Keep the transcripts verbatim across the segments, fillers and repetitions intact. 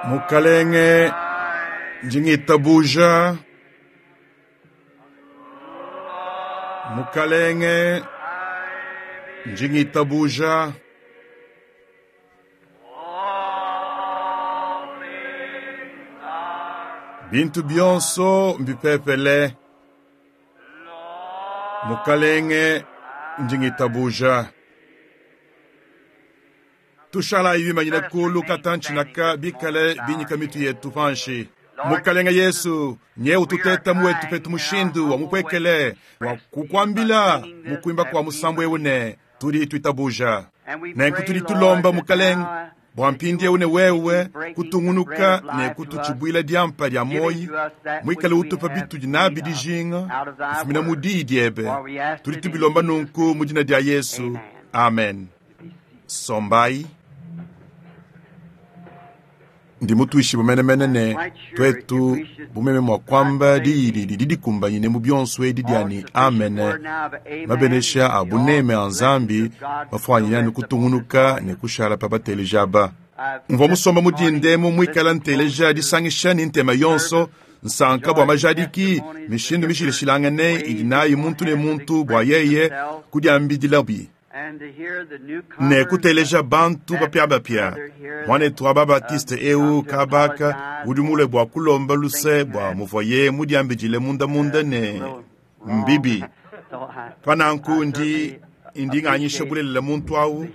Mukalenge, ndi ngitabuja. Mukalenge, ndi ngitabuja. Bintu bionso mbipepele. Mukalenge, ndi ngitabuja. Tushalayi bimanyine kulu katantshi-naka bikale binyika mitu yetu panshi. Mukalenge Yesu, nye ututeta muwetu petu mushindu wa mupuekele wa kukuambila mu kuimba kua musambu eu ne tudi tuitabuja. Nenku tudi tulomba Mukalenge bua mpindieu ne wewe kutungunuka ne kututshibuila diampa dia muoyi, muikale utupa bitudi nabi dijinga kufumina mu diyi diebe. Tudi tubilomba nunku mu dina dia Yesu. Amen. Sombai. Ndi mutuishibue menemene ne tuetu bumeme mua kuamba diyi didi dikumbanyine mu bionso edi dia ne amene. Mabenesha a buneme a Nzambi mafuanyine anu kutungunuka ne kushala pa bateleji aba. Mvua musomba mu dindemu muikala nteleja disangisha ne ntema yonso, nsanka bua majadiki mishindu mishilashilangane idi nayi muntu ne muntu bua yeye kudiambidilabi ne kuteleja bantu bapiabapia. Muanetu wa Babatiste eu kabaka udi mulue bua kulomba luse bua muvuaye mudiambidile mundamunda ne mbibi. Pa nanku ndi ndi nganyisha bulelela muntu au,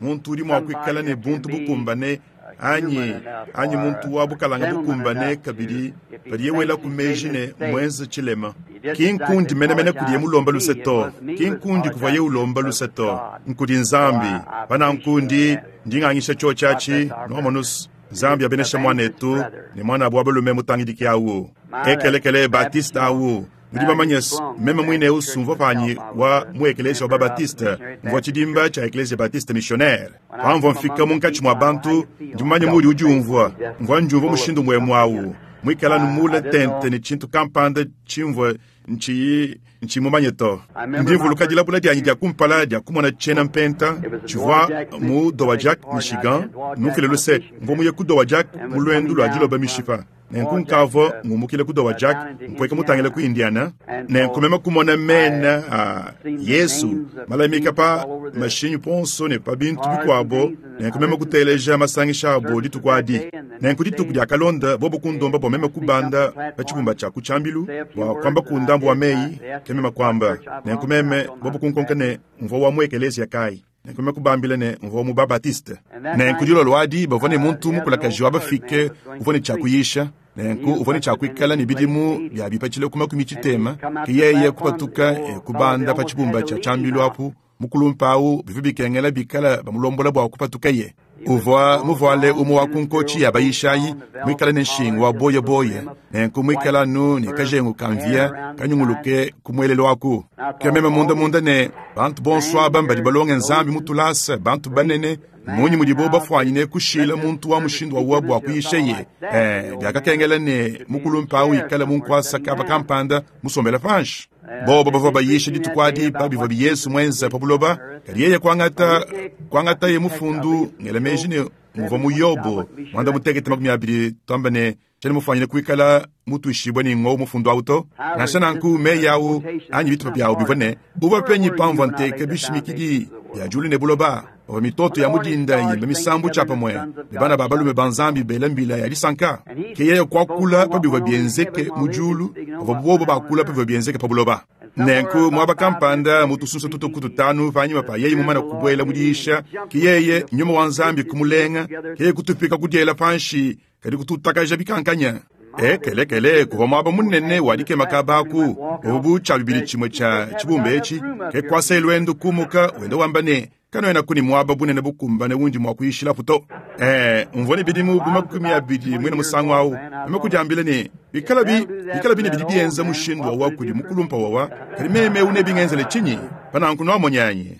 muntu udi mua kuikala ne buntu bukumbane anyi anyi muntu wa bukalanga bukumbane kabidi padiye wela ku meji ne mwenze tshilema. Ki nkundi menemene kudiye mulomba luse to, ki nkundi kuvuaye ulomba luse to, nkudi Nzambi. Pa nanku ndi ndi nganyisha tshiotshi atshi nuamonus. Nzambi abenesha muanetu ne muanabu wa balume mutangidiki awu ekelekele Batiste awu. Nudi bamanye meme muine eu sumvua panyi wa mu ekelesia wa Babatiste, mvua tshidimba tshia ekelesia Batiste missionnaire. Pamvua mfika munkatshi mua bantu, ndi mumanye mudi udiumvua, mvua ndiumvua mushindu muemu awu, muikala numule tente ne tshintu kampanda tshimvua ntshiyi ntshimumanye to. Ndi mvuluka dilabula dianyi dia kumpala dia kumona tshiena mpenta tshivua mu Dowagiac, Michigan. Numfile luse, mvua muye ku Dowagiac mu luendu lua diloba mishipa. Nenku nkavua ngumukile ku Dowagiac mpueka mutangile ku Indiana, nenku meme kumona mena a Yesu malamika pa mashinyi ponso ne pa bintu bikuabo, nenku meme kuteleja masangisha abo dituku adi. Nenku dituku diakalonda bobo kundomba bua meme kubanda pa tshibumba tshia ku tshiambilu bua kuamba ku ndambu wa meyi, ke meme kuamba. Nenku meme bobo kunkonka ne mvua wa mu ekelesia kayi. Nenku meme kubambila ne mvua mu Babatiste. Nenku dilolo adi bavua ne muntu mukulakaji wa bafike uvua ne tshia kuyisha. Nenku uvua ne tshia kuikala ne bidimu bia bipatshila ku makumi tshitema, ke yeye kupatuka e kubanda pa tshibumba tshia tshiambilu apu. Mukulumpa awu bivua bikengela bikala bamulombola bua kupatukaye. Uvua muvuale umue wa ku nkotshi ya bayishayi, muikale ne nshingu wa boyeboye, nenku muikala anu ne kajengu ka mvia kanyunguluke ku muelelu aku. Ke meme mundamunda ne bantu bonso aba mbadi balonge Nzambi mu tulasa, bantu banene, munyi mudibo bafuanyine kushila muntu wa mushindu wawa bua kuyishaye? Eh, biakakengela ne mukulumpa awu ikale mu nkuasa kaba kampanda musombela panshi. Bobo bavua bayisha dituku adi pa bivua Yesu muenze pa buloba, kadi yeye kuangata kuangataye mufundu ngela meji ne muvua mu Yobo mwanda mutekete makumi abidi tuamba ne tshiena mufuanyine kuikala mutuishibue ne ngowu mufundu awu to. Nansha nanku meyi awu anyi bitupa biawu bivua ne uvua penyi pamvua nteka bishimikidi bia diulu ne buloba, pavua mitoto ya mudinda yimba misambu tshiapamue ne bana ba balume ba Nzambi bela mbila ya disanka. Ke yeye kuakula pa bivua bienzeke mu diulu, pavua bobo bakula pa bivua bienzeke pa buloba. Nenku muaba kampanda mu tusunsa tutuku tutanu panyima pa yeye mumane kubuela mu diyisha, ke yeye nyuma wa Nzambi kumulenga, ke yeye kutupika kudiela panshi, kadi kututakaja bikankanya. Ekelekele kuvua muaba munene wa dikema kaba aku, uvua bu tshia bibidi tshimue tshia tshibumba etshi, ke kuasa luendu kumuka wenda wamba ne kanoenaku ne muaba bunene bukumbane undi mua kuyishilapu to. Eh, mvua ne bidimu bu makumi abidi muine musangu awu, meme kudiambila ne bikalabi bikalabi ne bidi bienza mushindu wawa kudi mukulumpa wawa, kadi meme eu nebingenzele tshinyi? Pa nanku nuamonyanyi.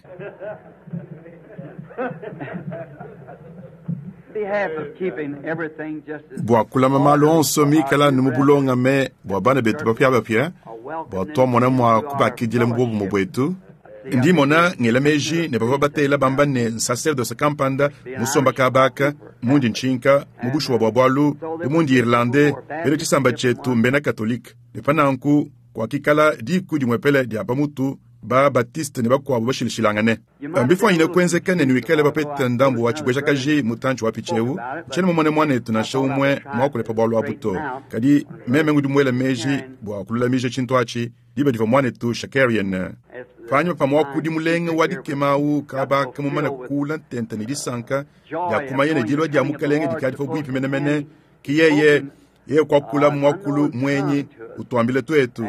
Bua kulama malu onso mikale anu mu bulongame bua bana betu bapiabapia, bua tuamona mua kubakidila mu buobumue buetu, Ndi mmona ngela meji ne bavua batela bamba ne nsaserdose kampanda musomba kabaka mundi ntshinka mu bushuwa bua bualu bu mundi Irlande bena tshisamba tshietu mbena katolike ne pa nanku kuakikala diku dimwepele dia pamutu ba Baptiste ne bakuabu bashilashilangane. Mbifuanyine kuenzeka ne nuikale bapete ndambu wa tshibwejakaji mutantshi wa pitsheu ntshiena mumone muanetu nansha umwe muakule pa bualu abu to. Kadi meme ngudi muela meji bua kululamija tshintu atshi diba divua muanetu Shakarian panyima pa muakudi mulenge wa dikema awu kabaka mumane kuula ntenta ne disanka dia kumanya ne dilua dia mukalenge dikadi pabuipi menemene ki yeye yeye kuakula muakulu mwenyi utuambile tuetu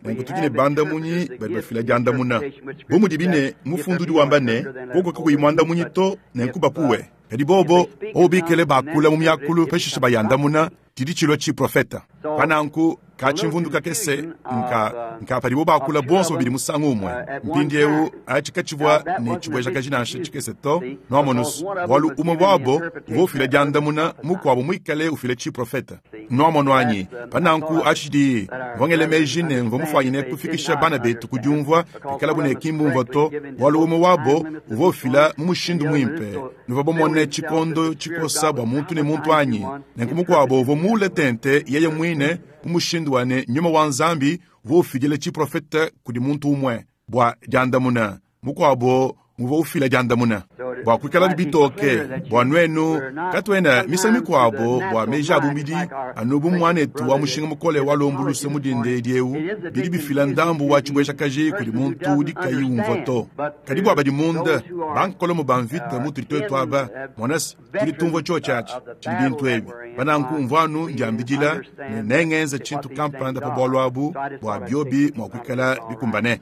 nenku tudi ne bandamunyi badi bafila diandamuna bu mudibi ne mufundu udi wamba ne koko kakuyi muandamunyi to nenku bapuwe kadi bobo bobo bikele bakula mu miakulu pashishe bayandamuna tshidi tshilua tshiprofeta pa nanku katshimvundu kakese nka nka padibo bakula bonso babidi musangu umwe mpindieu atshi katshivua ne tshibwejakaji nansha tshikese to nuamonusu bualu umwe wabo uvua ufila diandamuna mukuabo muikale ufila tshiprofeta nuamono anyi pa nanku atshi tshidi mvua ngela meji ne mvua mufuanyine kufikisha bana betu ku diumvua pikalabu ne kimbumvua to bualu umwe wabo uvua ufila mu mushindu muimpe nuvua bamone tshikondo tshikosa bua muntu ne muntu anyi nenku mukuabo uvua muule tente yeye muine mu mushindu wa ne nyuma wa Nzambi uvua ufidila tshiprofeta kudi muntu umwe bua diandamuna mukuabo muvua ufila diandamuna bua kuikala bitoke bua nuenu katuena misangu mikuabo bua meji a bumidi anu bu muanetu wa mushinga mukole wa lumbulusa mudinde edi eu bidi bifila ndambu wa tshibwejakaji kudi muntu udi kayi umvua to. Kadi bua badi munda bankolomo ba mvita mutudi tuetu aba monasi tudi tumvua tshiotshi atshi tshidi bintu ebi pananku mvua anu ndiambidila ne nengenza tshintu kampanda pa bualu abu bua biobi mua kuikala bikumbane.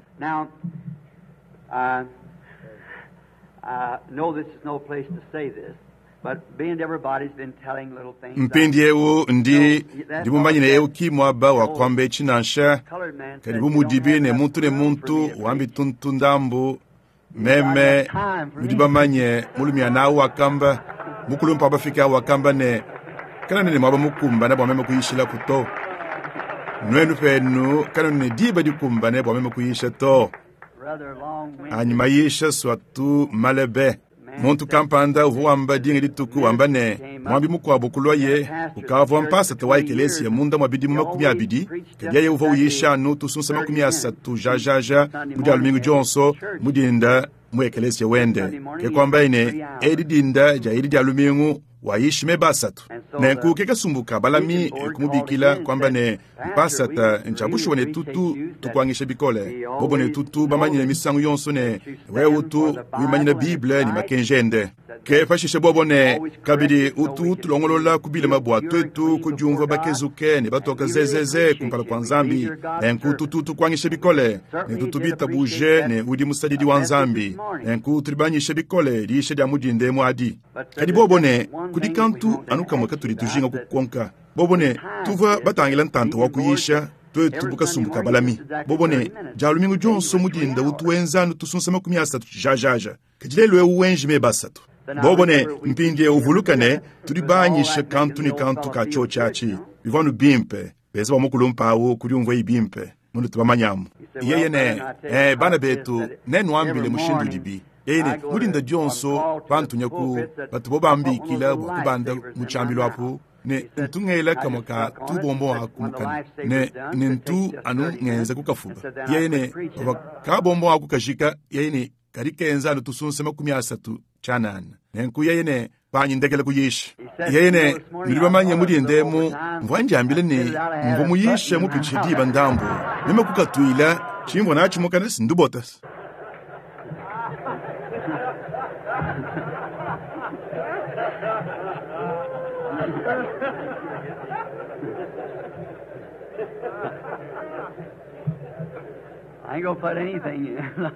I know this is no place to say this, but being everybody's been telling little things. Mpindieu ndi ndi mumanyine eu ki muaba wa kuamba etshi nansha kadi bu mudibi ne muntu ne muntu wambi tuntu ndambu meme nudi bamanye mulumiana awu wakamba mukulumpa abafika awu wakamba ne kana ne muaba mukumbane bua meme kuyishilaku to nuenu penu kana ne diba dikumbane bua meme kuyisha to. Anyi mayisha swatu malebe muntu kampanda uvua wamba dinga dituku wamba ne mwambi mukuabo kulwaye ukavua mpasata wa ekelesiya munda mwa bidimu makumi abidi kadi yeye uvua uyisha anu tusunsa makumi asatu jajaja mu dia lumingu dionso mu dinda mu ekelesiya wende ke kuambaye ne edi dinda dia edi dia lumingu wayishi meba asatu nenku ke kasumbuka balami kumubikila kwamba ne mpasata ntsha ne tutu tukuangisha bikole bobo ne tutu bamanyine misangu yonso ne wewe utu wimanyina bible ne makenji ende ke pashishe bobo ne kabidi utu tulongolola kubilema bua tuetu kudiumvua bakezuke ne batoka zezeze kumpala kua Nzambi nenku tutu tukuangisha bikole ne tutu bitabuje ne udi musadidi wa Nzambi nenku tudi banyisha bikole diisha dia mudinde muadi kadi bobo ne kudi kantu anu kamwe katudi tujinga kukonka bobo ne tuvua batangila ntanta wa kuyisha tuetu bukasumbuka balami bobo ne dia lumingu dionso mudinda utu wenza anu tusunsa makumi asatu jajaja kadi lelu eu wenji meba asatu bobo ne mpindie uvuluka ne tudi banyisha kantu ne kantu ka tshiotshi atshi bivua anu bimpe beza bamukulumpa awu kudiumvua bimpe mundu tubamanyamu yeye ne eh, bana betu nenuambile mushindu udibi yeye ne mudinda dionso bantunya ku batu bo bambikila bua kubanda mu tshiambilu apu ne ntu ngela kamwe ka tubombo aku mukana ne ne ntu anu ngenza kukafuba yeye ne pavua kabombo aku kajika yeye ne kadi kenza anu tusunsa makumi asatu tshianana nenku yeye ne panyi ndekela kuyisha yeye ne nudi bamanye mudindemu mvua ndiambile ne mvua muyisha mupitshishe diba ndambu meme kukatuila tshimvua natshi mukana sindubotasa. I ain't gonna put anything in.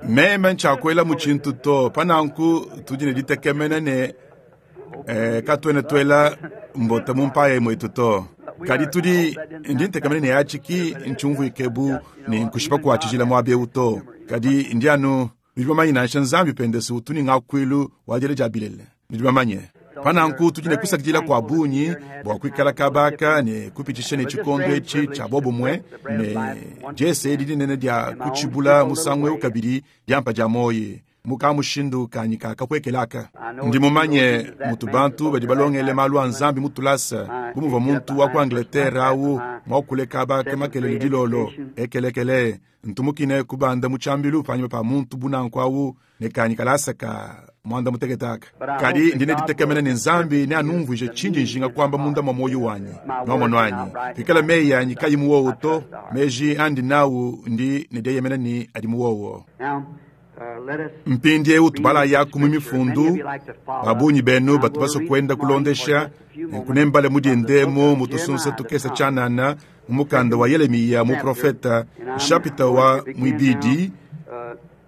Meme ntshakuela mu tshintu to pananku tudi ne ditekemena ne eh, katuena tuela mbota mu mpaya mwetu to kadi tudi ndi ntekemena ne atshi ki ntshiumvuike bu ne nkushipa kua tshijila muaba eu to kadi ndi anu nudi bamanye nansha Nzambi pendesi utu ne ngakuilu wa diela dia bilele nudi bamanye Pananku tudi ne kusakidila kua bungi bua kuikala kabaka ne kupitisha ne tshikondo etshi tshia bobumwe ne jese edi dinene dia kutshibula musangu eu kabidi diampa dia moyi muka mushindu kanyi kakapwekelaka. Ndi mumanye mutu bantu badi balongele malu a Nzambi mutulasa bu muvua muntu wa ku Angleterre awu mwakuleka baka makelele dilolo ekelekele ntumukine kubanda mu tshiambilu panyima pa muntu bunanku awu ne kanyi kalasa ka mwanda muteketaka. Kadi ndine ditekemena ne Nzambi ne anumvuije tshindi njinga kwamba munda mwa moyo wanyi nwamonu anyi pikala meyi anyi kayi muwowo to meji andi nawu ndi ne dieyemena ni adi muwowo. Mpindi eu tubala yaku mu mifundu babunyi benu batu basokwenda kulondesha nkunembale mudindemo mutusunsa tukesa tshanana mu mukanda wa Yeremiya mu profeta chapita wa mwibidi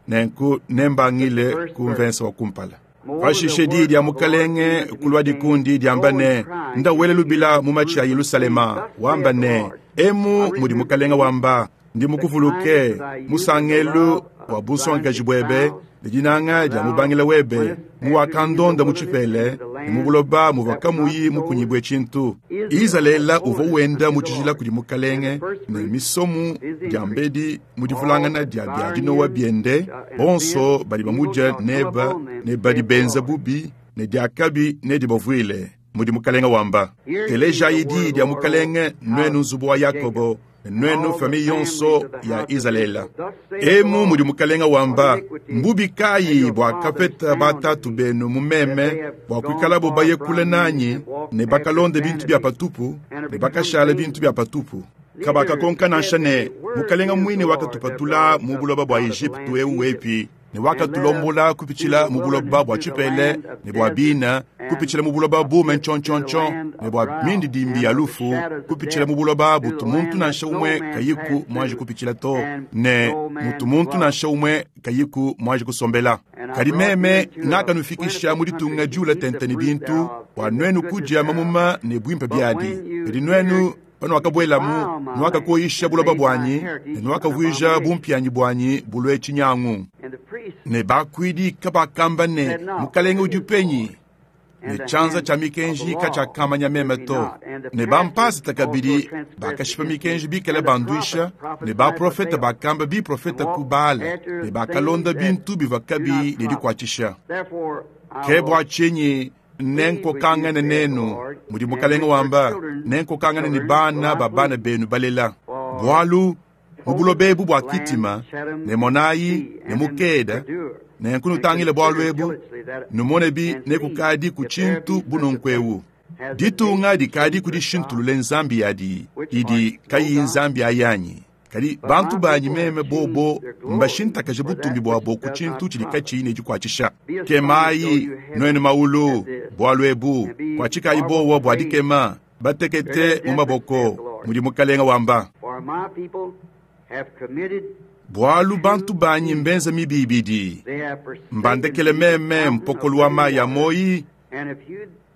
nenku nembangile ku mvensa wa kumpala. Pashishe di dia mukalenge kulwa dikundi diamba ne ndawele lubila mu machi ya Yerusalema wamba ne emu mudi mukalenge wamba ndi mukuvuluke musangelu wa busonkaji bwebe ne dinanga dia mubangila webe muwakandonda mu tshipele ne mu buloba muvua kamuyi mukunyibwe tshintu. Izalele uvua wenda mu tshijila kudi mukalenge ne misomu dia mbedi mu divulangana dia bia dinowa biende bonso badi bamudia neba ne badi benza bubi ne diakabi ne dibavuile mudi mukalenge wamba. Telejayi di dia mukalenge nwenu nzubu wa Yakobo nwenu famille yonso ya Izalele. Emu mudi mukalenge wamba mbubi kayi bua kapeta batatu benu mumeme bua kuikalabo baye kule nanyi ne bakalonde bintu bia patupu ne bakashala bintu bia patupu. Kabakakonka nansha ne mukalenge mwine wakatupatula mu buloba bua Egypte eu wepi ne wakatulombola kupitshila mu buloba bua tshipele ne bua bina kupitshila mu buloba bume ntshontshontshon ne bua mindidimbi ya lufu kupitshila mu buloba butu muntu nansha umwe kayiku mwanji kupitshila to ne mutu muntu nansha umwe kayiku mwanji kusombela. Kadi meme ngakanufikisha mu ditunga diula tente ne bintu bua nwenu kudia mamuma ne bwimpe biadi. Kadi nwenu pano wakabwelamu nwakakoyisha buloba bwanyi ne nwakavuija bumpianyi bwanyi bulwe tshinyangu. Ne bakwidi kabakamba ne mukalenge udi penyi ne tshianza tshia mikenji katshiakamanya meme to. Ne bampasita kabidi bakashipa mikenji bikale banduisha ne baprofeta bakamba biprofeta ku Baale ne bakalonda bintu bivua kabi ne dikuatshisha. Ke bua tshinyi nenkokangane nenu mudi mukalenge wamba nenkokangane ne bana ba bana benu balela. Bualu mu buloba ebu bua kitima ne monayi ne mukeda nenkunutangile bualu ebu numone bi nekukadi ku tshintu bunonku ditunga dikadi kudishintulule nzambi yadi idi kayi nzambi ayanyi. Kadi bantu banyi meme bobo mbashintakaje butumbi bwabo ku tshintu tshidi katshiyi ne dikuatshisha. Kemayi nwenu maulu bualu ebu kuatshikayi bowa bua dikema batekete mu maboko mudi mukalenge wamba. Bualu bantu banyi mbenza mibi ibidi mbandekele meme mpokolo wa mayi ya moyi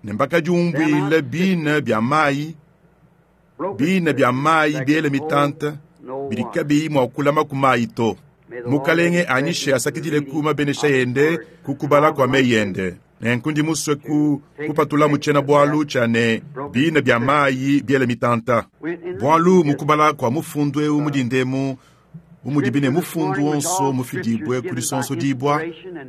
ne mbakadiumbuile bina bia mayi bina bia mayi biele mitanta bidi kabiyi mua kulama ku mayi to. Mukalenge anyishe asakidile ku mabenesha yende kukubala kwa meyi yende. Nenku ndi musue ku kupatula mu tshiena bualu tshia ne bina bia mayi biele mitanta. Bualu mukubala kua mufundu eu mudindemu umudi bine mufundu wonso mufidibwe kudi sonso dibwa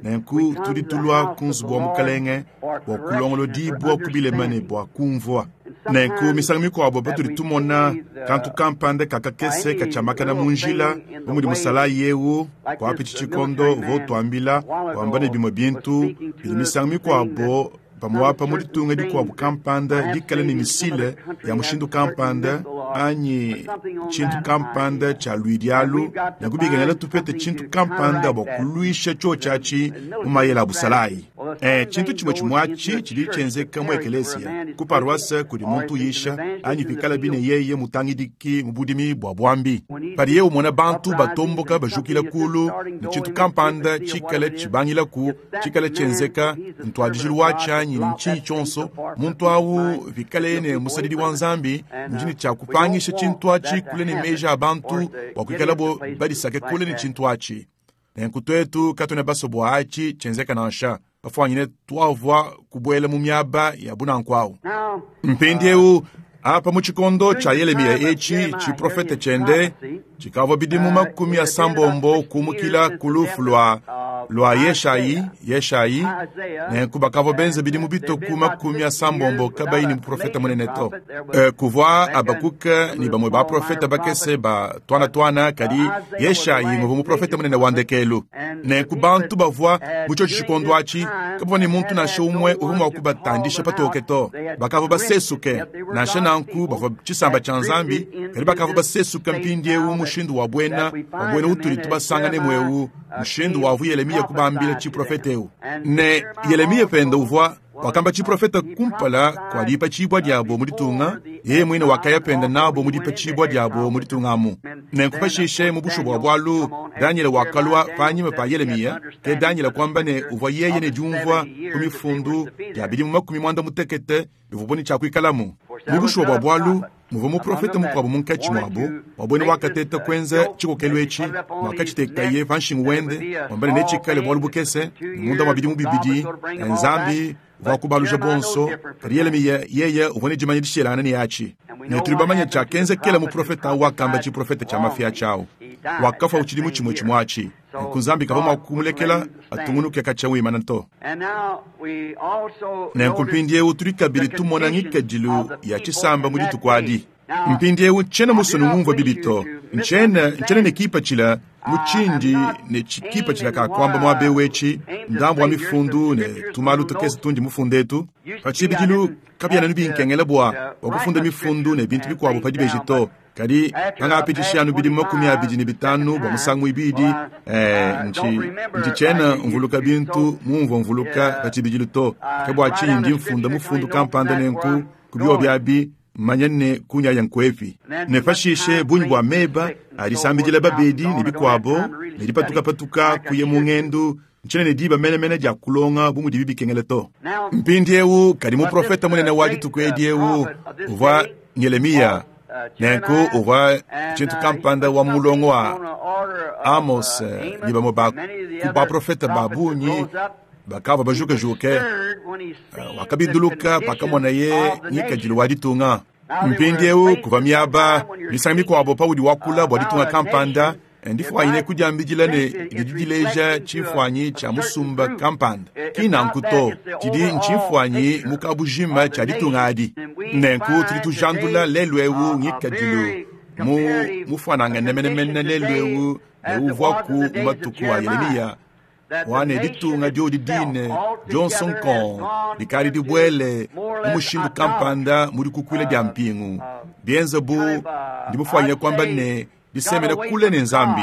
nenku tudi tulua ku nzubu wa mukalenge bua kulongolodibwa kubilemane bua kumvua. Nenku misangu mikuabo patudi tumona kantu kampanda kakakese katshiamakana mu njila umudi musalayi eu kuapitshi tshikondo uvua utuambila wamba ne bimue bintu bidi misangu mikuabo pamuapa mu ditunga dikuabu kampanda dikale ne misile ya mushindu kampanda anyi tshintu kampanda tshia luidialu nekubikengela tupete tshintu kampanda bua kuluisha tshio tshiatshi mu mayele a busalayi. Eh, tshintu tshimue tshimue atshi tshidi tshienzeka mu ekelesia ku paroisse kudi muntu uyisha anyi pikala bine yeye mutangidiki mu budimi bua bwambi. Padiye umona bantu batomboka bajukila kulu ne tshintu kampanda tshikale tshibangilaku tshikale tshienzeka ntuadijilu watshi anyi ntshinyi tshionso muntu awu pikale ne musadidi wa Nzambi mujini tshia kupangisha tshintu atshi kule ne meji a bantu bua kuikalabo badisake kule ne tshintu atshi. Nenku twetu katwena baso bua atshi tshienzeka nansha Bafwanyine twavwa kubwela mu myaba ya bunanku Mpindieu apa mu tshikondo tshia Yelemiya etshi tshiprofete tshiende tshikavua bidimu makumi asambombo kumukila ku lufu lua lua Yeshayi Yeshayi nenku bakavua benza bidimu bitoku makumi asambombo kabayi ne muprofete munene to. E, kuvua Abakuka ni bamwe baprofete bakese ba twana twana kadi Yeshayi nguvua muprofete munene wa ndekelu. Nenku bantu bavua mu tshio tshikondo atshi kabavua ne muntu nansha umwe uvua mua kubatandisha patoke to. Bakavua basesuke nansha nanku bavua tshisamba tshia Nzambi kadi bakavua basesuka mpindieu mushindu wa bwena wa bwena utuli tubasangane mweu mushindu wavu Yelemiya kubambila tshiprofete eu. Ne Yelemiya penda uvua wakamba tshiprofete kumpala kwa dipa tshibwa diabo mu ditunga yeye mwine wakaya penda nabo mu dipa tshibwa diabo mu ditunga amu. Nenku pashishe mu bushu bua bwalu Daniel wakalua panyima pa Yelemiya ke Daniel kwamba ne uvua yeye ne diumvua ku mifundu ya bidimu makumi mwanda mutekete bivua ne tshiakuikalamu. Mu bushu bua bwalu muvua muprofete mukuabu munkatshi muabo wabwene wakateta kwenza tshikokelo etshi mwakatshitekaye pa nshingu wende wambane netshikale bwalu bukese munda mwa bidimu bibidi Nzambi uvua kubaluja bonso kadi Yelemiya yeye uvua ne dimanya dishelangana ne yatshi. Ne tuli bamanya tshiakenzekela muprofete awu wakamba tshiprofete tshia mafia tshiawu wakafa utshidimu tshimwe tshimwe atshi. Nenku Nzambi kavua mua kumulekela atungunuke katshia wimana to. Nenku mpindieu tuli kabidi tumona ngikadilu ya tshisamba mu dituku adi. Mpindieu tshiena musone ngumvua bibi to. Ntshiena ntshiena ne kipatshila mu tshindi ne tshikipatshila ka kwamba muabe wetshi ndambu wa mifundu ne tumalu tukese tundi mufundetu. Pa tshibidilu kabiena nubinkengela bua bua kufunda mifundu ne bintu bikuabu pa dibeji to. Kadi pangapitisha anu bidimu makumi abidi ne bitanu bua musangu ibidi eh, nchi nchi tshiena mvuluka bintu mumvua mvuluka pa tshibidilu to. Ke bua tshinyi ndi mfunda mufundu kampanda nenku ku biobi abi manya ne kunyaya nkwepi. Ne pashishe bunyi bua meba alisambidila babedi ne bikuabo ne dipatukapatuka kuye mu ngendu ntshiena ne diba menemene dia kulonga bu mudibi bikengele to. Mpindieu kadi muprofete munene wa dituku edi eu uvua Yelemiya. Nenku uvua tshintu kampanda wa mulongo wa Amos ne bamwe ba ku baprofete ba bungi bakavua bajukejuke wakabinduluka pakamonaye ngikadilu wa ditunga. Mpindieu kuva miaba misangu mikuabo paudi wakula bua ditunga kampanda ndifwanyine kudiambidila ne didi dileja tshimfuanyi tshia musumba kampanda. Ki nanku to tshidi ntshimfuanyi mu kabujima tshia ditunga adi. Nenku tudi tujandula lelu eu ngikadilu mu mufuanangane menemene lelu eu ne uvuaku mu matuku a Yelemiya wane ditunga diodi dine Johnson Kong dikali dibwele mu mushindu kampanda mu dikukuila dia mpingu bienza bu ndi mufuanyine kwamba ne disemena kule ne Nzambi.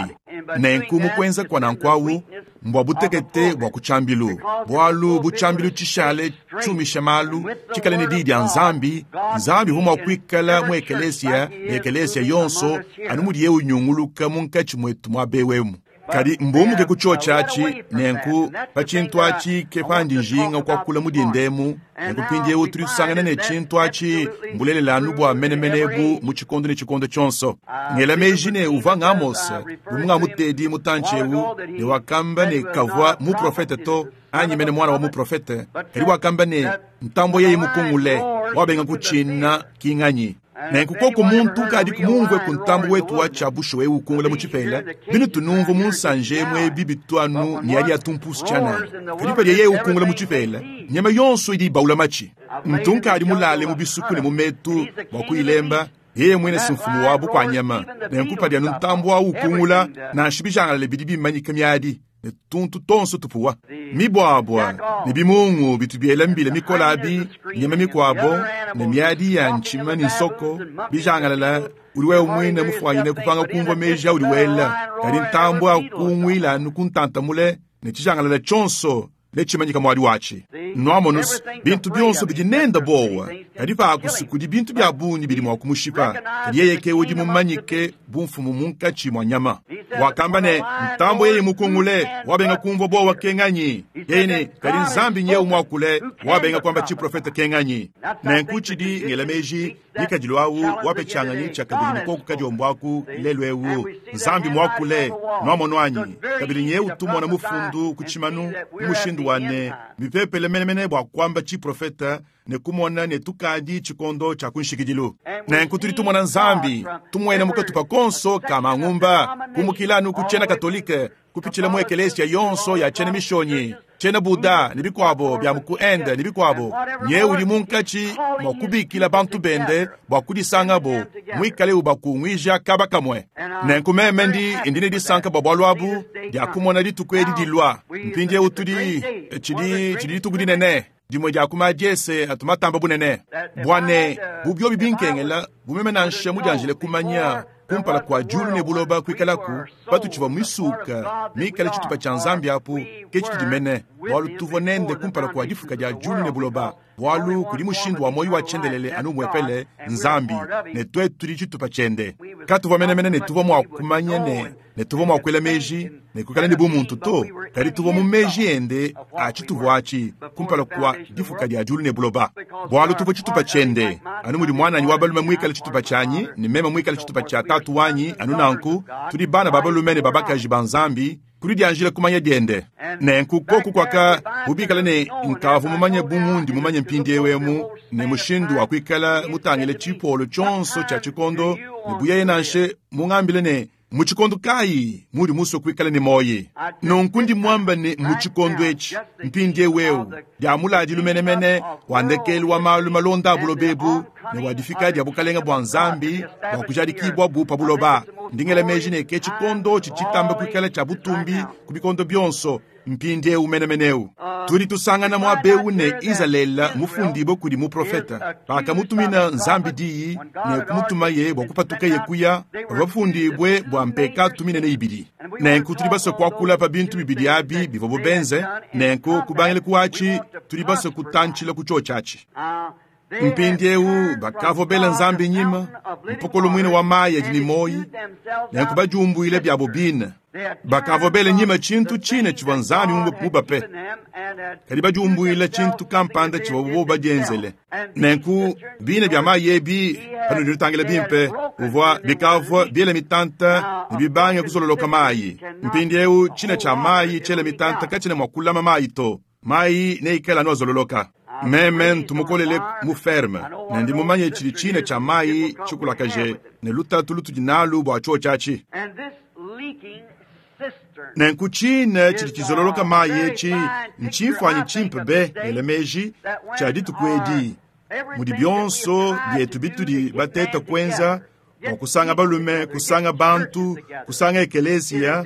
Nenku mu kuenza kwa nanku awu mbua butekete bua kutshambilu bwalu butshambilu tshishale tshumisha malu tshikale ne diyi dia Nzambi. Nzambi uvua mua kuikala mu ekelesia ne ekelesia yonso anu mudiye unyunguluka munkatshi mwetu mua bewemu. Kadi mbumuke ku tshio tshiatshi nenku pa tshintu atshi ke pandi njinga kuakula mudindemu. Nenku mpindieu tuli tusangana ne tshintu atshi mbulelela anu bua menemene bu mu tshikondo ne tshikondo tshionso. Ngela meji ne uvua Amos bu mutedi mutantshi eu ne wakamba ne kavua muprofete to anyi mene mwana wa muprofete kadi wakamba ne ntambo yeye mukungule wabenga kutshina kinganyi. Nenku koko muntu kadi kumumvue ku ntambo wetu wa tshiabusho eu ukungula mu tshipela binu tunumvu mu nsanje mwebi bituanu ni yali atumpusu tshianana. Kadi padi yeye ukungula mu tshipela nyama yonso idi ibaula matshi. Ntunka adi mulale mu bisuku ne mu metu bua kuyilemba yeye mwene si mfumu wabu kwa nyama. Nenku padi anu ntambo awu ukungula nansha bijangalale bidi bimanyika miadi ne tuntu tonso tupuwa mibwabwa ne bimungu bitu biela mbila mikola abi nyama mikuabo ne miadi ya ntshima ne nsoko bijangalala udi wewe mwine mufuanyine kupanga kumvua meji audi wela kadi ntambo akungwila anu kuntantamule ne tshijangalala tshionso ne tshimanyika mwadi watshi. Nwamonu's, bintu byonso bidi nenda bowa, kadi paakusi kudi bintu bya bungi bidi mwa kumushipa. Kadi yeye ke udi mumanyike bu mfumu munkatshi mwa nyama. Wakamba ne, ntambo yeye mukungule, wabenga kumvwa bowa kenganyi. Yeye ne, kadi Nzambi nyewu mwakule, wabenga kwamba chiprofeta kenganyi. Nenku chidi ngela meji, ngikadilu awu wapetshanganyi tshia kabidi mukoko kadiombwaku lelu ewu. Nzambi mwakule, nwamono anyi. Kabidi nyewu tumona mufundu ku tshimanu, mu mushindu wane, mipepele menemene bua kwamba chiprofeta, ne kumona ne tukadi tshikondo tshia kunshikidilu. Nenku tudi tumona Nzambi, tumwena mukatupa konso ka mangumba, kumukilanu ku tshiena katolike, kupitshila mu ekelesia yonso ya tshiena mishonyi, tshiena Buddha ne bikwabo bya mu Inde ne bikwabo. Nye udi munkatshi mwa kubikila bantu bende bua kudisangabo, mwikale ubakungwija kaba kamwe. Nenku meme ndi ndi ne disanka bua bualu abu, dia kumona dituku edi dilua. Mpindiewu tudi, tshidi, tshidi dituku dinene. Dimwe dia ku madiese atumatamba bunene. Bwane, bu byobi binkengela, bu meme nansha mudianjile kumanya kumpala kwa diulu ne buloba kuikalaku, patutshivua misuka, mikale tshitupa tshia Nzambi apu, ke tshitudi mene, bualu tuvua nende kumpala kwa difuka dia diulu ne buloba, bualu kudi mushindu wa moyo wa tshiendelele anu umuepele, Nzambi, ne twetu tudi tshitupa tshiende. Katuvua menemene ne tuvua mua kumanya ne, ne tuvua mua kuela meji, ne kuikala ne bumuntu to, kadi tuvua mu meji ende a tshituvua atshi kumpala kwa difuka dia diulu ne buloba. Bualu tuvua tshitupa tshiende, anu mudi mwananyi wa balume muikale tshitupa tshianyi, ne meme muikale tshitupa tshia tatu wanyi, anu nanku, tudi bana ba balume ne ba bakaji ba Nzambi, kudi dianjila kumanya diende. Nenku koku kwaka bubikala ne nkavu mumanye bu mundi mumanye mpindiewu emu, ne mushindu wa kuikala mutangile tshipolo tshionso tshia tshikondo, ne buyeye nanshe mungambile ne, mu tshikondo kayi mudi musue kuikala ne moyi. Nunku ndi mwamba ne mu tshikondo etshi, mpindiewu ewu, dia muladilu menemene, wa ndekelu wa malu malonda a buloba ebu, ne wa difika dia bukalenga bua Nzambi, bua kujadikibwa bu pa buloba. Ndingela meji ne ke tshikondo tshitshitamba kuikala tshia butumbi ku bikondo byonso, mpindiewu menemeneu. Tudi tusangana muaba ne Izalele mufundibwe kudi muprofeta. Pakamutumina Nzambi diyi ne kumutumaye bua kupatuka ye kuya, bafundibwe bua mpekatu minene ibidi. Nenku tudi basue kuakula pa bintu bibidi abi bivua bubenze, nenku kubangila kuachi tudi basue kutantshila ku tshotshatshi. Mpindiewu bakavua bela Nzambi nyima, mpokolo mwine wa mayi adi ne moyi, nenku bajumbwile byabo bine. Bakavua bela nyima tshintu tshine tshivua Nzambi mubape, kadi bajumbwila tshintu kampanda tshivua bobo badienzele. Nenku bine bya mayi ebi, panudi nutangila bimpe, uvua bikavua biela mitanta ne bibange kuzololoka mayi. Mpindiewu tshine tshia mayi tshiela mitanta katshina mua kulama mayi to, mayi neikale anu azololoka. Meme ntumukolele mu ferme, ne ndi mumanye tshidi tshine tshia mayi tshikulakaje, ne lutatu lutudi nalu bua tshotshatshi. Nenku tshine tshidi tshizololoka mayi etshi, ntshimfuanyi tshimpe be ngela meji tshia dituku edi, mudi byonso byetu bitudi bateta kuenza bua kusanga balume, kusanga bantu, kusanga ekelesia,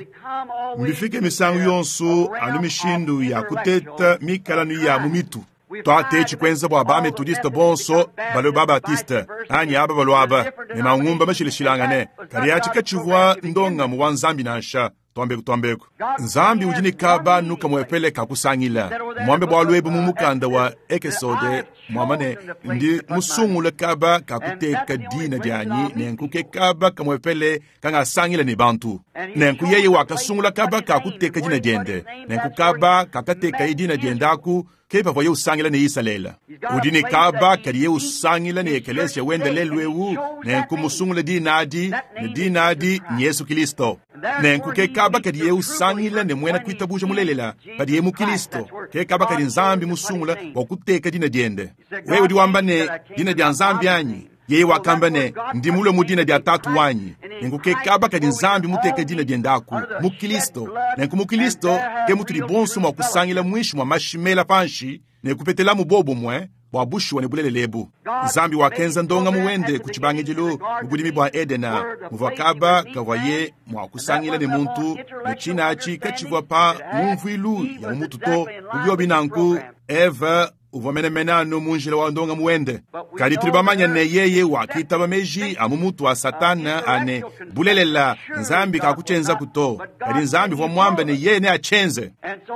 mbifike misangu yonso anu mishindu ya kuteta mikalanu ya mu mitu. Twatechi kwenza bua ba metodiste bonso balue ba baptiste anyi aba balue aba ne mangumba mashilashilangane, kadi atshi katshivua ndongamu wa Nzambi nansha. Twambeku twambeku. Nzambi udi ne kaba nuka muepele kakusangila. Mwambe bualu ebu mu mukanda wa Ekesode, mwamba ne ndi musungule kaba kakuteka dina dianyi, nenku ke kaba kamuepele kangasangila ne bantu. Nenku yeye wakasungula kaba kakuteka dina diende, nenku kaba kakateka dina diende aku, ke pavua usangila ne Isalele. Udi ne kaba kadiye usangila ne ekelesia wende lelu ewu, nenku musungule dina adi, ne dina adi ni Yesu Kristo. Nenku ke kaba kadiye usangila ne mwena kuitabuja mulelela, padiye mu Kristo, ke kaba kadi Nzambi musungula bua kuteka dina diende. Wewe udi wamba ne dina dia Nzambi anyi? Yeye wakamba ne ndi mulue mu dina dia tatu wanyi. Nenku ke kaba kadi Nzambi muteke dina diende aku mu Kristo. Nenku mu Kristo ke mutudi bonso mua kusangila mwishi mwa mashimela panshi ne kupetelamu bobumwe bua bushuwa ne bulelele ebu. Nzambi wakenza ndongamu wende ku tshibangidilu mu budimi bua Edena, muvua kaba kavuaye mua kusangila ne muntu, ne tshina atshi katshivua pa ngumvuilu ya mu mutu to. Mu biobi nanku, Eva uvua menemene anu mu njila wa ndongamu wende. Kadi tudi bamanye ne yeye wakitaba meji a mu mutu wa Satana a ne bulelela Nzambi kakutshienzaku to. Kadi Nzambi uvua muambe ne yeye neatshienze.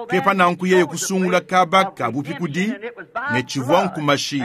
Ke pa nanku yeye kusungula kaba ka bupikudi ne tshivua nkumashi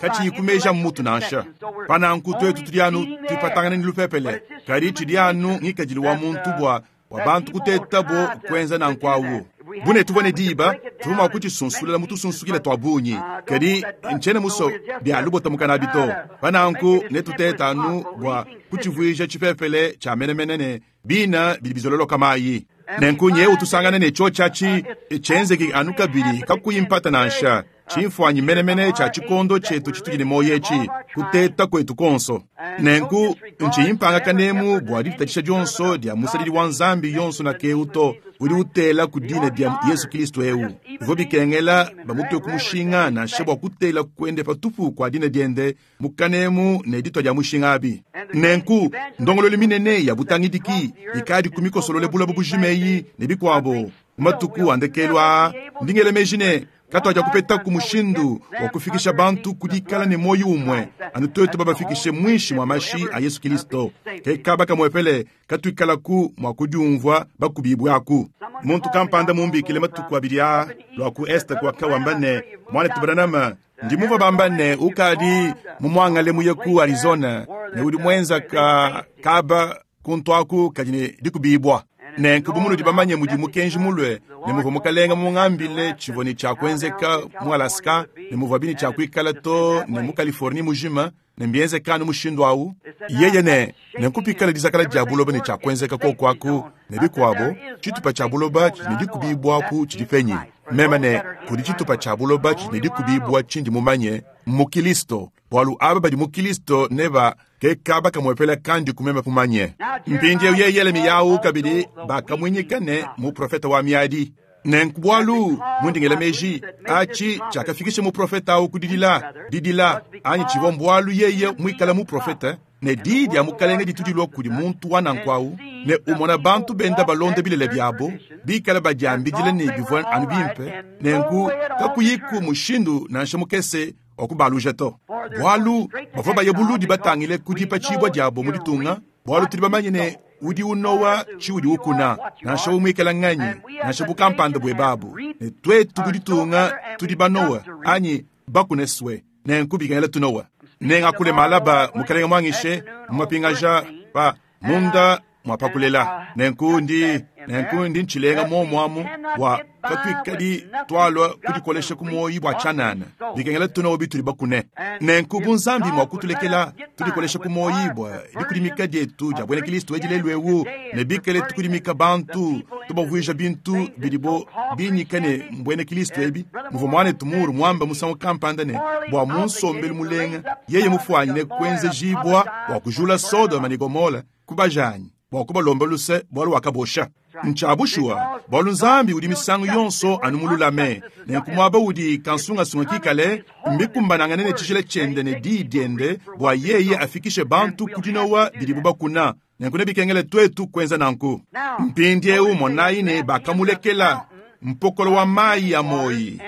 katshiyi ku meji a mu mutu nansha. Pa nanku twetu tudi anu tuipatangana ne lupepele, kadi tshidi anu ngikadilu wa muntu bua bua bantu kutetabo kuenza nanku awu. Bune tuvua ne diba tuvua mua kutshisunsulela mu tusunsukile tua bungi, kadi ntshiena muso bia lubota mukanabi to. Pa nanku netuteta anu bua kutshivuija tshipepele tshia menemene ne bina bidi bizololoka mayi. Nenku nyewu tusangane ne tshiotshi atshi tshienzeke anu kabidi kakuyi mpata nansha. Tshimfuanyi menemene tshia tshikondo tshietu tshitudi ne muoyo etshi, kuteta kuetu kuonso. Nenku ntshiyi mpanga kanemu bua ditatshisha dionso dia musadidi wa Nzambi yonso na keu to, udi utela ku dina dia Yesu Kristo eu. Bivua bikengela bamutue ku mushinga nansha bua kutela kuende patupu kua dina diende mu kanemu ne ditua dia mushinga abi. Nenku ndongoluelu minene ya butangidiki ikadi ku mikosolole buloba bujima eyi ne bikuabo mu matuku a ndekelu aa, ndi ngela meji ne katuaja kupetaku mushindu wa kufikisha bantu ku dikala ne muoyo umue anu twetu babafikishe muinshi mwa mashi a Yesu Kristo. Ke kaba kamuepele katuikalaku mua kudiumvua bakubibue aku. Muntu kampanda mumbikile matuku abidi aa lua ku Est kuaka wamba ne, mwanetu Branham, ndi muvua bamba ne ukadi mumuangale muye ku Arizona ne udi muenza ka kaba kuntu aku kadi ne dikubibua. Nenku bu munudi bamanye mudi mukenji mulue ne muvua mukalenga mungambile tshivua ne tshia kuenzeka mu Alaska ne muvua bine tshia kuikala to ne mu Californie mujima ne mbienzeka anu mushindu awu. Yeye ne nenku pikala dizakala dia buloba ne tshia kuenzeka koku aku ne bikuabo, tshitupa tshia buloba tshidi ne dikubibua apu tshidi penyi. Meme ne kudi tshitupa tshia buloba tshidi ne dikubibua tshindi mumanye mu Kristo, bualu aba badi mu Kristo ne ba ke kaba kamuepela kandi kumema kumanye. Mpindieu yeye Yeremiya kabidi bakamuinyika ne muprofeta wa miadi. Nenku bualu mundingela meji achi tshiakafikisha muprofeta awu ku didila didila anyi tshivua mbualu yeye muikala muprofeta ne di dia mukalenge ditudilwa kudi muntu wa nanku awu ne umona bantu benda balonda bilele biabo bikala badiambidile ne bivua anu bimpe, nenku kakuyiku mushindu nansha mukese wa kubaluja to. Bualu bavua baye buludi batangile ku dipatshibua diabo mu ditunga, bualu tudi bamanye ne udi unowa tshiudi ukuna, nansha umuikala nganyi, nansha bukampanda bwebabu. Ne twetu bu ditunga tudi banowa anyi bakuneswe, nenku bikengela tunowa. Nengakule malaba mukalenga mwangishe mumapingaja pa munda mwapakulela. Nenku ndi nenku ndi ntshilenga momwamu bua katuikadi twalwa kudikolesha ku muoyi bua tshianana. Bikengela tunowa bitudi bakune. Nenku bu Nzambi mua kutulekela tudikolesha ku muoyi bua dikudimika dietu dia buena Kristo edi lelu ewu, ne bikale tukudimika bantu tubavuija bintu bidibo binyika ne mbuena Kristo ebi. Muvua mwanetu Muru mwamba musangu kampanda ne bua munsombelu mulenga yeye mufuanyine kuenzejibua bua kujula Sodoma ne Gomora kubajanyi bua kubalomba luse bualu wakabosha. Ntshiabushua bualu Nzambi udi misangu yonso anu mululame, nenku muaba udi kansungasunga kikale mbikumbanangane ne tshijila tshiende ne diyi diende bua yeye afikishe bantu ku dinowa bidibu bakuna. Nenku nebikengele twetu kuenza nanku. Mpindieu monayi ne bakamulekela mpokolo wa mayi ya moyi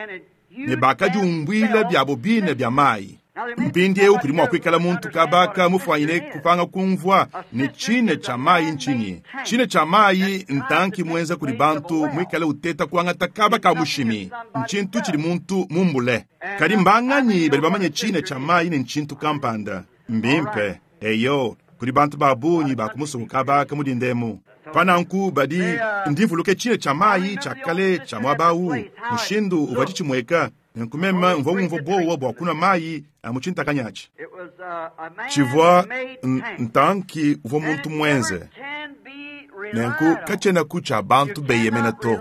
ne bakadiumbuila biabo bine bia mayi. Mpindieu kudi mua kuikala muntu kabaka mufuanyine kupanga kumvua ne tshine tshia mayi ntshinyi. Tshine tshia mayi ntanki muenza kudi bantu muikale uteta kuangata kaba ka mushimi, ntshintu tshidi muntu mumbule. Kadi mbanganyi badi bamanye tshine tshia mayi ne ntshintu kampanda? Mbimpe eyo kudi bantu ba bungi ba kumusuku kabaka mudindemu. Pananku badi ndivuluke tshine tshia mayi tshia kale tshia muaba awu, mushindu uvua tshimweka. Nenku meme mvua ngumvua bowa bua kunwa mayi a mu tshintakanyachi. Tshivua ntanki uvua muntu muenze. Nenku katshienaku tshia bantu beyemena to.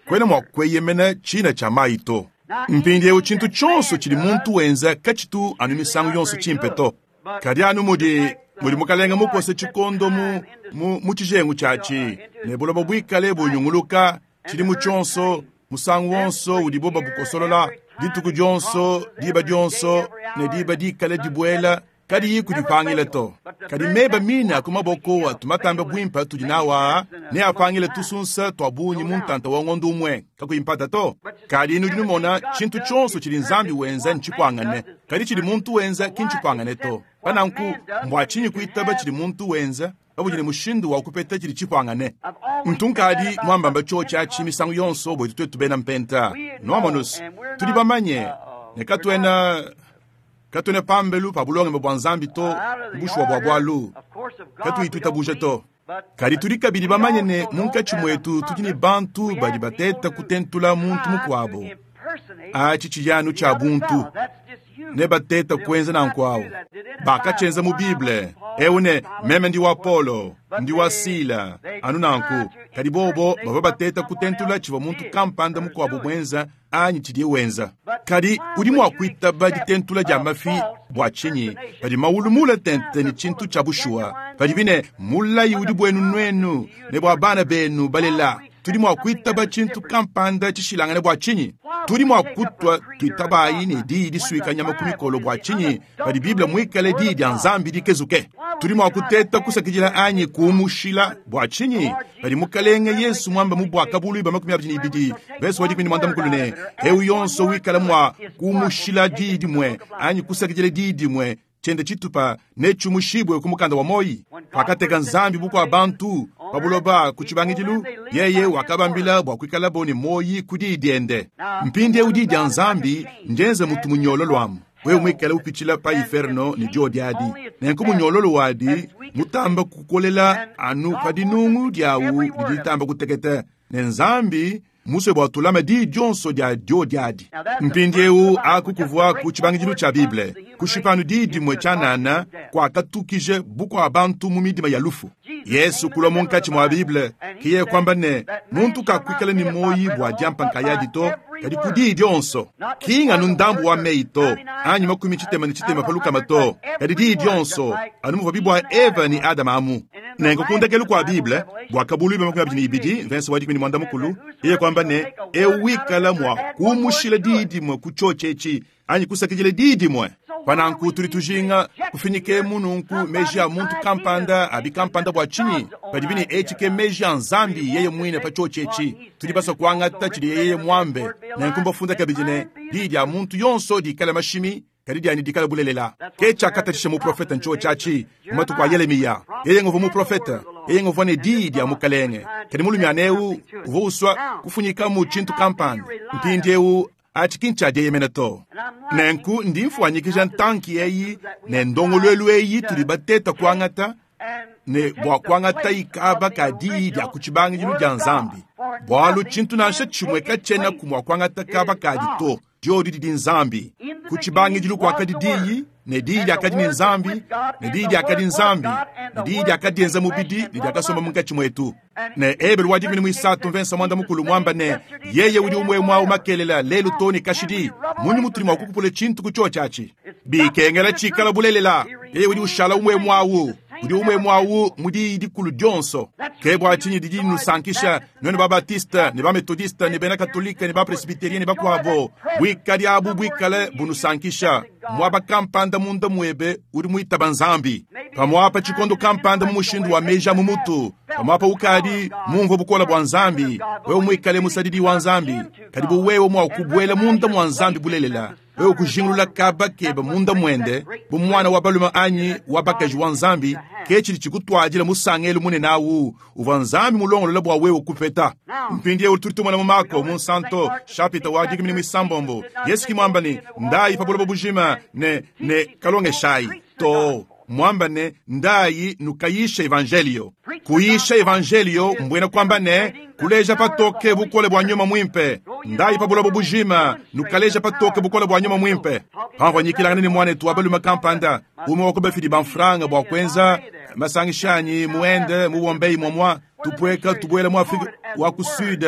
Kwena mua kueyemena tshina tshia mayi to. Mpindieu tshintu tshionso tshidi muntu wenza katshitu anu misangu yonso tshimpe to. Kadi anu mudi mudi mukalenga mukose tshikondo mu mu mu tshijengu tshiatshi ne buloba buikale bunyunguluka tshidimu tshionso musangu wonso udibo babukosolola dituku dionso diba dionso ne diba dikale dibuela Kadiyi kudipangila to. Kadi meba mine a ku maboko atu matambe buimpe atudi nawu aa neapangile tusunsa tua bungi mu ntanta wa ngondo umue, kakuyi mpata to. Kadi nudi numona, tshintu tshionso tshidi Nzambi wenza ntshipuangane, kadi tshidi muntu wenza ki ntshipuangane to. Pa nanku, mbua tshinyi kuitaba tshidi muntu wenza pabudi ne mushindu wa kupeta tshidi tshipuangane? Ntu nkadi muambamba tshiotshi atshi misangu yonso buetu tuetu bena mpenta. Nuamonus, tudi bamanye ne katuena katuena pambelu pa bulongame bua Nzambi to, bushuwa bua bualu katuyi tuitabuja to. Kadi tudi kabidi bamanye ne munkatshi muetu tudi ne bantu badi bateta kutentula muntu mukuabo. Atshi tshiyanu tshia buntu ne bateta kuenza nanku awu. Bakatshienza mu Bible ewu ne meme ndi wa Paulo, ndi wa Sila, anu nanku. Kadi bobo bavua bateta kutentula tshivua muntu kampanda mukuabo muenza anyi tshidiye wenza. Kadi udi mua kuitaba ditentula dia mafi bua tshinyi padi mawulu mule tente ne tshintu tshia bushuwa, padibi ne mulayi udi buenu nuenu ne bua bana benu balela? Tudi mua kuitaba tshintu kampanda tshishilangane bua tshinyi? Tudi mua kutua tuitabayi ne diyi disuika nyama ku mikolo bua tshinyi padi Bible muikale diyi dia Nzambi dikezuke? Tudi mua kuteta kusakidila anyi kuumushila bua tshinyi padi Mukalenge Yesu muamba mu Buakabuluibua makumi abidi ne ibidi verse wa dikumi ne muanda mukulu ne eu yonso wikala mua kuumushila diyi dimue anyi kusakidila diyi dimue tshiende tshitupa netshiumushibue ku mukanda wa moyi? Pakateka Nzambi bukua bantu pa buloba ku tshibangidilu, yeye wakabambila bua kuikalabo ne moyi ku diyi diende. Mpindieu diyi dia Nzambi ndienze mutu munyololo amu wewe muikale upitshila pa inferno ne diodi adi. Nenku munyololo wadi mutamba kukolela anu pa dinungu diawu didi ditamba kuteketa, ne Nzambi musue bua tulame diyi dionso dia diodi adi. Mpindieu aku kuvua ku tshibangidilu tshia Bible, kushipa anu diyi dimue tshianana kuakatukije bukua bantu mu midima ya lufu. Yesu kulua munkatshi mua Bible, kiye kwamba ne muntu kakuikala ne moyi bua diampa nkayadi to, kadi ku diyi dionso. Ki nganu ndambu wa meyi to, anyi makumi tshitema ne tshitema pa lukama to, kadi diyi dionso, anu muvua bibua Eva ne Adama amu. Nenku ku ndekelu kua Bible, Buakabuluibua makumi abidi ne ibidi verse wa dikumi ne muanda mukulu, yeye kwamba ne eu wikala mua kuumushila diyi dimue ku tshiotshi etshi anyi kusakidila diyi dimue. Pa nanku tudi tujinga kufinyikemu nunku meji a muntu kampanda abi kampanda bua tshinyi padibi ne etshi ke meji a Nzambi yeye muine pa tshiotshi etshi. Tudi basue kuangata tshidi yeye muambe. Nenku mbafunda kabidi ne diyi dia muntu yonso dikale mashimi, kadi dianyi dikale bulelela. Ke tshiakatatshisha muprofete ntshiotshi atshi mu matuku a Yelemiya. Yeye nguvua muprofete, yeye nguvua ne diyi dia Mukalenge. Kadi mulumiana eu uvua usua kufunyikamu tshintu kampanda. Mpindieu atshi ki ntshia dieyemena to. Nenku ndi mfuanyikija ntanki eyi ne ndongoluelu eyi tudi bateta kuangata ne bua kuangata ikaba ka diyi dia ku tshibangidilu dia Nzambi, bualu tshintu nansha tshimue katshiena mua kuangata kaba kadi to. Diodi didi Nzambi. Ku tshibangidilu kuakadi diyi, ne diyi diakadi ne Nzambi, ne diyi diakadi Nzambi, ne diyi diakadienza mubidi ne diakasomba munkatshi muetu. Ne Ebelu wa dikumi ne muisatu mvensa muanda mukulu muamba ne yeye udi umue muawu makelela lelu to ne kashidi. Munyi mutudi mua kukupula tshintu ku tshiotshi atshi? Bikengela tshikala bulelela. Yeye udi ushala umue muawu, udi umue muawu mu diyi dikulu dionso. Ke bua tshinyi didi nusankisha nuenu ba Baptiste ne ba Methodiste ne bena Katolike ne ba Presbyterien ne bakuabo, buikadi abu buikale bunusankisha. Muaba kampanda munda muebe udi muitaba Nzambi. Pamuapa tshikondo kampanda mu mushindu wa meji a mu mutu, pamuapa ukadi mumvue bukole bua Nzambi, wewe muikale musadidi wa Nzambi. Kadi bu wewe mua kubuela munda mua Nzambi bulelela, wewe kujingulula kaba kebe munda muende bu mwana wa balume anyi wa bakaji wa Nzambi, ke tshidi tshikutuadila musangelu munene awu uvua Nzambi mulongolola bua wewe kupeta. Mpindieu tudi tumona mu Mako mu Nsanto chapitre wa dikumi ne muisambombo, Yesu ki muamba ne ndayi pa buloba bujima ne ne kalongeshayi to, muamba ne ndayi nukayisha evangelio. Kuyisha evangelio mbwena kwamba ne kuleja patoke bukole bua nyuma muimpe. Ndayi pa buloba bujima nukaleja patoke bukole bua nyuma muimpe. Pamvua nyikilangana ne mwanetu wa balume kampanda umue wa ku bafidi ba mfranga bua kuenza masangishanyi muende mu Bombay momwa tupueka tubuela mu Afrika wa ku Sud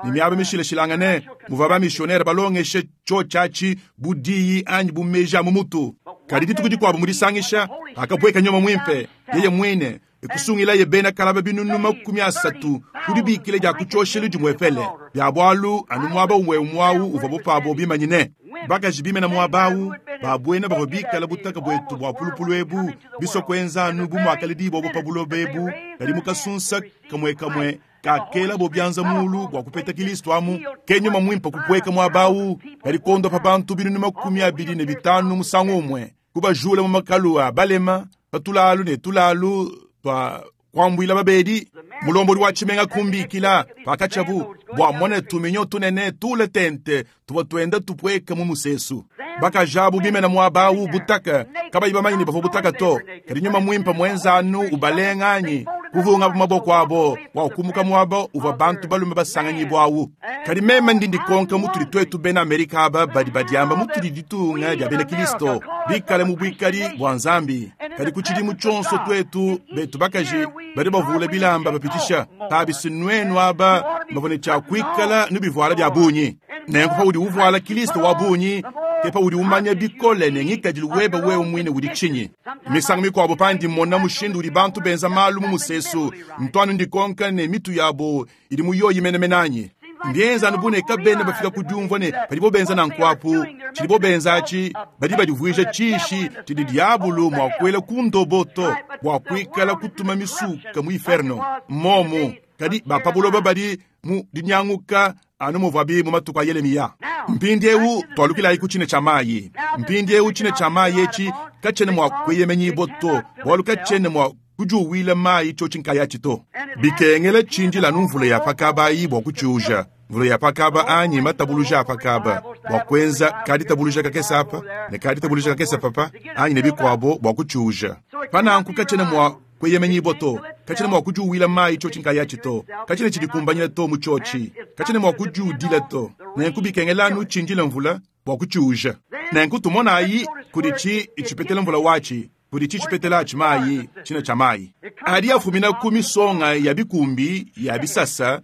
ne miaba mishilashilangane muvua bamissionnaire balongeshe tshiotshi atshi bu diyi anyi bu meji a mu mutu. Kadi dituku dikuabu mu disangisha akapueka nyuma muimpe yeye muine ekusungilaye bena kalaba binunu makumi asatu ku dibikila dia ku tshioshelu dimuepele bia bualu anu muaba umue umue awu uvua bupabo bimanyine. Bakaji bimena muaba awu Ba bwena bavwa bikala butaka bwetu bwa pulupulu ebu, biswa kwenza anu bu mwakaledi bobo pa buloba ebu, kadi mu kasunsa kamwekamwe kakela bo byanza mulu bwa kupeta Kristo amu, ke nyuma mwimpa kupweka mwabawu, kadi kondo pa bantu binunu makumi abili ne bitanu musangu umwe, kubajula mu makalu a balema, patulalu ne tulalu twa kwambwila babedi, mulomboli wa chimenga kumbikila pakachabu bwa mone tuminyo tunene tule tente tuwa twenda tupweka mu musesu bakajabu bimena mwabawu butaka kabayi bamanyi bavo butaka to kadi nyuma mwimpa mwenzanu ubalenganyi kuvunga maboko abo wa kumuka mwabo uva bantu balume basanganyibwawu kadi meme ndi ndikonka mutuli twetu bena Amerika aba badi badiamba mutuli ditunga dia bena Kristo bikale mu bwikali bwa Nzambi kadi ku tshidimu tshonso twetu betu bakaji badi bavula bilamba bapitisha tabisi nwenu aba bavone tshia kuikala nubivuala bya bunyi nenku pa udi uvuala Kristo wa bunyi kepa udi umanya bikole ne ngikadilu weba wewe mwine udi tshinyi misangu mikwabo pandi mona mushindu udi bantu benza malu mu musesu ntwanu ndikonka ne mitu yabo idi muyoyi menemenanyi mbienza anu bune kabena bafika kudiumvua ne padibo benza nankwapu tshidibo benza atshi badi badivuija tshishi tshidi diabulu mua kuela ku ndoboto bua kuikala kutuma misuka mu inferno momu kadi bapabuloba badi mu dinyanguka anu muvwabi mu matuku a Yeremiya mpindi ewu twalukilayi ku tshine tshia mayi mpindi ewu tshine tshia mayi etshi katshene mua kueyemenyibwa to bualu katshene mua kujuwila mayi tshotshi nkayatshi to bikengela tshindila anu mvula ya pakabayi bua kutshiuja mvula ya pakaba anyi matabuluja a pakaba bua kuenza kaditabuluja kakesa apa ne kaditabuluja kakesa papa anyi ne bikwabo bua kutshiuja pananku katshene mua kueyemenyibwa to katshene mua kujuwila mayi tshotshi nkayatshi to katshene tshidikumbanyila to mu tshotshi katshene mua kujuudila to nenku bikengela anu tshindila mvula bua kutshiuja nenku tumonayi kudi tshi itshipetela mvula watshi kudi tshitshipetela atshi mayi tshina tshia mayi adi afumina ku misonga ya bikumbi ya bisasa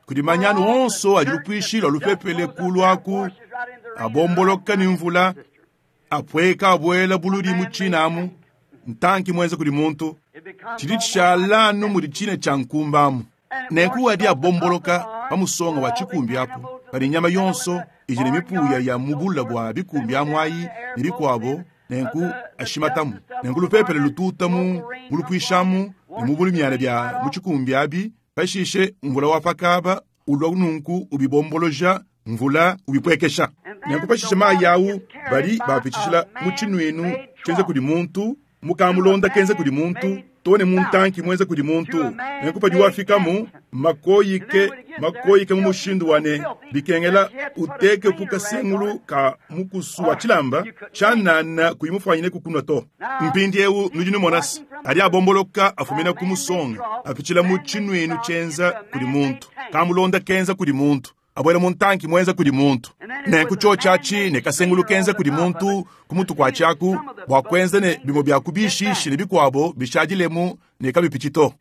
kudi manyanu onso adi lupwishi lwa lupepele kulu aku abomboloka ni mvula apweka abwela buludi mu tshinamu ntanki mwenza kudi muntu tshidi tshishalanu mudi tshina tshia nkumbamu nenku adi abomboloka pa musonga wa tshikumbi apo padi nyama yonso idi ne mipuya ya mubula bua bikumbi amwayi ne bikwabo nenku ashimatamu nenku lupepele lututamu mulupwishamu ne mubulu myana bya mu tshikumbi abi pashishe mvula wa pakaba ulwa nunku ubibomboloja mvula ubipwekesha nenku pashishe mayi awu badi bapitshishila mu tshinwinu tshienza kudi muntu mukamulonda kenza kudi muntu tone muntanki mwenza kudi muntu nenku padi wafikamu makoyike makoyike mu mushindu wane bikengela uteke pukasengulu ka mukusu wa tshilamba tshanana kuyimufwanyine kukunwa to mpindi ewu nudi numonasi adi abomboloka afumina ku musonga apitshila mu tshinwinu tshienza kudi muntu kamulonda kenza kudi muntu abwela muntanki mwenza kudi muntu nenku tshotshi atshi ne kasengulu kenza kudi muntu kumutu kwa tshiaku bua kuenza ne bimue bia kubishishi ne bikwabo bishadilemu ne kabipitshi to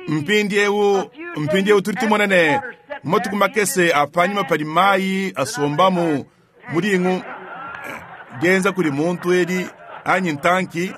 mpindi ewu mpindi ewu tudi tumona ne matuku makese apanyima padi mayi asombamu mulingu genza kudi muntu edi anyi ntanki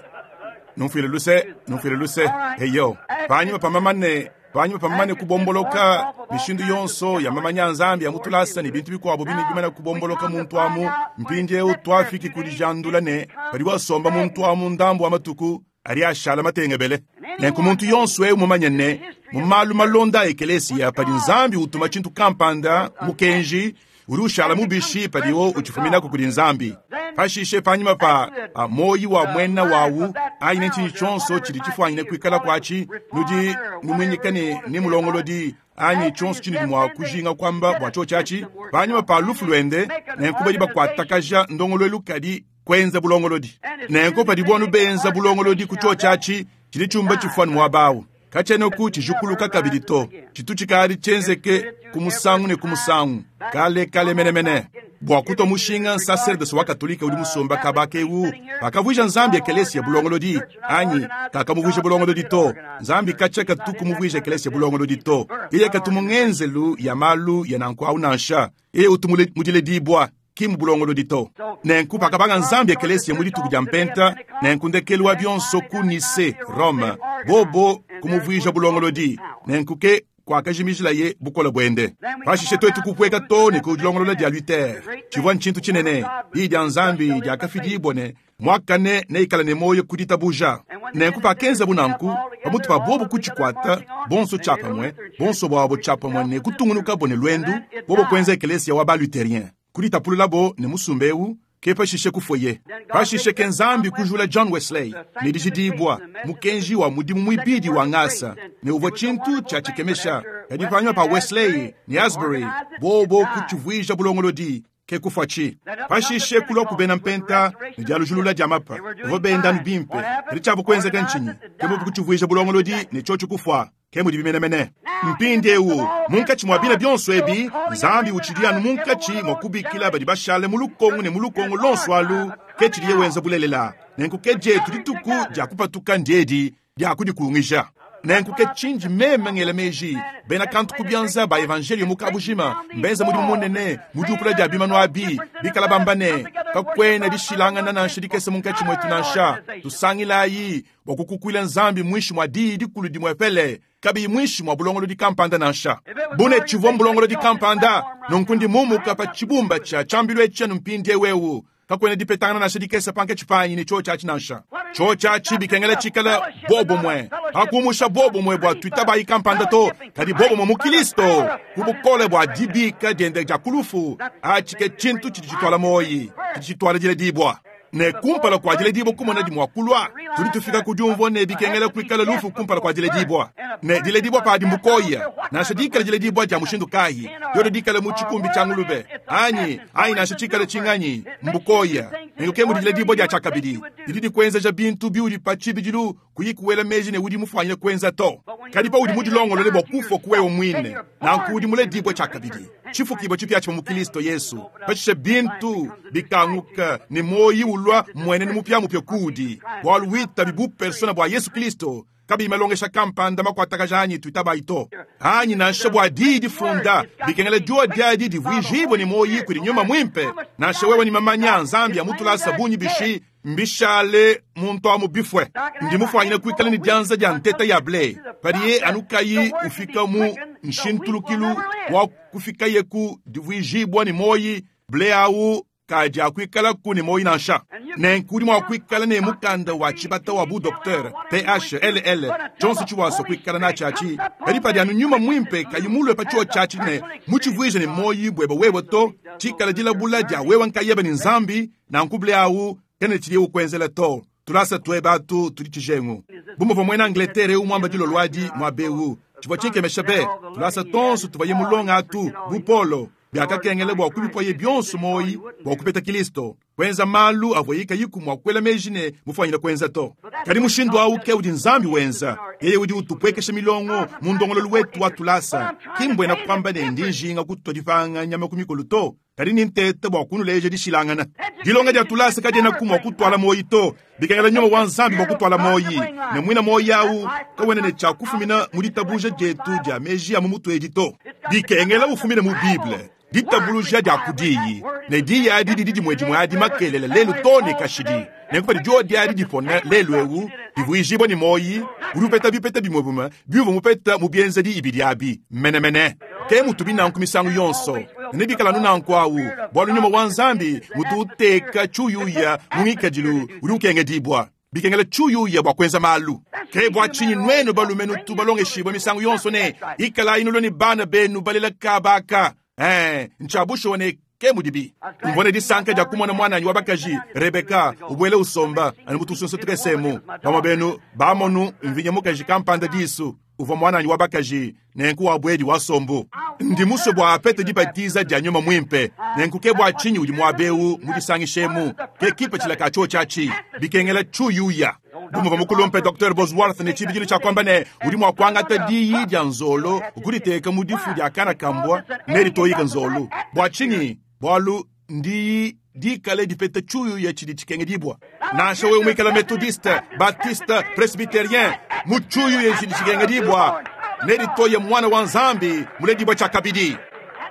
numfile luse numfile luse heyo panyima pamamane panyima pamamane kubomboloka mishindu yonso ya mamanya nzambi ya mutulasa ne bintu bikwabo bine bimana kubomboloka muntu amu mpindi ewu twafiki kudijandula ne padi wasomba muntu amu ndambu wa matuku ari ashala matengebele nenku muntu yonso ewu mumanye ne mu malu malonda a ekelesiya padi nzambi utuma tshintu kampanda mukenji udi ushala mubishi padiwo utshifuminako kudi nzambi pashishe panyima pa moyi wa mwena wawu anyi ne tshinyi tshonso tshidi tshifwanyine kuikala kwatshi nudi numwinyika ne ni mulongolodi anyi tshonso tshinudi mua kujinga kwamba bua tshotshi atshi panyima pa lufu lwende nenku badi bakuatakaja ndongoluelu kadi kwenza bulongolodi nenku padi bonu benza bulongolodi ku tshotshi atshi tshidi tshiumba tshifwani muabawu katshenoku tshijukuluka kabidi to tshitu tshikali tshienzeke ku musangu ne ku musangu kale kale menemene bua kutwa mushinga nsaserdose wa katolika udi musomba kabaka ewu pakavuija nzambi ekelesiya bulongolodi anyi kakamuvuija bulongolodi to nzambi katshia katuku muvuija ekelesiya bulongolodi to yeye katu mu ngenzelu ya malu ya nanku awu nansha yeye utu mudiledibwa ki mu bulongolodi to nenku pakabanga nzambi ekelesiya mu dituku dia mpenta nenku ndekelu wa bionso ku Nise Rome bobo kumuvuija bulongolodi nenku ke Kwakajimijilaye bukole bwende. Pashishe twetu kupweka too ne ku dilongolola dia Luther. Tshivua ntshintu tshinene. Diyi dia Nzambi diakafidibua ne muakane neikale ne muoyo ku ditabuja. Nenku pakenzabu nanku, pamutu pa bobu kutshikwata bonso tshiapamue, bonso bwabo tshiapamue ne kutungunukabo ne lwendu, bobo kuenza ekelesia wa ba-Lutherien. Kuditapululabo ne musumba eu, ke pashishe kufoye. Pashishe ke Nzambi kujula John Wesley ne dijidibua mukenji wa mudimu muibidi wa ngasa ne uvua tshintu tshia tshikemesha. Kadi panyima pa Wesley ne Asbury bobo kutshivuija bulongolodi ke kufuatshi. Pashishe kulua kubena mpenta ne dialujulula dia mapa bavua benda anu bimpe. Kadi tshiabu kuenzeka ntshinyi? Ke bobo kutshivuija bulongolodi ne tshiotshi kufua. Ke mudi bimenemene. Mpindieu munkatshi mwa bina byonso ebi, Nzambi utshidi anu munkatshi mwa kubikila badi bashale mu lukongo ne mu lukongo lonso alu, ke tshidiye wenza bulelela. Nenku ke dietu dituku dia kupatuka ndiedi dia kudikungija. Nenku ke tshindi meme ngela meji, bena kantu ku bianza ba evangelio mu kabujima mbenza mudimu munene mu diupula dia bimanu abi, bikala bamba ne kakwena dishilangana nansha dikese munkatshi mwetu nansha. Tusangilayi bua kukukuila Nzambi mwishi mwa diyi dikulu dimwepele, kabiyi mwishi mwa bulongolodi kampanda nansha. Bune tshivua mbulongolodi kampanda, nunku ndi mumuka pa tshibumba tshia tshiambilu etshi anu mpindiewu eu. Kakwena dipetangana nansha dikese pankatshi panyi ne tshiotshi atshi nansha. Tshiotshi atshi bikengela tshikala bobomwe. Hakumusha bobomwe bua tuitabayi kampanda to, kadi bobomwe mu Kristo, ku bukole bua dibika diende dia kulufu, atshi ke tshintu tshidi tshitwala moyi, tshidi tshitwala diledibua. Ne kumpala kua diledibua kumona dimua kulua, tudi tufika ku diumvua ne bikengela kuikala lufu kumpala kua diledibua. Ne diledibua padi mbukoya, nansha dikala diledibua dia mushindu kayi, diodo dikala mu tshikumbi tshia ngulube, anyi, anyi nansha tshikala tshinganyi, mbukoya. Nenku ke mudi diledibua dia tshiakabidi, didi dikuenzeja bintu biudi pa tshibidilu kuyi kuela meji ne udi mufuanyine kuenza to. Kadi paudi mudilongolole bua kufua kuwewe muine, nanku udi muledibue tshiakabidi, tshifukibua tshipiatshipia mu Kristo Yesu. Pashishe bintu bikanguka ne moyi ulua mwenene mupiamupia kuudi, bualu witabi bu persona bua Yesu Kristo, kabiyi malongesha kampanda makuatakaja anyi tuitabayi to. Anyi nansha bua diyi difunda, bikengela diodi diadi divuijibue ne moyi kudi nyuma mwimpe. Nansha wewe ni mamanya Nzambi ya mutulasa bunyi bishi, mbishale muntu amu bifwe. Ndi mufuanyine kuikala ne dianza dia nteta ya ble, padiye anukayi ufika mu nshintulukilu wa kufikaye ku divuijibua ne moyi, ble awu kadi akuikalaku ne moyi nansha. Nenku udi mua kuikala ne mukanda wa tshibata wa bu docteur P H L L tshionso tshiwaso kuikala natshi atshi, kadi padi anu nyuma mwimpe kayi mulue pa tshiotshi atshi ne mutshivuije ne moyi bwebe wewe to, tshikala dilabula dia wewe nkayebe ne Nzambi, nanku ble awu kene tshidiye ukwenzela to. Tulasa twebe atu tudi tshijengu. Bumuvua muena Angleterre eu muamba dilolo adi muabewu, tshivua tshinkemesha be. Tulasa tonso tuvaye mulonga atu bu Polo, biakakengela bua kubipoye bionso moyi bua kupeta Kristo, kuenza malu avuaye kayiku mua kuela meji ne mufuanyine kuenza to. Kadi mushindu awu ke udi Nzambi wenza, yeye udi utupwekesha milongo mu ndongololo wetu wa tulasa. Ki mbwena kuamba ne ndi njinga kutua dipanga nyama ku mikolo to, kadi ni ntete bua kunuleja dishilangana. Dilonga dia tulasa kadiena ku mua kutwala moyi to, bikengela nyuma wa Nzambi bua kutwala moyi. Ne mwina moyi awu kawena ne tshia kufumina mu ditabuja dietu dia meji a mu mutu edi to. Bikengela ufumine mu Bible, ditabuluja dia kudiyi, ne diyi adi didi dimue dimue adi makelele lelu to ne kashidi. Nenku padi diodi adi dipona lelu eu, divuijibua ne moyi, udi upeta bipeta bimue bimue biuvua mupeta mu bienzedi ibidi abi menemene. Ke mutubi nanku misangu yonso, ne bikala anu nanku awu, bualu nyuma wa Nzambi mutu uteka tshuyuya mu ngikadilu udi ukengedibua. Bikengela tshuyuya bua kuenza malu. Ke bua tshinyi nuenu balume nutu balongeshibua misangu yonso ne ikalayi nulua ne bana benu balela kabaka. Eh, ntshiabushuwa ne ke mudibi. Mvua ne disanka dia kumona mwananyi wa bakaji Rebeka ubwele usomba anu mutusunsa tukesemu. Bamue benu bamonu mvinya mukaji kampanda disu uvua mwananyi wa bakaji nenku wa bwedi wa sombu. Ndi musue bua apete dibatiza dia nyuma mwimpe. Nenku ke bua tshinyi udi muabewu mu disangishemu. Ke kipatshila ka tshiotshi atshi bikengela tshuyuya. Bumuvua mukulumpe Docteur Bosworth ne tshibidilu tshia kuamba ne udi mua kuangata diyi dia nzolo ukuditeka mu difu dia kana kambwa ne ditoyika nzolo. Bua tshinyi? Bualu ndiyi dikale dipeta tshuyuya tshidi tshikengedibua. Nansha wewe muikala methodiste, baptiste, presbytérien, mu tshuyuya tshidi tshikengedibua ne ditoye mwana wa Nzambi muledibua tshiakabidi.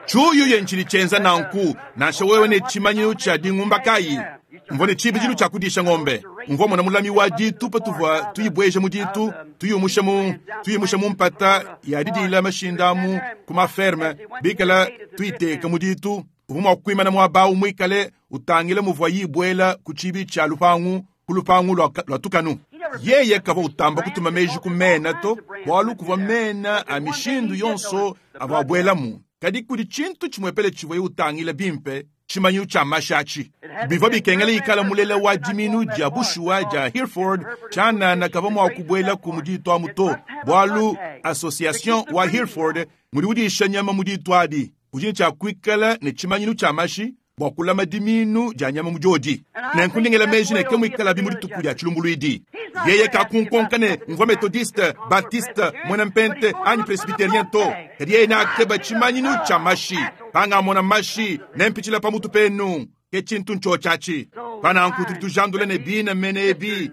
Tshuyuya ntshidi tshienza nanku, nansha wewe ne tshimanyinu tshia dingumba kayi. Mvua ne tshibidilu tshia kudisha ngombe. Mvua mmona mulami wa ditu patuvua tuyibueja mu ditu, tuyiumusha mu tuyiumusha mu mpata ya didiila mashinda mu ku maferme, bikala tuyiteka mu ditu. Uvua mua kuimana muaba awu muikale utangila muvua yibuela ku tshiibi tshia lupangu, ku lupangu lua, lua tukanu. Yeye kavua utamba kutuma meji ku mena to, bualu kuvua mena a mishindu yonso avua abuelamu. Kadi kudi tshintu tshimuepele tshivuaye utangila bimpe, tshimanyinu tshia mashi atshi. Bivua bikengela ikala mulela wa diminu dia bushuwa dia Hereford, tshianana kavua mua kubuelaku mu ditu amu to, bualu association wa Hereford ngudi udisha nyama mu ditu adi. Udi ne tshia kuikala ne tshimanyinu tshia mashi bua kulama diminu dia nyama mu diodi. Nenku ndi ngela meji ne ke muikalabi mu dituku dia tshilumbuluidi. Yeye kakunkonka ne mvua methodiste, baptiste, muena mpente anyi presbyterien to, kadi yeye neakeba tshimanyinu tshia mashi. Pangamona mashi, nempitshila pa mutu penu. Ke tshintu ntshotshatshi. Pananku tudi tujandula ne bina mene ebi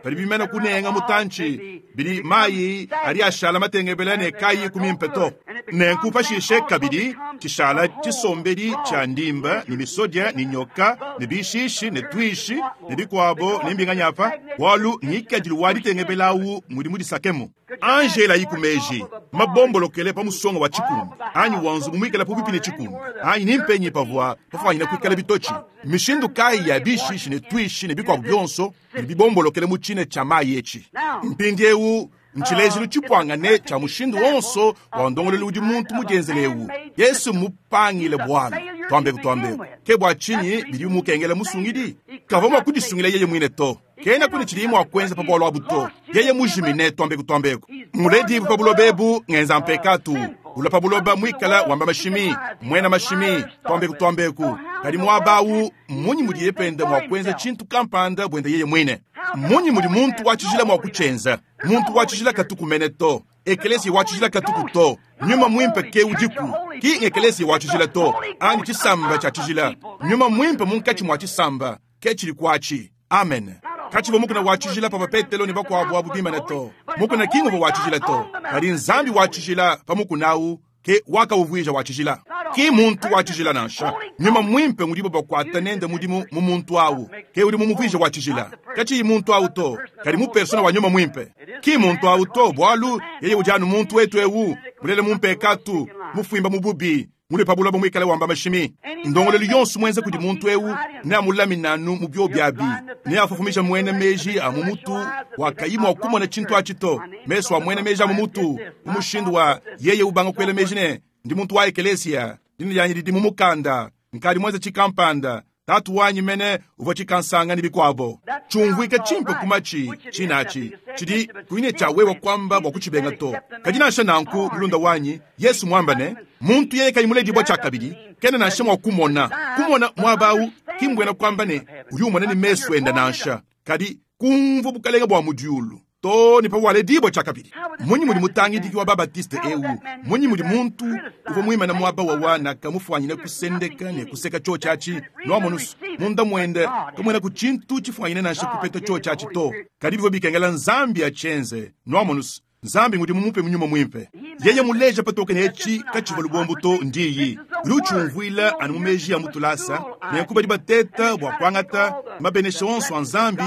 padi bimana kunenga mutantshi, bidi mayi adi ashala matengebela ne kayi kumimpe to. Nenku pashishe kabidi tshishala tshisombedi tshia ndimba ne misodia ne nyoka ne bishishi ne tuishi ne bikuabo ne mbinganyapa, bualu ngikadilu wa ditengebela awu mudi mudisakemu. Angela yi ku meji mabombolokele pa musonga wa tshikumbi anyi wa nzubu muikale pabuipi ne tshikumbi anyi ni mpenyi pavua pafuanyina kuikala bitotshi. Mishindu kayi ya bishishi ne tuishi ne bikuabo bionso bidi bibombolokele mu tshine tshia mayi etshi. Mpindiewu ntshilejilu tshipuangane tshia mushindu wonso wa ndongoluelu udi muntu mudienzele ewu. Yesu mupangile bualu, tuambeku tuambeku. Ke bua tshinyi bidi bimukengela musungidi? Kavua mua kudisungila yeye muine to. Kena kuni tshidiye mua kuenza pa bualu abu to. Yeye mujimine, tuambeku tuambeku. Muledibu pa buloba ebu ngenza mpekatu. Ula pa buloba muikala wamba mashimi, muena mashimi, tuambeku tuambeku. Kadi muaba awu, mmunyi mudiye pende mua kuenza tshintu kampanda buende yeye muine? Mmunyi mudi muntu wa tshijila mua kutshienza? Muntu wa tshijila katuku mene to. Ekelesia wa tshijila katuku to. Nyuma muimpe ke udiku. Ki ngekelesia wa tshijila to, anyi tshisamba tshia tshijila. Nyuma muimpe munkatshi mua tshisamba ke tshidi kuatshi. Amen. Katshivua mukuna wa tshijila pavua Petelo ne bakuabu abu bimane to. Mukuna ki nguvua wa tshijila to, kadi Nzambi wa tshijila pa mukuna awu ke wakawuvuija wa tshijila. Ki muntu wa tshijila nansha. Nyuma muimpe ngudibo bakuata nende mudimu mu muntu awu ke udi mumuvuija wa tshijila. Katshiyi muntu awu to, kadi mu persona wa nyuma muimpe. Ki muntu awu to, bualu yeye udi anu muntu wetu ewu, mulele mu mpekatu, mufuimba mu bubi, mule pa buloba muikale wamba mashimi. Ndongoluelu yonso muenza kudi muntu ewu neamulamine anu mu biobi abi, neafufumisha muena meji a mu mutu wakayi mua kumona tshintu atshi to. Mesu a muena meji a mu mutu mu mushindu wa yeye ubanga kuela meji ne ndi muntu wa ekelesia, dina dianyi didi mu mukanda, nkadi muenza tshikampanda, tatu wanyi mene uvua tshikansanga ne bikuabo. Tshiumvuika tshimpe kumatshi tshinatshi tshidi kuine tshia wewe kwamba bua kutshibenga to. Kadi nansha nanku mulunda wanyi Yesu mwamba ne muntu yeye kayi muledibua tshiakabidi kena nansha mua kumona. Kumona muaba awu ki mbuena kwamba ne udi umona ne mesu enda nansha, kadi kumvua bukalenga bua mu diulu to ne pawaledibua tshiakabidi. Munyi mudi mutangidiki wa babatiste ewu, munyi mudi muntu uvua muimane muaba wa wana kamufuanyine kusendeka ne kuseka tshotshatshi nuamonusu munda muende kamuena ku tshintu tshifuanyine nansha kupeta tshotshatshi to, kadi bivua bikengela Nzambi atshienze nuamonusu. Nzambi ngudi mumupe munyuma muimpe. Yeye muleja patoke ne etshi katshivua lubombo to ndiyi. Udi utshiumvuila anu mu meji ya mutulasa, nenku badi bateta bua kuangata mabenesha onso a Nzambi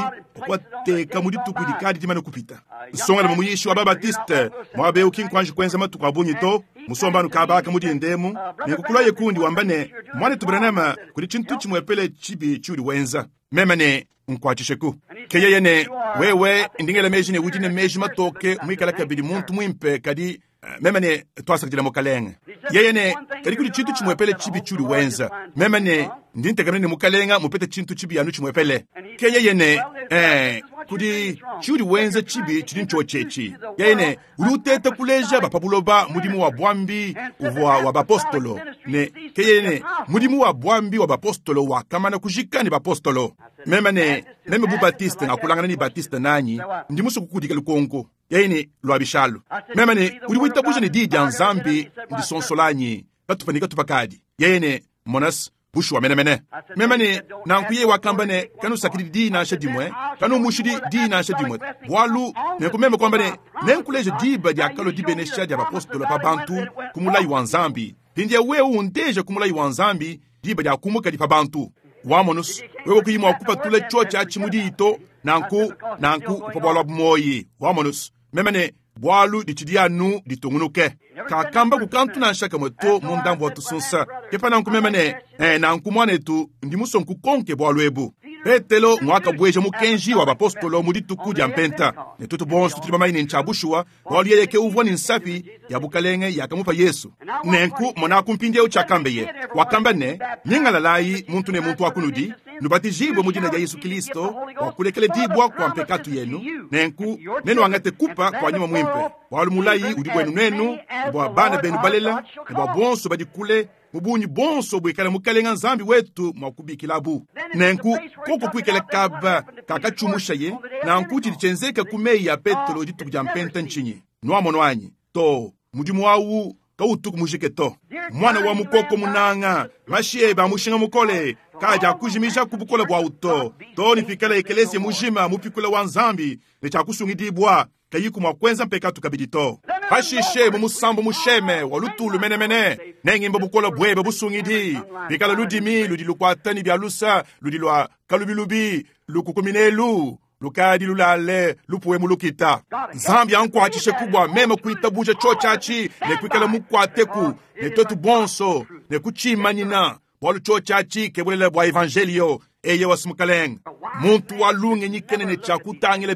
kuateka mu dituku dikadi dimane kupita. Nsongala muyishi wa babatiste muaba ewu ki nkuanji kuenza matuku a bungi to, musomba anu kabaka mu dindemu, nenku kulaye kundi wamba ne mwanetu Branham kudi tshintu tshimuepele tshibi tshiudi wenza. Meme ne nkwatshisheku. Ke yeye ne wewe ndingela meji ne udi ne meji matoke muikala kabidi muntu muimpe, kadi meme ne twasakidila mukalenge. Yeye ne kadi kudi tshintu tshimuepele tshibi tshiudi wenza. Meme ne ndi ntekamena ne mukalenga mupete tshintu tshibi anu tshimuepele. Ke yeye ne eh kudi tshiudi wenza tshibi tshidi ntshotshetshi. Yeye ne udi uteta kuleja ba pa buloba mudimu wa bwambi uvua wa bapostolo ne ke yeye ne mudimu wa bwambi wa bapostolo wakamana kujika ne bapostolo. Meme ne meme bu Baptiste ngakulangana ne Baptiste nanyi ndi musuku kudika lukonko. Yeye ne lwa bishalu. Meme ne udi witabuja ne diyi dia Nzambi ndisonsolanyi katupa ne katupa kadi. Yeye ne monas bushuwa menemene. Meme ne nanku yeye wakamba ne kanusakidi diyi nansha dimue, kanumushidi diyi nansha dimue, bualu nenku meme kwamba ne nenkuleja diba diakalua dibenesha dia bapostolo pa bantu ku mulayi wa Nzambi. Mpindieu wewe undeja ku mulayi wa Nzambi diba diakumuka di pa bantu. Wamonus, wewe kuyi mua kupatula tshiotshi atshi mu diyi to, nanku nanku upua bualu abu muoyi. Wamonus, meme ne bualu ditshidi anu ditungunuke. Kakamba kukantu nansha kamwe to mu ndambu wa tusunsa. Kepa nanku meme ne, eh, nanku mwanetu ndi musue nkukonke bualu ebu. Petelo mwakabweja mukenji wa bapostolo mu dituku dia mpenta. Ne tuetu bonso tudi bamanye ne ntshia bushuwa, bualu yeye ke uvua ne nsapi ya bukalenge yakamupa Yesu. Nenku monaku mpindieu tshiakambeye. Wakamba ne, nyingalalayi muntu ne muntu wa kunudi, nubatijibwe mu dina dia Yesu Kristo bua kulekela dibwa kwa mpekatu yenu, nenku nenuangate kupa kwa nyuma mwimpe. Bualu mulayi udi bwenu nenu, ne bua bana benu balela, ne bua bonso badi kule, mu bungi bonso buikale mukalenga Nzambi wetu mua kubikilabu. Nenku koko kuikala kaba kakatshumushaye, nanku tshidi tshienzeka ku meyi ya Petelo dituku dia mpenta ntshinyi? Nuamono anyi? To, mudimu awu kautuku mujike to. Mwana wa mukoko munanga, mashi ebe a mushinga mukole, kaja akujimija ku bukole bwawu to. To ni pikala ekelesia mujima mupikula wa Nzambi ne tshiakusungidibwa, kayiku mua kuenza mpekatu kabidi to. Pashishe mu musambu musheme wa lutulu menemene, nengimba bukola bwebe busungidi, bikala ludimi ludi lukwata ni bya lusa, ludi lwa kalubilubi, lukukuminelu, lukadi lulale lupuwe mulukita. Nzambi ankwatshishe kubwa meme kuitabuja tshotshatshi ne kuikala mukwateku ne twetu bonso ne kutshimanyina bualu tshotshatshi ke bulelela bua evangelio eye wasumukalenga. Muntu wa lungenyi kene ne tshia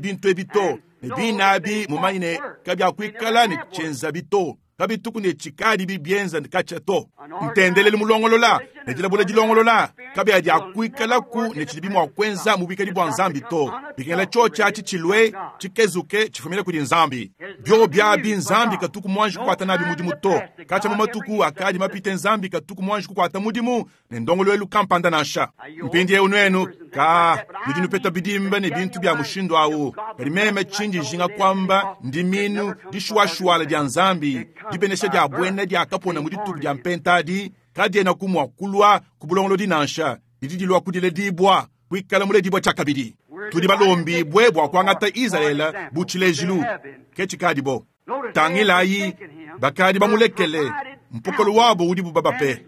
bintu ebi to, ne binabi mumanye ne kabyakuikala ne tshienza bito, kabituku ne tshikadi bibienza katshia to. Ntendelelu mulongolola ne dilabula dilongolola kabyakuikalaku ne tshidi bimua kuenza mu bikadi bua Nzambi to. Bikengela tshotshatshi tshilue tshikezuke tshifumile kudi Nzambi. Byo byabi Nzambi katuku mwanji kukwata nabi mudimu to. Katshia mu matuku akadi mapite Nzambi katuku mwanji kukwata mudimu ne ndongoluelu kampanda nansha. Mpindieu nwenu ka nudi nupeta bidimba ne bintu bya mushindu awu. Kadi meme tshindi njinga kwamba ndiminu dishuashuala dia Nzambi, dibenesha dia bwena dia kapona mu dituku dia mpentadi, kadiena kumua kulua ku bulongolodi nansha, didi dilua kudiledibwa, kuikala muledibwa tshiakabidi. Tudi balombibwe bua kuangata Israele bu tshilejilu, ke tshikadibo. Tangilayi, bakadi bamulekele, mpokolo wabo udi bubabape,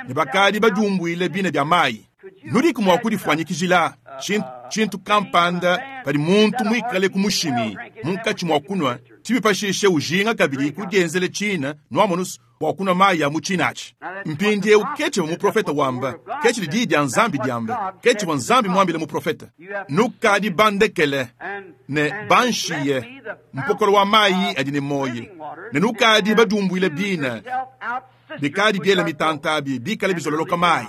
ne bakadi badiumbuile bina bia mayi. Nudiku mua kudifuanyikijila tshintu kampanda padi muntu muikale ku mushimi munkatshi mua kunua, tshibipashishe ujinga kabidi kudienzele tshina nuamonus bua kunua mayi ya mu tshinatshi. Mpindieu ke tshivua muprofeta wamba, ke tshidi diyi dia Nzambi diamba, ke tshivua Nzambi muambile muprofeta. Nukadi bandekele ne banshiye mpokolo wa mayi adi ne moyi, ne nukadi badiumbuile bina bikadi biela mitantabi bikale bizololoka mayi.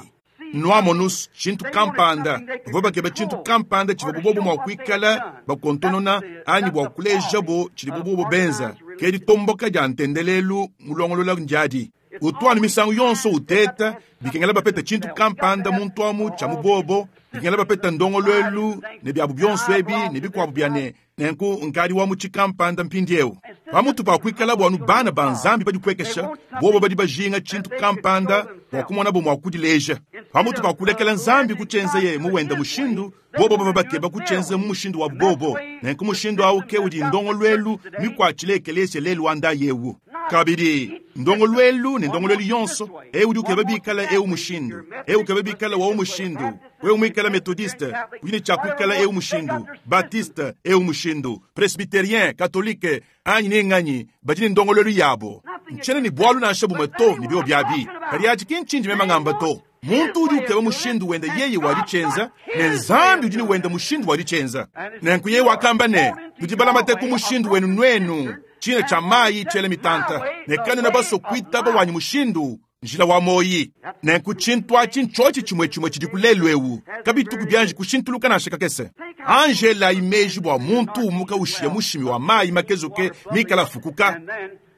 Nuamonus tshintu kampanda, bavua bakeba tshintu kampanda tshivua bobo mua kuikala bakontonona anyi bua kulejabo tshidi bobo benza. Ke ditomboka dia ntendelelu mulongolola ndiadi. Utwanu misangu yonso uteta, bikengela bapeta tshintu kampanda muntu amu tshia mubobo, bikengela bapeta ndongoluelu ne biabu bionso ebi ne bikuabu bia ne nenku nkadi wa mu tshikampanda mpindieu. Pamutu pa kuikala bua bana ba Nzambi badipuekesha, bobo badi bajinga tshintu kampanda bua kumonabo mua kudileja. Pamutu pa kulekela Nzambi kutshienza mu wenda mushindu, bobo bava bakeba kutshienza mu mushindu wa bobo. Nenku mushindu awu ke udi ndongoluelu mikuatshile ekelesia lelu wa ndayewu. Kabidi ndongoluelu ne ndongoluelu yonso, eu udi ukeba bikala eu mushindu, eu ukeba bikala wa mushindu, wewe muikala methodiste, udi ne tshia kuikala eu mushindu, baptiste eu mushindu, presbytérien, catholique, anyi ne nganyi, badi ne ndongoluelu yabo. Ntshiena ne bualu nansha bumwe to ne bio biabi. Kadi atshi ki ntshindi meme ngamba to. Muntu udi ukeba mushindu wenda yeye waditshienza, ne Nzambi udi ne wenda mushindu waditshienza. Nenku yeye wakamba ne, tudi balamate ku mushindu wenu nwenu, tshina tshia mayi tshiela mitanta, ne kanena baso kuitaba wanyi mushindu, njila wa moyi. Nenku tshintu atshi ntshotshi tshimwe tshimwe tshidi ku lelu ewu, kabituku bianji kushintuluka nansha kakese. Angela imeji bua muntu umuka ushiya mushimi wa mayi makezuke mikala fukuka,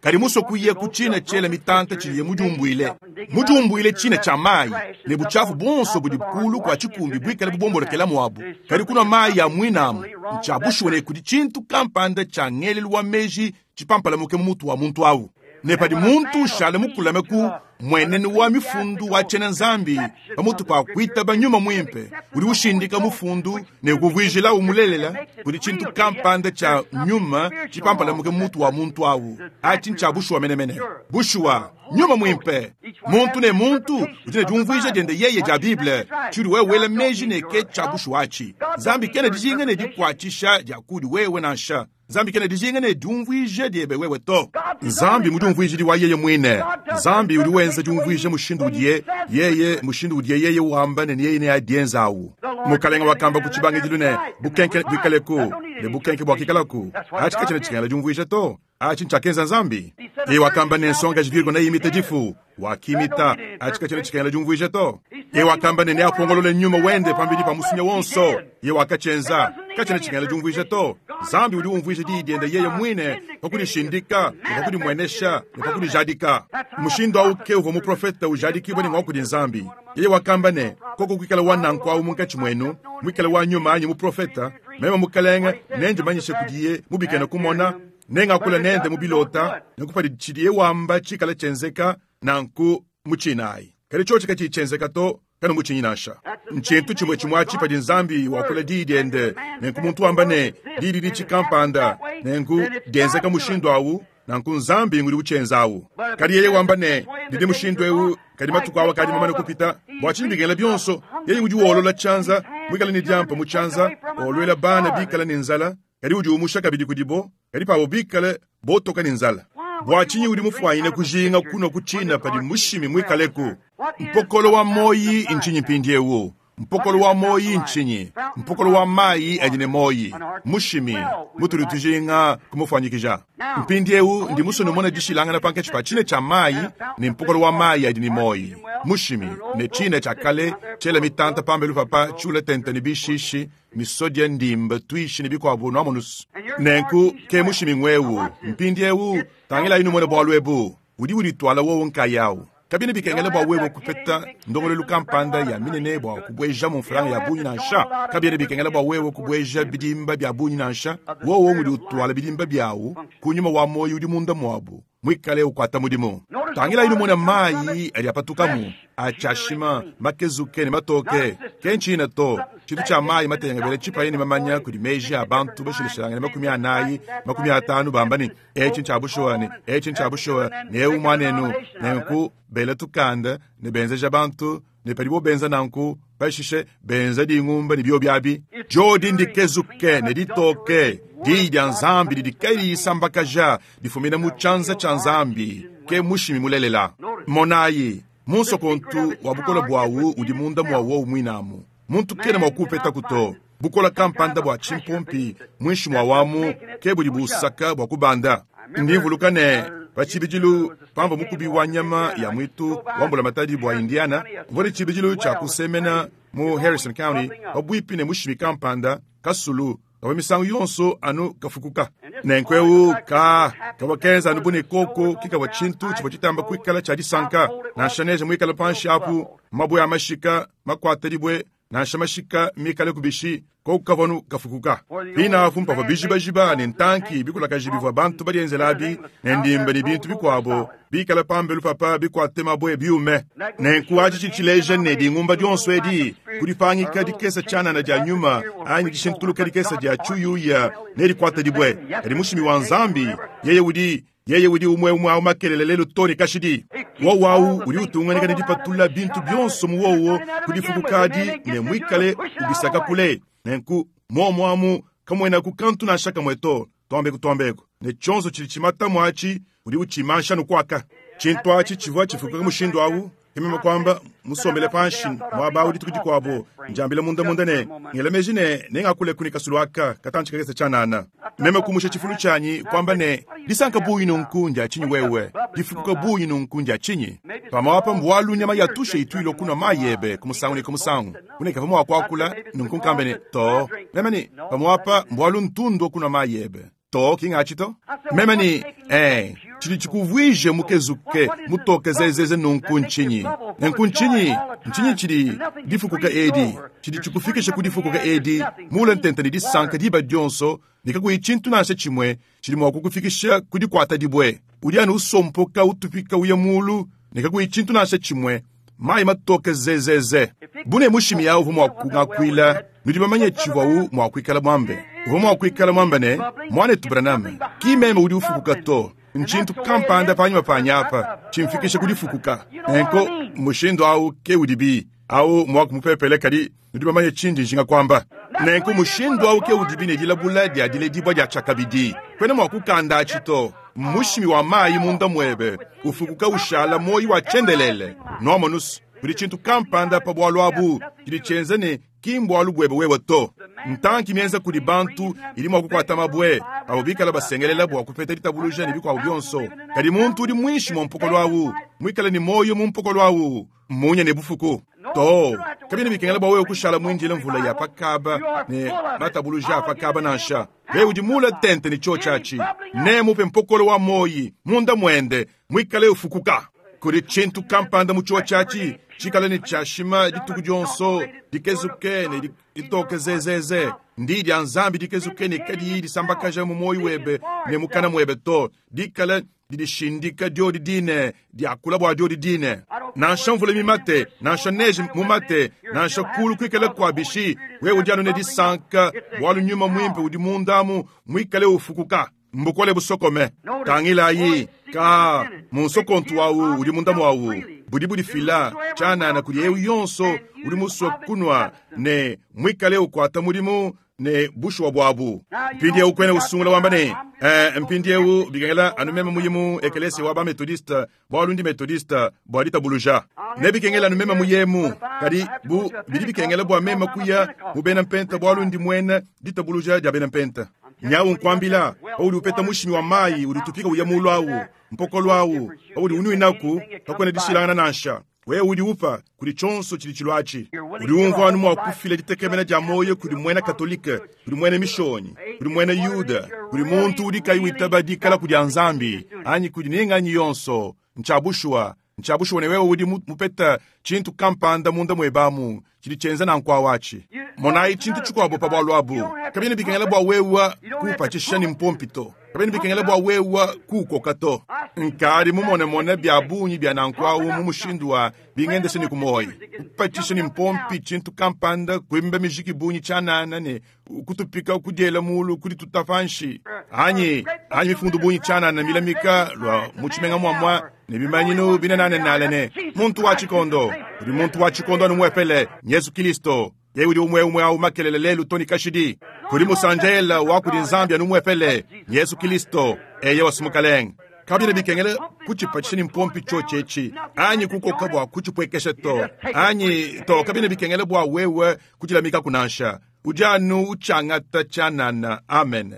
kadi muso kuye ku tshina tshiela mitanta tshidiye mudiumbuile. Mudiumbuile tshina tshia mayi, ne butshiafu bonso budi kulu kwa tshikumbi buikale bubombolokela muabu. Kadi kunua mayi ya muinamu, ntshia bushuwa ne kudi tshintu kampanda tshia ngelelu wa meji tshipampalamuke mu mutu wa muntu awu. Ne padi muntu ushala mukulame ku mmuenenu wa mifundu wa tshiena Nzambi pamutu pa kuitaba nyuma muimpe udi ushindika mufundu ne ukuvuijilawu mulelela kudi tshintu kampanda tshia nyuma tshipampalamuke mutu wa muntu awu. Atshi ntshia bushuwa menemene. Bushuwa, nyuma muimpe. Muntu ne muntu udi ne diumvuija diende yeye dia Bible, tshiudi wewe wela meji ne ke tshia bushuwa atshi. Nzambi kena dijinga ne dikuatshisha dia kudi wewe nansha. Nzambi kena dijinga ne diumvuija diebe wewe to. Nzambi mudiumvuijidi wa yeye muine. Nzambi udi wenza diumvuija mushindu udiye yeye, mushindu udiye yeye wamba ne yeye neadienzawu. Mukalenga wakamba ku tshibangidilu ne bukenke buikaleku, ne bukenke buakikalaku. Atshi katshiena tshikengela diumvuija to. Atshi ntshiakenza Nzambi. Yeye wakamba ne nsongaji Virgo neimite difu, wakimita. Atshi katshiena tshikengela diumvuija to. Yeye wakamba ne neapongolole nyuma wende pambidi pa musunya wonso. Yeye wakatshienza. Katshiena tshikengela diumvuija to. Nzambi udi umvuija diyi diende yeye muine pa kudishindika ne pa kudimuenesha ne pa kudijadika. Mushindu awu ke uvua muprofeta ujadikibua ne ngua kudi Nzambi. Yeye wakamba ne koko kuikala wa nanku awu munkatshi muenu, muikale wa nyuma anyi muprofeta, meme mukalenge nendimanyishe kudiye mubikene kumona, nengakula nende mu bilota, nenku tshidiye wamba tshikala tshienzeka nanku mutshinayi. Kadi tshiotshi katshiyi tshienzeka to, kanu mutshinyi nansha. Ntshintu tshimue tshimue atshi padi Nzambi wakula diyi diende, nenku muntu wamba ne diyi didi tshikampanda, nenku dienzeka mushindu awu, nanku Nzambi ngudi utshienzawu. Kadi yeye wamba ne didi mushindu ewu, kadi matuku awa kadi mamane kupita, bua tshinyi bikengela bionso, yeye udi wolola tshianza, muikale ne diampa mu tshianza, olwela bana bikale ne nzala, kadi udi umusha kabidi kudibo, kadi pabo bikale botoka ne nzala. Bua tshinyi udi mufuanyine kujinga kunua kutshina padi mushimi muikaleku? Mpokolo wa moyi ntshinyi mpindiewu? Mpokolo wa moyi ntshinyi? Mpokolo wa mayi adi ne moyi. Mushimi mutudi tujinga kumufuanyikija. Mpindiewu ndi musue numona dishilangana pankatshi pa tshine tshia mayi ne mpokolo wa mayi adi ne moyi. Mushimi ne tshine tshia kale tshiela mitanta pambelu papa tshiula tente ne bishishi, misodia ndimba tuishi ne bikuabu nuamonusu. Nenku ke mushimi ngwewu. Mpindiewu tangilayi numone bualu ebu. Udi udituala wowo nkayawu. Kabina bikengela bua wewe kupeta ndongolelu kampanda ya minene bua kubueja mu mfranga ya bungi nansha. Kabina bikengela bua wewe kubueja bidimba bia bungi nansha. Wowo udi utuala bidimba biawu ku nyuma wa moyo udi munda muabu, muikale ukuata mudimu. Tangilayi numone mayi adi apatukamu, atshiashima, makezuke ne matoke. Ke ntshina to, tshintu tshia mayi matengabele tshipaye ne mamanya kudi meji a bantu bashilashilangane makumi anayi, makumi atanu bamba ne etshi ntshia bushuwa ne etshi ntshia bushuwa ne ewu muanenu. Nenku bela tukanda ne benzeja bantu ne padibo benza nanku pashishe benza dingumba ne bio biabi. Jodi ndikezuke ne ditoke. Diyi dia Nzambi didi kayisambakaja difumina mu tshianza tshia Nzambi ke mushimi mulelela. Monayi munsokontu wa bukola bwawu udi munda mwa wowu mwinamu. Muntu kena mwa kupeta kuto. Bukola kampanda bua tshimpompi mwinshi mwa wamu ke budi busaka bua kubanda. Ndimvuluka ne pa tshibidilu pamvua mukubi wa nyama ya mwitu wa mbulamatadi bua Indiana, mvua ne tshibidilu tshia kusemena mu Harrison County pabuipi ne mushimi kampanda kasulu kavua misangu yonso anu kafukuka. Nenku ewu ka kavua kenza anu bu ne koko kikavua tshintu tshivua tshitamba kuikala tshia disanka. Nansha neje muikale panshi apu mabue a mashika makuata dibue, nansha mashika mikale kubishi, koko kavua anu kafukuka. Pinapu mpavua bijibajiba ne ntanki bikulakaji bivua bantu badienzelabi ne ndimba ne bintu bikuabo bikala pambelu papa bikuate mabue biume. Nenku atshi tshitshileja ne dingumba dionso edi kudipangika dikesa tshianana dia nyuma anyi dishintuluka dikesa dia tshuyuya ne dikuata dibue. Kadi mushimi wa Nzambi yeye udi yeye udi umwe umwe awu makelele lelu to ne kashidi. Wowu awu udi utunganika ne dipatula bintu bionso mu wowo kudifukukadi ne muikale ubisaka kule. Nenku momo amu kamwenaku kantu nansha kamwe to, twambeku twambeku ne tshionso tshidi tshimatamu atshi udi utshimansha nukuaka. Tshintu atshi tshivua tshifukuka mushindu awu. Kemema kwamba musombele panshi muaba awu dituku dikuabo, njambila munda munda ne ngela meji ne nengakule kuni kasulu aka katantshi kakese tshianana. Meme kumusha tshifulu tshianyi kwamba ne disanka bungi nunku ndia tshinyi wewe, difukuka bungi nunku ndia tshinyi. Pamwapa mbualu nyama ya tushe ituilo kunwa mayi ebe kumusangu ne kumusangu. Kuneka pamwa kuakula nunku nkambe ne to. Meme ni pamwapa mbualu ntundu kunwa mayi ebe. To kingachi to. Meme ni eh tshidi tshikuvuije mukezuke mutoke zezeze nunku ntshinyi. Nenku ntshinyi, ntshinyi tshidi difukuka edi, tshidi tshikufikisha ku difukuka edi, mule ntente ne disanka diba dionso, ne kakuyi tshintu nansha tshimue tshidi mua kukufikisha ku dikuata dibue. Udi anu usompoka utupika uya mulu ne kakuyi tshintu nansha tshimue, mayi matoke zezeze. Bu ne mushimi awu uvua mua kungakuila, nudi bamanye tshivuawu mua kuikala muambe. Uvua mua kuikala muambe ne, Muanetu Branham, ki meme udi ufukuka to, ntshintu kampanda panyima panyi apa tshimfikisha ku difukuka. Nenku mushindu awu ke udibi. Awu muaku mupepele, kadi nudi bamanye tshindi njinga kuamba. Nenku mushindu awu ke udibi ne dilabula dia diledibua dia tshiakabidi. Kuena mua kukanda atshi to. Mushimi wa mayi munda muebe ufukuka ushala muoyo wa tshiendelele. Nuamonus, kudi tshintu kampanda pa bualu abu tshidi tshienza ne ki mbualu buebe wewe to. Ntanki mienza kudi bantu idi mua kukuata mabue abo bikala basengelela bua kupeta ditabuluja ne bikuabu bionso. Kadi muntu udi muinshi mua mpokolo awu, muikale ne muoyo mu mpokolo awu, munya ne bufuku. To, kabiena bikengela bua wewe kushala muindile mvula ya pakaba ne matabuluja a pakaba nansha. Wewe udi mule tente ne tshiotshi atshi, nemupe mpokolo wa muoyi munda muende, muikale ufukuka. Kudi tshintu kampanda mu tshiotshi atshi tshikale ne tshiashima dituku dionso, dikezuke ne ditoke zezeze. Ndi dia Nzambi dikezuke ne kadiyi disambakaja mu muoyo webe ne mukana muebe to, dikale didishindika diodi dine, diakula bua diodi dine. Nansha mvula mimate, nansha neje mumate, nansha kulu kuikale kua bishi, wewe udi anu ne disanka bualu nyuma muimpe udi mundamu muikale ufukuka. Mbukole busokome. Tangilayi ka munsokontu wawu udi munda mwawu, budi budifila tshianana kudi eu yonso udi musue kunua ne muikale ukuata mudimu ne bushuwa buabu. Mpindieu kuena usungula wamba ne, eh, mpindieu bikengela anu meme muyimu ekelesi wa ba methodiste bualu ndi methodiste bua ditabuluja. Ne bikengela anu meme muyemu, kadi bu bidi bikengela bua meme kuya mu bena mpenta bualu ndi muena ditabuluja dia bena mpenta. Nyawu nkuambila, paudi upeta mushimi wa mayi udi utupika uya mulu awu, mpokolo awu, paudi unuinaku, kakuena dishilangana nansha. Wewe udi upa kudi tshionso tshidi tshiluatshi. Udi umvua anu mua kufila ditekemena dia muoyo kudi muena katolike, kudi muena mishonyi, kudi muena yuda, kudi muntu udi kayi witaba dikala kudi Nzambi, anyi kudi ninganyi yonso. Ntsha bushuwa, ntsha bushuwa ne wewe udi mupeta tshintu kampanda munda muebamu tshidi tshienza nanku awatshi. Monayi tshintu tshikuabo pa bualu abu. Kabiena bikengela bua wewe kuupatshisha ne mpompi to. Kabiena bikengela bua wewe kuukoka to. Nkadi mumonemone bia bungi bia nanku awu mu mushindu wa bingendesha ne kumoyi. Kupatshisha ne mpompi tshintu kampanda, kuimba mijiki bungi tshianana ne kutupika kudiela mulu kudituta panshi. Anyi, anyi mifundu bungi tshianana milamika lua mu tshimenga muamua ne bimanyinu binenanenale ne muntu wa tshikondo. Udi muntu wa tshikondo anu muepele, Yesu Kristo. Yeye udi umwe umwe au makelele lelu toni kashidi. Kudi musanjela wa kudi Nzambi anu muepele, Yesu Kristo, eye wasumukalenga. Kabiena bikengela kutshipatshisha ne mpompi tshiotshi anyi kukoka bua kutshipwekesha to, anyi to kabiena bikengela bua wewe kudilamika kunansha. Udi anu utshangata tshianana. Amen.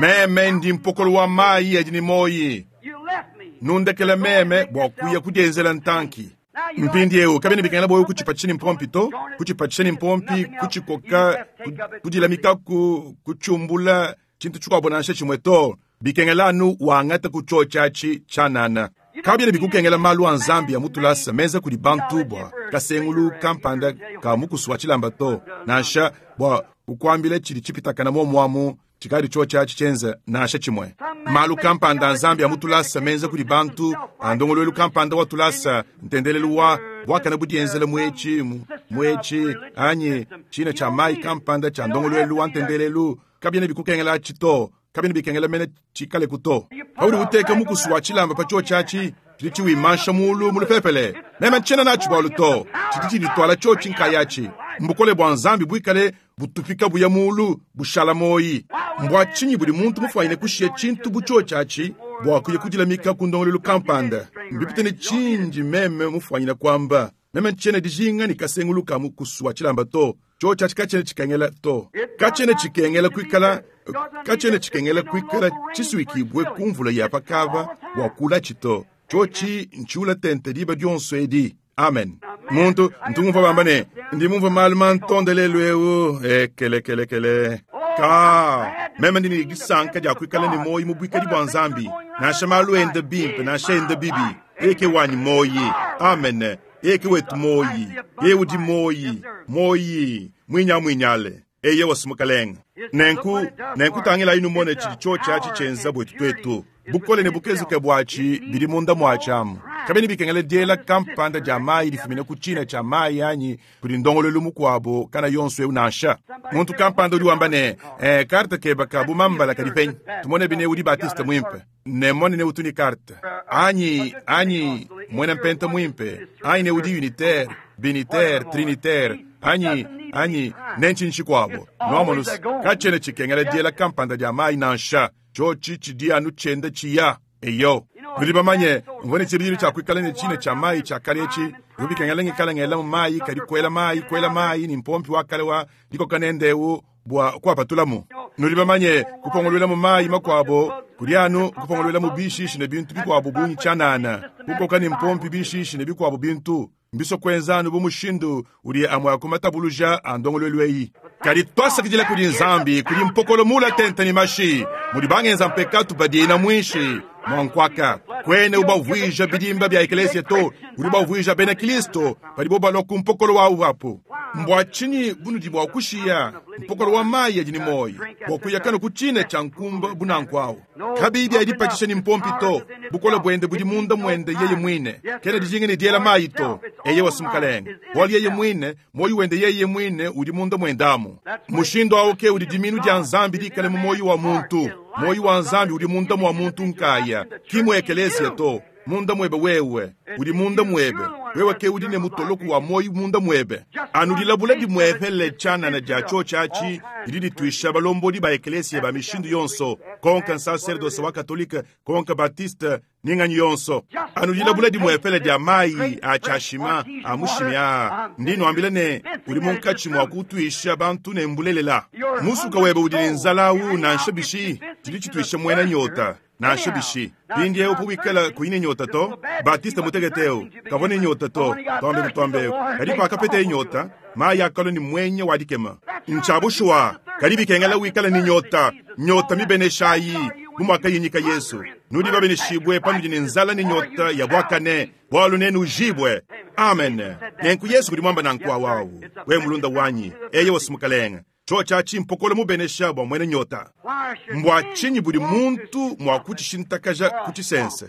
Meme ndi mpokolo wa mayi adi ne moyi. Nundekela meme bua kuya kudienzela ntanki. Mpindieu kabiena bikengela bua wewe kutshipatshisha ne mpompi to, kutshipatshisha ne mpompi, kutshikoka, kudilamikaku, kutshiumbula tshintu tshikuabo nansha tshimue to. Bikengela anu wangata kutshiotshi atshi tshianana. Kabiena bikukengela malu a Nzambi ya mutulasa menza kudi bantu bua kasengulu kampanda ka mukusu wa tshilamba to, nansha bua kukuambila tshidi tshipitakana muomuamu tshikadi tshiotshi atshi tshienza nansha tshimue. Malu kampanda a Nzambi ya mutulasa menza kudi bantu, a ndongoluelu kampanda wa tulasa, ntendelelu wa buakana budienzela muetshi, muetshi, anyi tshina tshia mayi kampanda tshia ndongoluelu wa ntendelelu, kabiena bikukengela atshi to. Kabiena bikengela mene tshikale ku to. Paudi uteka mukusu wa tshilamba pa tshiotshi atshi, tshidi tshiwimansha mulu mu lupepele. Meme ntshiena natshi bualu to, tshidi tshidituala tshiotshi nkayatshi. Mbukole bua Nzambi buikale butupika buya mulu bushala moyi. Mbua tshinyi budi muntu mufuanyine kushiya tshintu bu tshiotshi atshi bua kuya kudilamika ku ndongoluelu kampanda? Mbipite ne tshindi meme mufuanyine kuamba. Meme ntshiena dijinga ne kasengulu ka mukusu wa tshilamba to. Tshiotshi atshi katshiena tshikengela to. Katshiena tshikengela kuikala, katshiena tshikengela kuikala tshisuikibue ku mvula ya pakava bua kulatshi to. Tshiotshi ntshiula tente diba dionso edi. Amen. Muntu ntungumvua bamba ne ndi mumvua malu mantondelelu eu ekelekelekele. Ka meme ndi ne disanka dia kuikala ne moyi mu buikadi bua Nzambi, nansha malu ende bimpe nansha ende bibi. Eke wanyi moyi. Amen. Eke wetu moyi. Ye udi moyi. Moyi mwinya mwinyale. Eye wasumukalenga. Nenku nenku tangila inu mone tshidi tshiotshi atshi tshienza bwetu twetu. Bukole ne bukezuke bwatshi bidi munda mwatshi amu. Kabena bikengela diela kampanda dia mayi difumina ku tshina tshia mayi anyi kudi ndongoluelu mukuabo kana yonso eu nansha. Muntu kampanda udi wamba ne, eh, karte keba ka bu mambala kadi penyi. Tumone bine udi Baptiste muimpe. Ne mone ne utu ni karte. Anyi, anyi, muena mpenta muimpe. Anyi ne udi unitaire, binitaire, trinitaire. Anyi, anyi, ne ntshinyi tshikuabo. Nuamonus, katshiena tshikengela diela kampanda dia mayi nansha. Tshiotshi tshidi anu tshienda tshiya. Eyo. Nudi bamanye, mvua ne tshibidilu tshia kuikala ne tshina tshia mayi tshia kale etshi. Bivua bikengela ngikala ngelamu mayi, kadi kuela mayi, kuela mayi ne mpompi wa kale wa dikoka nende eu bua kuapatulamu. Nudi bamanye, kupongoluelamu mayi makuabo, kudi anu kupongoluelamu bishishi ne bintu bikuabo bungi tshianana, kukoka ne mpompi bishishi ne bikuabo bintu. Mbiso kuenza anu bu mushindu udi amue a ku matabuluja a ndongoluelu eyi. Kadi twasakidila kudi Nzambi, kudi mpokolo mula tente ne mashi, mudi bangenza mpekatu badiina muinshi mua nkuaka. Kwene ubavuija bidimba bia ekelesia to, udi ubavuija bena Kristo padibo balua ku mpokolo wawu apu. Mbua tshinyi bunudi bua kushiya mpokolo wa mayi adi ne muoyo bua kuya kanu ku tshina tshia nkumba bunanku awu? Kabiyi bia dipatshisha ne mpompi to, bukole buende budi munda muende yeye muine. Kena dijinga ne diela mayi to. Eye wa Mukalenge, bualu yeye muine, muoyo wende yeye muine udi munda muendamu. Mushindu awu ke udi diminu dia Nzambi dikale mu muoyo wa muntu. Muoyo wa Nzambi udi munda mua muntu nkaya, ki mu ekelesia to. Munda muebe wewe, udi munda muebe. Wewe ke udi ne mutoloku wa muoyo munda muebe. Anu dilabula dimuepele tshianana dia tshiotshi didi dituisha balombodi ba ekelesia ba mishindu yonso, konka nsaserdose wa katolike, konka batiste, ninganyi yonso. Anu dilabula dimuepele dia mayi a tshiashima a mushimi aa, ndi nuambila ne udi munkatshi mua kutuisha bantu ne mbulelela. Musuka webe udi ne nzala awu nansha bishi, tshidi tshituisha muena nyota. Nansha bishi. Mpindieu wikala kuyi ne nyota to, Batiste mutekete eu, kavua ne nyota to, twambe twambe. Kadi pakapeta nyota, mayi akalua ne mwenya wa dikema. Ntshia bushuwa, kadi bikengela wikala ne nyota, nyota mibeneshayi, bu muakayinyika Yesu. Nudi babeneshibue panudi ne nzala ne nyota ya buakane, bualu nenujibue. Amen. Nenku Yesu kudi muamba nanku awawu, we mulunda wanyi, eye wa Mukalenge. Tshiotshi atshi mpokolo mubenesha bua muena nyota. Mbua tshinyi budi muntu mua kutshishintakaja ku tshisense?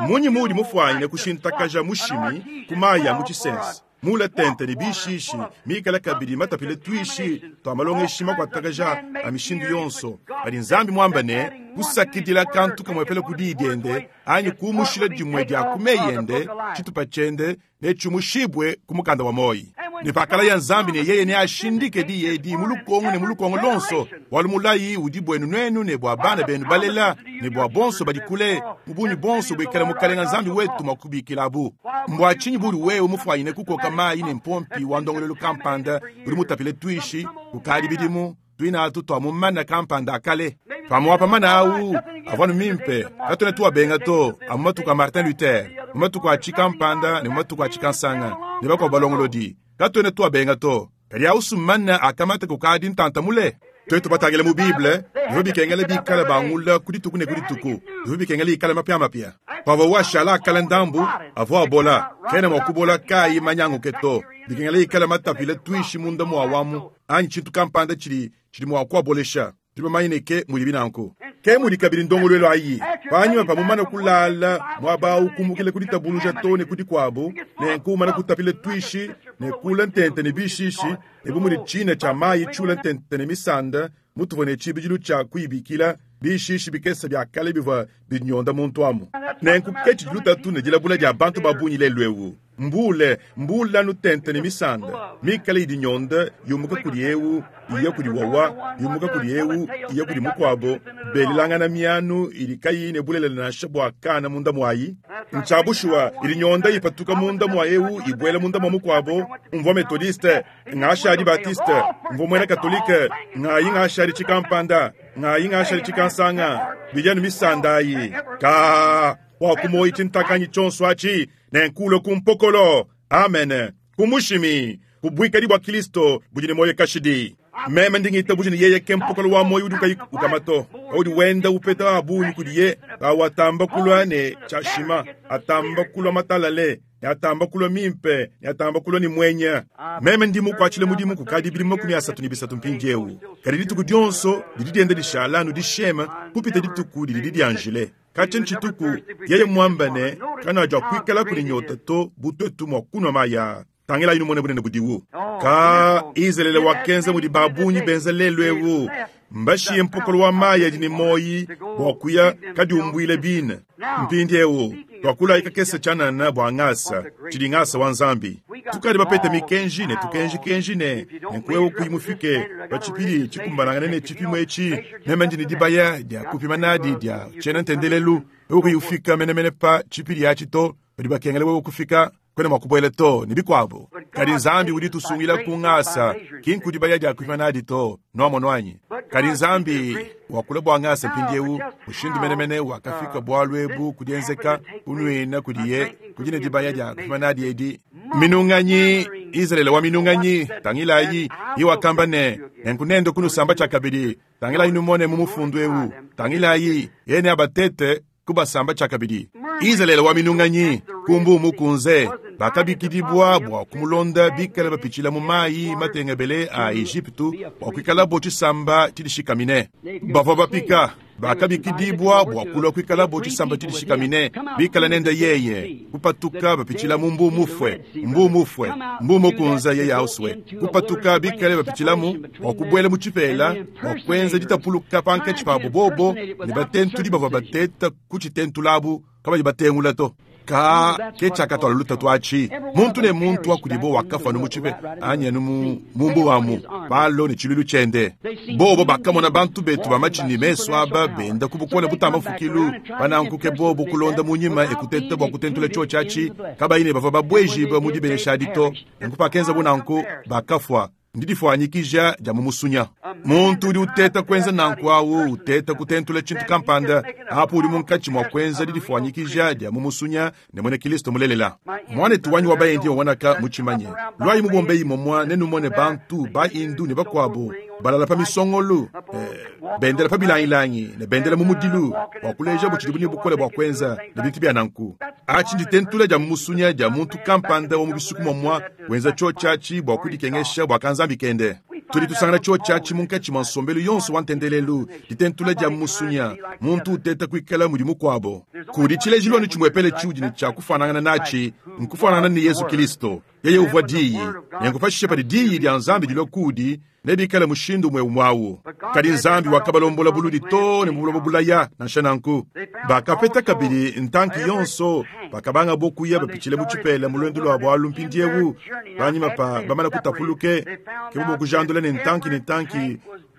Munyi muudi mufuanyine kushintakaja mushimi ku mayi a mu tshisense? Mula tente ne bishishi, mikala kabidi matapile tuishi tua malongeshi makuatakaja a mishindu yonso. Kadi Nzambi muamba ne, kusakidila kantu kamwepele ku diyi diende, anyi kumushila dimue dia ku meyi ende, tshitupa tshiende ne tshiumushibue ku mukanda wa moyi. Ne pakala ya Nzambi ne yeye neashindike diyi edi mu lukongo ne mu lukongo lonso, bualu mulayi udi buenu nuenu ne bua bana benu balela ne bua bonso badi kule, mu bungi bonso buikala Mukalenga Nzambi wetu mua kubikilabu. Mbua tshinyi budi wewe mufuanyine kukoka mayi ne mpompi wa ndongoluelu kampanda udi mutapile tuishi kukadi bidimu tuinatu tua mu mana kampanda akale? Pamuapa mana awu avua anu mimpe, katuena tuabenga to, amu matuku a Martin Luther, mu matuku a tshikampanda ne mu matuku a tshikansanga ne bakuabo balongolodi. Katuena tuabenga to, kadi awusu mana akamata kukadi ntanta mule. Tuetu batangile mu Bible, bivua bikengela bikala bangula ku dituku ne ku dituku, bivua bikengela ikala mapiamapia. Pavua washala akala ndambu, avua abola, kena mua kubola kayi manyanguke to. Bikengela ikala matapile tuishi munda mua wamu, anyi tshintu kampanda tshidi tshidi mua kuabolesha. Tudi bamanye ke mudi binanku. Ke mudi kabidi ndongoluelu ayi. Panyima pa mumana kulala muaba awu kumukila ku ditabuluja to ne ku dikuabu, nenku umana kutapila tuishi ne kula ntente ne bishishi, ne bu mudi tshina tshia mayi tshiula ntente ne misanda, mutuvua ne tshibidilu tshia kuyibikila, bishishi bikese bia kale bivua binyonda muntu amu. Nenku ke tshidi lutatu ne dilabula dia bantu ba bungi lelu eu. Mbule, mbula nutente ne misanda, mikale idi nyonda yumuka kudi eu, iya kudi wawa, yumuka kudi eu, iya kudi mukuabo, belelangana mianu idi kayi ne bulelela nansha bua kana munda muayi. Ntshia bushuwa, idi nyonda ipatuka munda mua eu, ibuela munda mua mukuabo. Mvua metodiste, ngashadi batiste, mvua muena katolike, ngayi ngashadi tshikampanda, ngayi ngashadi tshikansanga, bijanu misanda ayi. Ka wa kumoyi tshintakanyi tshionso atshi, nenkulo ku mpokolo. Amen. Kumushimi, kubuikadi bua Kristo budi ne moyo kashidi. Meme ndingita budi ne yeye ke mpokolo wa moyo udi ukayi ukamato. Paudi wenda upeta abunyi kudiye, awatamba kulua ne tshashima, atamba kulua matalale, Ne atamba kulua mimpe, ne atamba kulua ne muenya. Meme ndi mukuatshile mudimu kukadi bidimu makumi asatu ne bisatu mpindieu. Kadi dituku dionso didi dienda dishala anu dishema kupita dituku didi dianjile. Katshia ntshituku yeye muamba ne kanadia kuikala kudi nyota to bu tuetu mua kunua mayi aa. Tangilayi numone bunene budiwu. Ka Izalele wakenza mudi babunyi benza lelu ewu. Mbashiye mpokolo wa mayi adi ne moyi bua kuya kadiumbuile bine. Mpindiewu twakulayi kakese tshianana bua ngasa, tshidi ngasa wa Nzambi. Tukadi bapete mikenji ne tukenjikenji ne nenku kuyi mufike pa tshipidi tshikumbanangane ne tshipimo etshi, meme ndi ne dibaya dia kupima nadi dia tshiena ntendelelu. Wewe kuyi ufika menemene pa tshipidi atshi to, badi bakengela wewe kufika kwena mua kubuela to ne bikuabo. Kadi Nzambi udi tusungila ku ngasa, ki nkudibaya dia kupima nadi to, nuamono anyi? Kadi Nzambi wakula bua ngasa mpindiewu, mushindu menemene wakafika bualu ebu kudienzeka kunuina kudiye kudi ne dibaya dia kupima nadi edi. Minunganyi, Izalele wa minunganyi, tangilayi, ye wakamba ne, nenku nende kunusamba tshiakabidi, tangilayi numone mu mufundu ewu, tangilayi, yene abatete kubasamba tshiakabidi. Izalele wa minunganyi, kumbu mukunze, bakabikidibwa bua kumulonda bikala bapitshila mu mayi matengebele a Egyptu bua kuikalabo tshisamba tshidishikamine. Bavua bapika, bakabikidibwa bua kulua kuikalabo tshisamba tshidishikamine, bikala nende yeye, kupatuka bapitshila mu mbu mufue, mbu mufue, mbu mukunza yeye auswe, kupatuka bikale bapitshilamu bua kubuela mu tshipela, bua kuenza ditapuluka pankatshi pabo bobo ne batentudi bavua bateta ku tshitentulabu kabayi batengula to. Ka ke tshiakatwala lutatu atshi. Muntu ne muntu wa kudibo wakafa anu mu tshipe, anyi anu mu mumbu wamu, palo ne tshiluilu tshiende. Bobo bakamona bantu betu ba matshi ne mesu aba benda ku bukole butamba mfukilu, panankuke bobo kulonda mu nyima ekuteta bua kutentula tshiotshi atshi, kabayi ne bavua babuejibue mu dibenesha adi to. Nenku pakenza bu nanku, bakafua. Ndidifuanyikija dia mu musunya. Muntu udi uteta kuenza nanku awu, uteta kutentula tshintu kampanda, apo udi munkatshi mua kuenza didifuanyikija dia mu musunya ne muena Kristo mulelela. Mwanetu wanyi wa bayendi wawanaka mutshimanye. Lwayi mubombeyi momwa nenumone bantu ba indu ne bakuabo balala pa misongolu, eh, bendela pa bilangilangi ne bendela mu mudilu bua kuleja butshidi ne bukole bua kuenza ne bintu bia nanku. Atshi nditentula dia mu musunya dia muntu kampanda wa mu bisuku momwa wenza tshiotshi atshi bua kudikengesha bua kanzambi kende. Tudi tusangana tshiotshi atshi munkatshi mua nsombelu yonso wa ntendelelu, ditentula dia musunya, muntu uteta kuikala mudi mukuabo. Kudi tshilejilu anu tshimuepele tshiudi ne tshia kufanangana natshi, nkufanana ne Yesu Kristo. Yeye uvua diyi, nenku pashishe padi diyi dia Nzambi dilua kudi, nebikale mushindu umue umue awu. Kadi Nzambi wakabalombola buludi to ne mu buloba bulaya, nansha nanku. Bakapeta kabidi ntanki yonso, bakabanga bo kuya bapitshile mu tshipela mu lwendo lua bualu mpindiewu, panyima pa bamana kutapuluke, ke bobo kujandula ne ntanki ne ntanki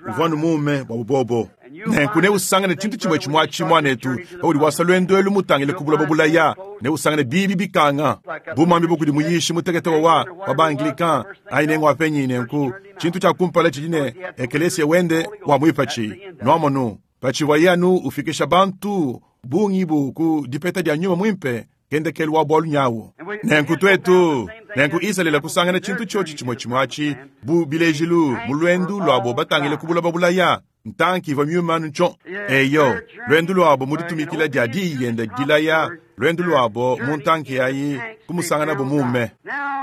uvua numume bua bubobo. Nenku neusangane tshintu tshimue tshimue atshi muanetu, paudi wasa lwendo elu mutangile ku buloba bulaya, neusangane bibi bikanga. Bu muambi bukudi muyishi mutekete wa wa ba-Anglican, ayi nengu apenyi nenku, tshintu tshia kumpala tshidi ne ekelesia wende wa muipatshi. Nuamonu, patshivua anu ufikisha bantu bungi bu ku dipeta dia nyuma muimpe, kendekelu wa bualu nyawu. Nenku tuetu, nenku Izalele kusangana tshintu tshiotshi tshimue tshimue atshi, bu bilejilu mu lwendu lwabo batangile ku buloba bulaya, ntanki ivua myuma ntsho. Eyo, lwendu lwabo mu ditumikila dia diyi yende dilaya, lwendu lwabo mu ntanki ayi kumusangana bo mume.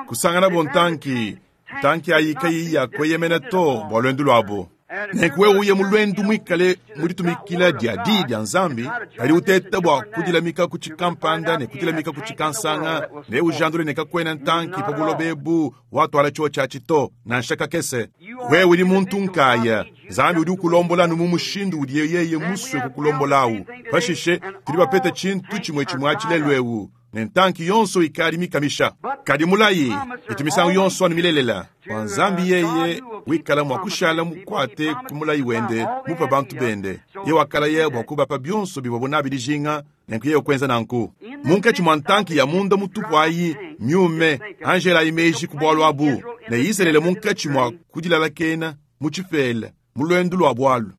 Kusangana bo ntanki, ntanki ayi kayi ya kweyemena to bua lwendu lwabo. Nenku wewe uye mu lwendu mwikale mu ditumikila dia diyi dia Nzambi, kadi uteta bua kudilamika ku tshikampanda ne kudilamika ku tshikansanga, ne ujandule ne kakwena ntanki pa buloba ebu watwala tshiotshi atshi to, nansha kakese. Wewe udi muntu nkaya, Nzambi udi ukulombola anu mu mushindu udiye yeye musue kukulombolawu. Pashishe tudi bapeta tshintu tshimue tshimue atshi lelu ewu, ne ntanki yonso ikadi mikamisha. Kadi mulayi, itu misangu yonso anu milelela, bua Nzambi yeye wikala mua kushala mukuate ku mulayi wende mupa bantu bende. Ye wakalaya bua kubapa bionso bivua nabi dijinga, nenku yeye kuenza nanku. Munkatshi mua ntanki ya munda mutupu ayi, myume, Angela ayi meji ku bualu abu, ne Izalele munkatshi mua kudilalakena mu tshipela, mu lwendu lua bualu.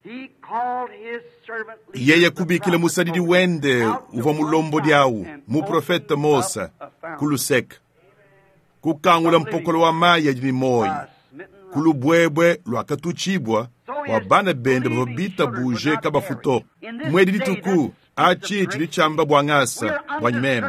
Yeye kubikila musadidi wende uvua mulombodi awu, muprofete Mose, ku luseke. Kukangula mpokolo wa mayi adi ne moyi, ku lubwebwe lwakatutshibwa bua bana bende bavua bitabuje kabafu to. Mwedi dituku atshi tshidi tshiamba bua ngasa bua nyimeme.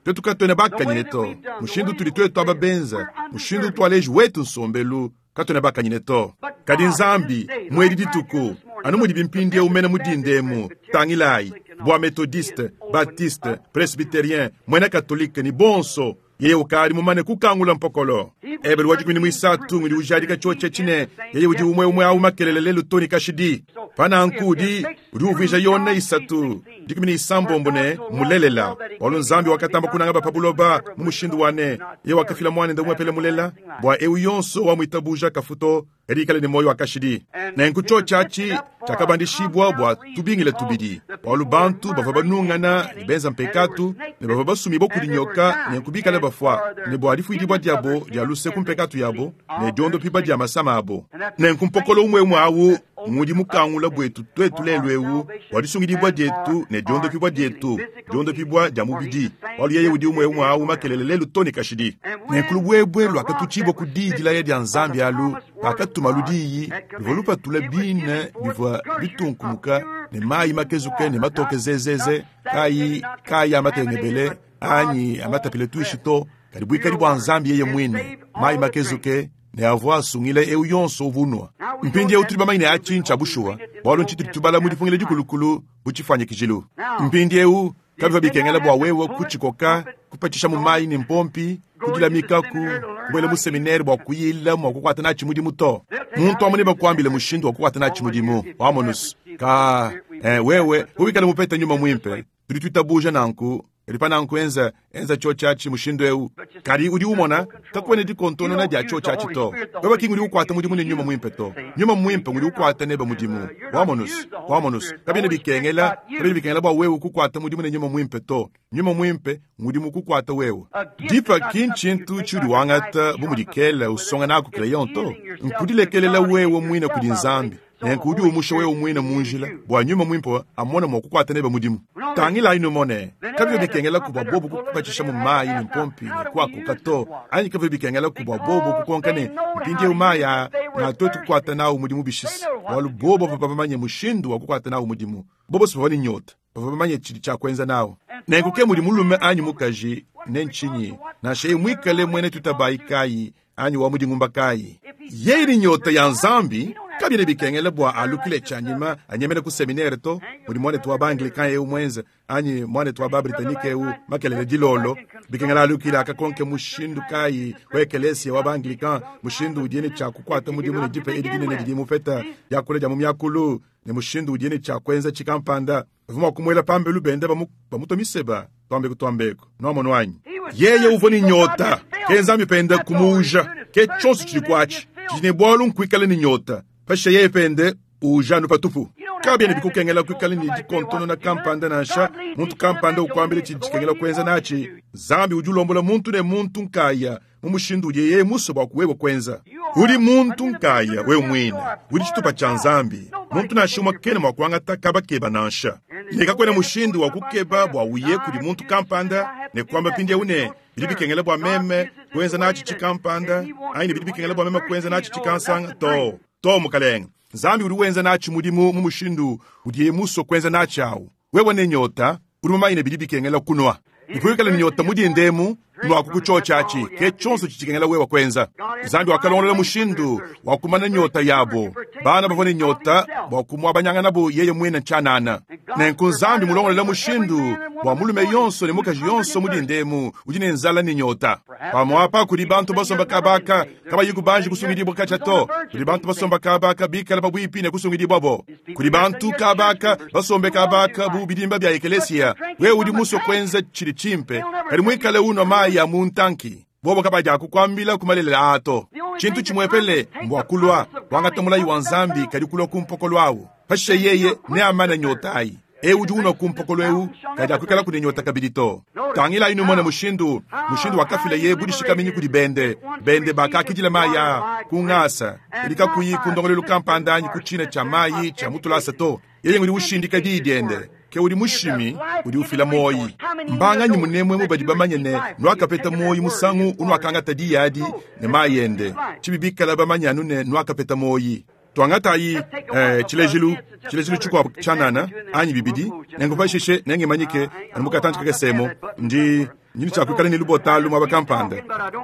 Twetu katwena bakanyine to. Mushindu tudi twetu aba benza, mushindu twaleji wetu nsombelu, katwena bakanyine to. Kadi Nzambi, mwedi dituku, anu mudi bimpindie umene mudindemu, tangilayi, bwa methodiste, baptiste, presbyterien, mwena katolike ni bonso, yeye ukali mumane kukangula mpokolo. Ebelu wa dikumi ni mwisatu ngudi ujadika choche chine, yeye udi umwe umwe au makelele lelu toni kashidi. Pananku udi, udi uvija yona isatu, dikumi ni isambombo ne mulelela. Walu Nzambi wakatamba kunanga bapabuloba mu mushindu wane, yeye wakafila mwana nda umwepele mulela, bwa eu yonso wa mwitabuja kafuto, erikale ni moyo wa kashidi. Nenku chochachi chakabandishibwa bwa tubingile tubidi. Walu bantu bava banungana ni benza mpekatu, ne bava basumi bokulinyoka ne kubikale bafwa, ne bwa lifuidibwa diabo dia luse ku mpekatu yabo, ne diondo piba dia masama abo. Nenku mpokolo umwe umwe awu ngudi mukangula bwetu twetu lelu ewu, walisungidibwa dietu ne diondo pibwa dietu, diondo pibwa dia mubidi. Walu yeye udi umwe umwe awu makelele lelu toni kashidi. Nenkulu bwebwe lwakatuchibwa ku didi la ya Nzambi alu, pakatuma ludiyi, luvua lupatula bine bivua bitunkumuka ne mayi makezuke ne matoke zezeze, kayi kayi amatengebele anyi amatapile tuishi to, kadi bwikali bwa Nzambi yeye mwine, mayi makezuke ne avua asungile eu yonso uvunwa. Mpindi eu tuli bamanyine achincha bushuwa, bwalu ntshituli tubala mu dipungile dikulukulu bu tshifuanyikijilu. Mpindi eu kabiva bikengela bwa wewe kuchikoka, kupatisha mu mayi ne mpompi, kudilamika ku kubwela mu seminere bwa kuyila mwa kukwata nachi mudimu to. Muntu amune bakwambile mushindu wa kukwata nachi mudimu, wamonus. Ka, eh, wewe, wikale mupeta nyuma mwimpe, tudi twitabuja nanku, elipa nanku enza, enza chochachi mushindu eu. Kadi udi umona, kakwene dikontonona dia chochachi to. Wewe kingi udi ukwata mudimu ne nyuma mwimpe to. Nyuma mwimpe udi ukwata neba mudimu. Wamonus, wamonus. Kabine bikengela, kabine bikengela bwa wewe kukwata mudimu ne nyuma mwimpe to. Nyuma mwimpe mudimu kukwata wewe. Dipa kinchintu chudi wangata bumudikela usonga nako crayon to. Nkudilekelela wewe mwine kudi Nzambi. Nenku udi umusha wewe mwine munjila bwa nyuma mwimpe amona mwa kukwata neba mudimu. Tangila inu mone, kabyo bikengela kubwa bobo kukupatisha mu mayi ni mpompi ne kwako kato. Anyi kabyo bikengela kubwa bobo kukonka ne mpindi umaya na twetu kukwata nawo mudimu bishisi. Walu bobo papa mushindu wa kukwata nawo mudimu. Bobo sipava ni nyota, papa pamanye chili cha kwenza nawo. Nenku ke mudi mulume anyi mukaji ne nchinyi, nansha mwikale mwene tutabayi kayi anyi wa mudingumba kayi. Yeye ni nyota ya Nzambi, kabine bikengela bwa alukile chanyima anyemele ku seminaire to, mudi mwane tuwa ba Anglican eu mwenze, anyi mwane tuwa ba Britannique eu makelele dilolo, bikengela alukile akakonke mushindu kayi wa ekelesia wa ba Anglican, mushindu udiene cha kukwata mudimu ne dipe edi dinene didi mupeta ya kule dia mu myakulu, ne mushindu udiene cha kwenza chikampanda. Vuma kumwela pambelu bende bamu bamutomiseba, twambeko twambeko. Nwamono wanyi. Yeye uvua ni nyota, ke Nzambi pende kumuuja, ke chonso chili kwachi, chine bwalu nkwikale ni nyota. Pasha yeye pende uja patupu. Kabye ne bikukengela kwikale ni dikontono na kampanda nansha, muntu kampanda ukwambile chidikengela kwenza nachi. Nzambi udi ulombola muntu ne muntu nkaya, mu mushindu udi yeye muso bwa kuwewa kwenza. Udi muntu nkaya wewe mwine, udi chitupa cha Nzambi. Muntu nansha umwe kene mwa kuangata kabakeba nansha. Neka kwena mushindu wa kukeba bwa uye kudi muntu kampanda, ne kwamba pindi une, bidi bikengela bwa meme kwenza nachi chikampanda, aini bidi bikengela bwa meme kwenza nachi chikansanga to. To mukalenga. Nzambi udi wenza nachi mudimu mu mushindu udi muso kwenza nachi awu. Wewe ne nyota, udi mumayine bidi bikengela kunwa. Nikuikale ni nyota mudi ndemu, nwa kukuchochachi, ke chonso chichikengela wewe kwenza. Nzambi wakalongolela mushindu wa kumana nyota yabo. Bana bavone nyota bwa kumwabanyanga nabo yeye mwene nchanana. Nenku Nzambi mulongolela mushindu wa mulume yonso ne mukaji yonso mudi ndemu, udi ne nzala ni nyota. Pamwapa kuli bantu basomba kabaka, kabayi kubanji kusungidibwa kachato. Kuli bantu basomba kabaka bikala pabwipi ne kusungidibwa bo. Kuli bantu kabaka basombe kabaka bu bidimba bya ekelesia. Wewe udi muso kwenza chili chimpe, kali mwikale uno mayi ya muntanki. Bobo kabaja kukwambila kumalela ato. Chintu chimwepele mbwa kulwa, wangata mulayi wa Nzambi kali kulwa kumpokolo awo. Pashe yeye ne amana nyotai. Eu udi unwa kumpokolo eu, kadi akwikala kune nyota kabidi to. Tangila inu mwana mushindu, mushindu wakafila ye budishika minyi kudi bende. Bende bakakidila maya, kungasa. Elika kuyi kundongolelu kampanda anyi kuchina cha mayi cha mutulasa to. Yeye ngudi ushindika didiende. Ke udi mushimi, udi ufila moyi. Mbanga nyi munemwe mubadi bamanye ne, nwakapeta moyi musangu unwakangata diyadi ne mayende. Chibibikala bamanye anu ne nwakapeta moyi. Tuangatayi eh, tshilejilu tshilejilu tshikuabu tshianana anyi bibidi, nenku pashishe nengimanyike anu mu katantshi kakesemu. Ndi ndi tshiakuikala ne lubota muaba kampanda.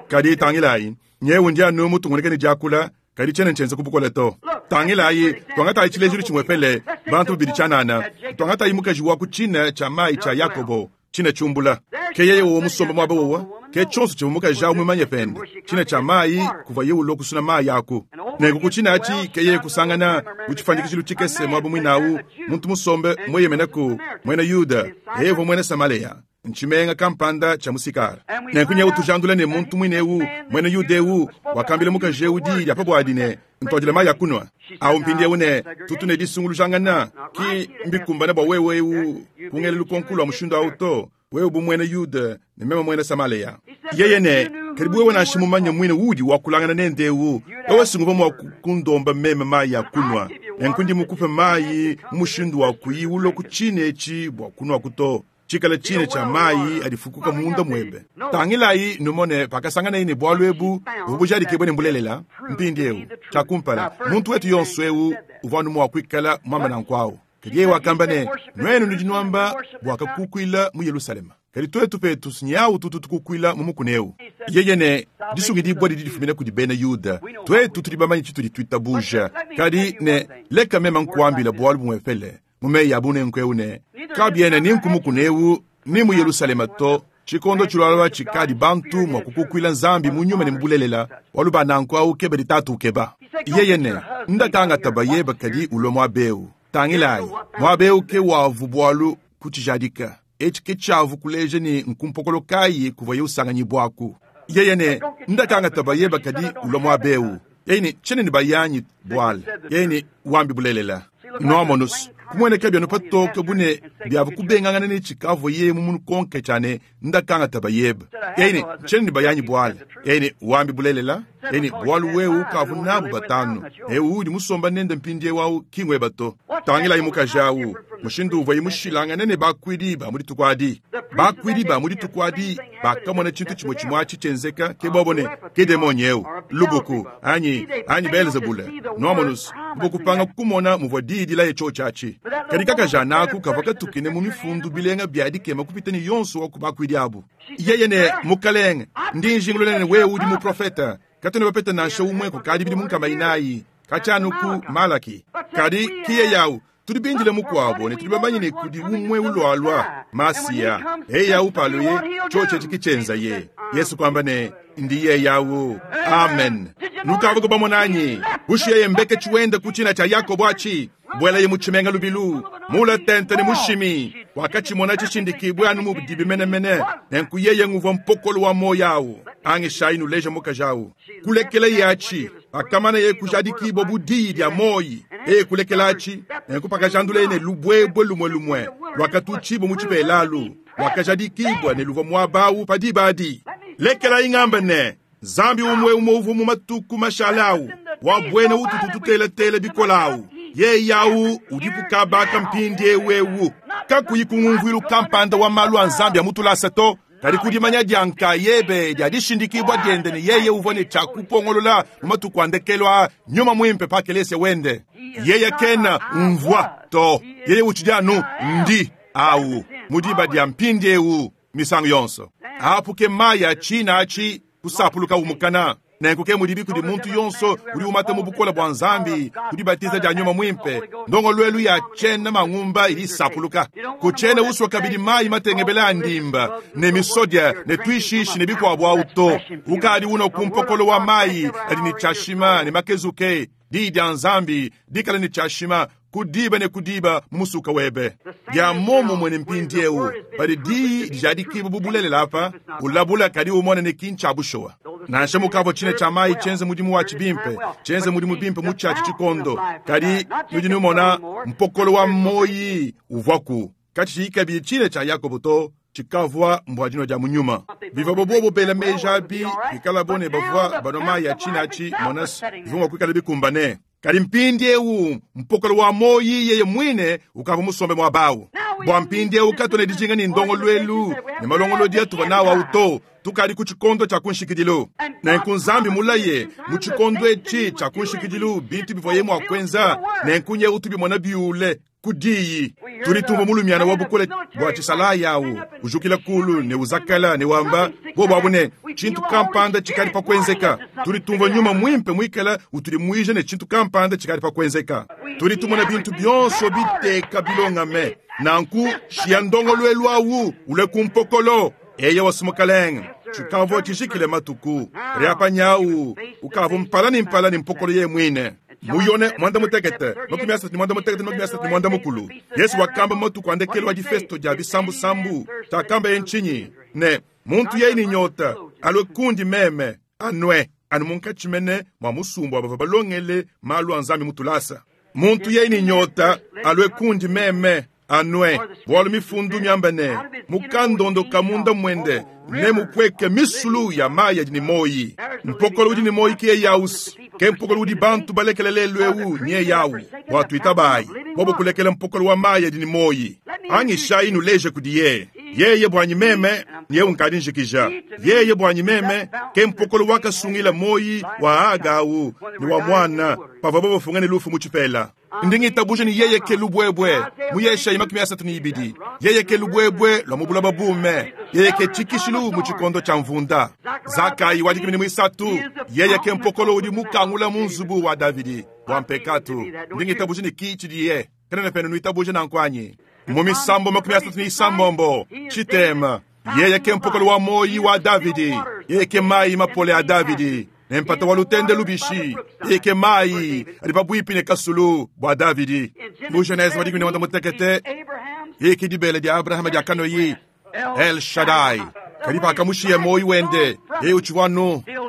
Kadi tangilayi, nyewu ndi anu mutungunike ne diakula, kadi tshiena ntshienza ku bukole to. Tangilayi, tuangatayi tshilejilu tshimwepele, bantu bibidi tshianana. Tuangatayi mukaji wa ku tshina tshia mayi tshia Yakobo, tshina tshiumbula. Ke yeye wowo musomba muaba wowa, ke tshionso tshivua mukaji awu mumanye pende. Tshina tshia mayi kuvua yeye ulua kusuna mayi aku. Nenku ku tshina atshi ke yeye kusangana mu tshifuanyikijilu tshikese muaba muinawu, muntu musombe mueyemenaku, muena Yuda, yeye uvua muena Samaleya. Ntshimenga kampanda tshia musikara. Nenku nyewu tujandula ne muntu muine ewu, muena Yuda ewu, wakambila mukaji ewu diyi dia pa buadi ne, ntwadile mayi a kunua. Awu mpindiewu ne, tutu ne disungulujangana, ki mbikumbane bua wewe ewu kungela lukonko lua mushindu awu to, wewe bu muena Yuda ne meme muena Samaleya. Yeye ne, kadi bu wewe nansha mumanye muine uudi wakulangana nende ewu, wewe singuvua mua kundomba meme mayi a kunua. Nenku ndi mukupe mayi mu mushindu wa kuyi ulua ku tshina etshi bua kunuaku to. Tshikala tshina tshia mayi adifukuka munda mwebe. Tangilayi numone pakasanganaye ne bualu ebu buvua bujadikibue ne mbulelela. Mpindiewu tshia kumpala, muntu wetu yonso ewu uvua anu mua kuikala muamba nanku awu. Kadi yeye wakamba ne, nuenu nudi nuamba bua kakukuila mu Yerusalema, kadi tuetu petu sinyawu tutu tukukuila mu mukuna ewu. Yeye ne, disungidibua didi difumina kudi bena Yuda, tuetu tudi bamanye tshitudi tuitabuja. Kadi ne, leka meme nkuambila bualu bumwepele mu meyi a bunenku ewu ne, kabiena ni nku mukuna ewu ni mu Yerusalema to. Tshikondo tshilualua tshikadi bantu mua kukukuila Nzambi mu nyuma ne mu bulelela, bualu ba nanku awu keba ditatu ukeba. Yeye ne, ndakangata bayeba kadi ulua muaba ewu. Tangilayi, muaba ewu ke wavu bualu kutshijadika. Etshi ke tshiavu kuleja ne nkumpokolo kayi kuvuaye usanganyibwaku. Yeye ne, ndakangata bayeba kadi ulua muaba ewu. Yeye ne, tshiena ne bayanyi buala. Yeye ne, wambi bulelela. Noamonus, kumueneka byanu patoke bune byavu kubengangana ne tshikavua yeye mu munukonke tshia ne ndakangata bayeba. Yeye ne, tshiena ne bayanyi buala. Yeye ne, wambi bulelela. Yeye ne, bualu wewe ukavu nabu batanu. Ewu udi musomba nende mpindiewu awu kingweba to. Tangilayi mukaji awu, mushindu uvuaye mushilangane ne bakuidi ba mu dituku adi. Bakuidi ba mu dituku adi bakamona tshintu tshimue tshimue atshi tshienzeka, ke bobo ne, ke demoni ewu, lubuku, anyi, anyi Beelzebule. Noamonus, bokupanga kumona muvua diyi dilaye tshio atshi. Kadi kakaja naku kavua katukine mu mifundu bilenga bya dikema kupita ne yonso wa ku bakuidi abu. Yeye ne, mukalenge, ndi njingulula ne wewe udi muprofeta. Katuena bapeta nansha umwe kukadi bidimu nkama inayi, katshianu ku Malaki. Kadi kiye yawu, tudi bindile mukuabo ne tudi bamanye ne kudi umwe ulualua Masiya. Yeye yawu paluye, tshio tshiki tshienza ye. Yesu kwamba ne, ndi yeye yawu. Amen. Nukavuka bamonanyi, bushiye mbeke tshiwenda ku tshina tshia Yakobo atshi. Bwelaye mu tshimenga lubilu, mula tente ne mushimi, wakatshimona tshishindikibwe anu mu dibimenemene, nenku yeye nguvua mpokolo wa moyo awu. Angishayi nuleja mukaji awu. Kulekela yatshi, pakamana ye kujadikibwa bu diyi dia moyi. Eye kulekela atshi, nenku pakajandula ne lubwebwe lumwe lumwe, lwakatutshibwa mu tshipelalu, lwakajadikibwa ne luvua muaba awu pa diba adi. Lekela ingamba ne, Nzambi umwe umwe uvua mu matuku mashale awu, wa bwena ututu tutelatela bikola awu. Yeye yawu udipu kabaka mpindiewu ewu. Kakuyi kungumvuilu kampanda wa malu a Nzambi ya mutulasa to, kadi kudimanya dia nkayebe dia dishindikibwa diende ne yeye uvua ne tshia kupongolola mu matuku a ndekelu a nyuma muimpe pa kelese wende. Yeye kena umvua to, yeye utshidi anu ndi awu mu diba dia mpindiewu misangu yonso. Apu ke mayi a tshina atshi kusapuluka umukana. Nenku ke mudibi kudi muntu yonso udi umata mu bukola bua Nzambi, kudi batiza dia nyuma muimpe, ndongoluelu ya tshiena mangumba idi isapuluka. Ku tshiena uswa kabidi mayi matengebela a ndimba, ne misodia, ne tuishishi ne bikuabu awu to. Ukadi uno ku mpokolo wa mayi adi ne tshiashima ne makezuke, diyi dia Nzambi dikala ne tshiashima kudiba ne kudiba mu musuka webe. Dia momumue ne mpindiewu, padi diyi dijadikibwa bu bulelela apa, ulabula kadi umone ne kintsha bushowa. Nansha mukavua tshina tshia mayi tshienze mudimu watshi bimpe, tshienze mudimu bimpe mu tshiatshi tshikondo, kadi nudi numona mpokolo wa moyi uvuaku. Katshi kabidi tshina tshia Yakobo to, tshikavua mbua dino dia mu nyuma. Bivua bobo bela meji abi, bikala bo ne bavua banua mayi ya tshina atshi, monas, bivua mua kuikala bikumbane. Kadi mpindiewu mpokolo wa moyi yeye mwine ukavua musombe muaba awu. Bua mpindieu katuena dijinga ne ndongoluelu ne malongolodi atuvua nawu au to. Tukadi ku tshikondo tshia ku nshikidilu. Nenku Nzambi mulaye mu tshikondo etshi tshia ku nshikidilu bintu bivuaye mua kuenza, nenku nyewu tubimona biule ku diyi. Tudi tumvua mulumiana wa bukole bua tshisalayi awu ujukila kulu ne uzakala ne wamba bobu abu ne tshintu kampanda tshikadi pa kuenzeka. Tudi tumvua nyuma mwimpe muikala utudimuija ne tshintu kampanda tshikadi pa kuenzeka. Tudi tumona bintu bionso biteka bilongame. Nanku shia ndongoluelu awu ule ku mpokolo. Eye wasumukalenga tshikavua tshijikile matuku riapanyawu ukavua mpala ne mpala ne mpokolo ye mwine. Muyone mwanda mutekete makumi asatu ne mwanda mutekete makumi asatu ne mwanda mukulu. Yesu wakamba matuku andekelo wa difesto dia bisambusambu takamba ye nchinyi ne muntu yeye ni nyota alwe kundi meme anwe anu munkatshi mene mwa musumbu abava balongele malu a Nzambi mutulasa. Muntu yeye ni nyota alwe kundi meme anwe bwalu mifundu miamba ne mukandondo kamunda mwende ne mupweke misulu ya mayi adi ne moyi. Mpokolo udi ne moyi ke yausi ke mpokolo udi bantu balekele lelu ewu nye yawu bua tuitabayi bobo kulekela mpokolo wa mayi adi ne moyi. Angishayi nuleje kudiye yeye bwanyi meme nye unkadi njikija yeye bwanyi meme ke mpokolo wakasungila moyi wa agawu ne wa mwana pavua bobo ne lufu mu tshipela. Ndingitabuje ni yeye ke lubwebwe muyesha makumi asatu ni ibidi yeye ke lubwebwe lwa mubula babume yeye ke tshikishilu mu tshikondo tshia mvunda. Zakayi wa dikumi ne mwisatu yeye ke mpokolo udi mukangula mu nzubu wa Davidi bua mpekatu. Ndingitabuje ni ki tshidiye kana penu nuitabuje nankwanyi mu misambo makumi asatu ni isambombo tshitema yeye ke mpokolo wa moyi wa Davidi yeye ke mayi mapole a Davidi nempata wa lutende lubishi yeye ke mayi adi pabuipi ne kasulu bua Davidi. Mu Genese wa dikumi ne mwanda mutekete yeye ke dibele dia Abrahama dia kanoyi El Shaddai kadi pakamushiya moyi wende yeye utshivua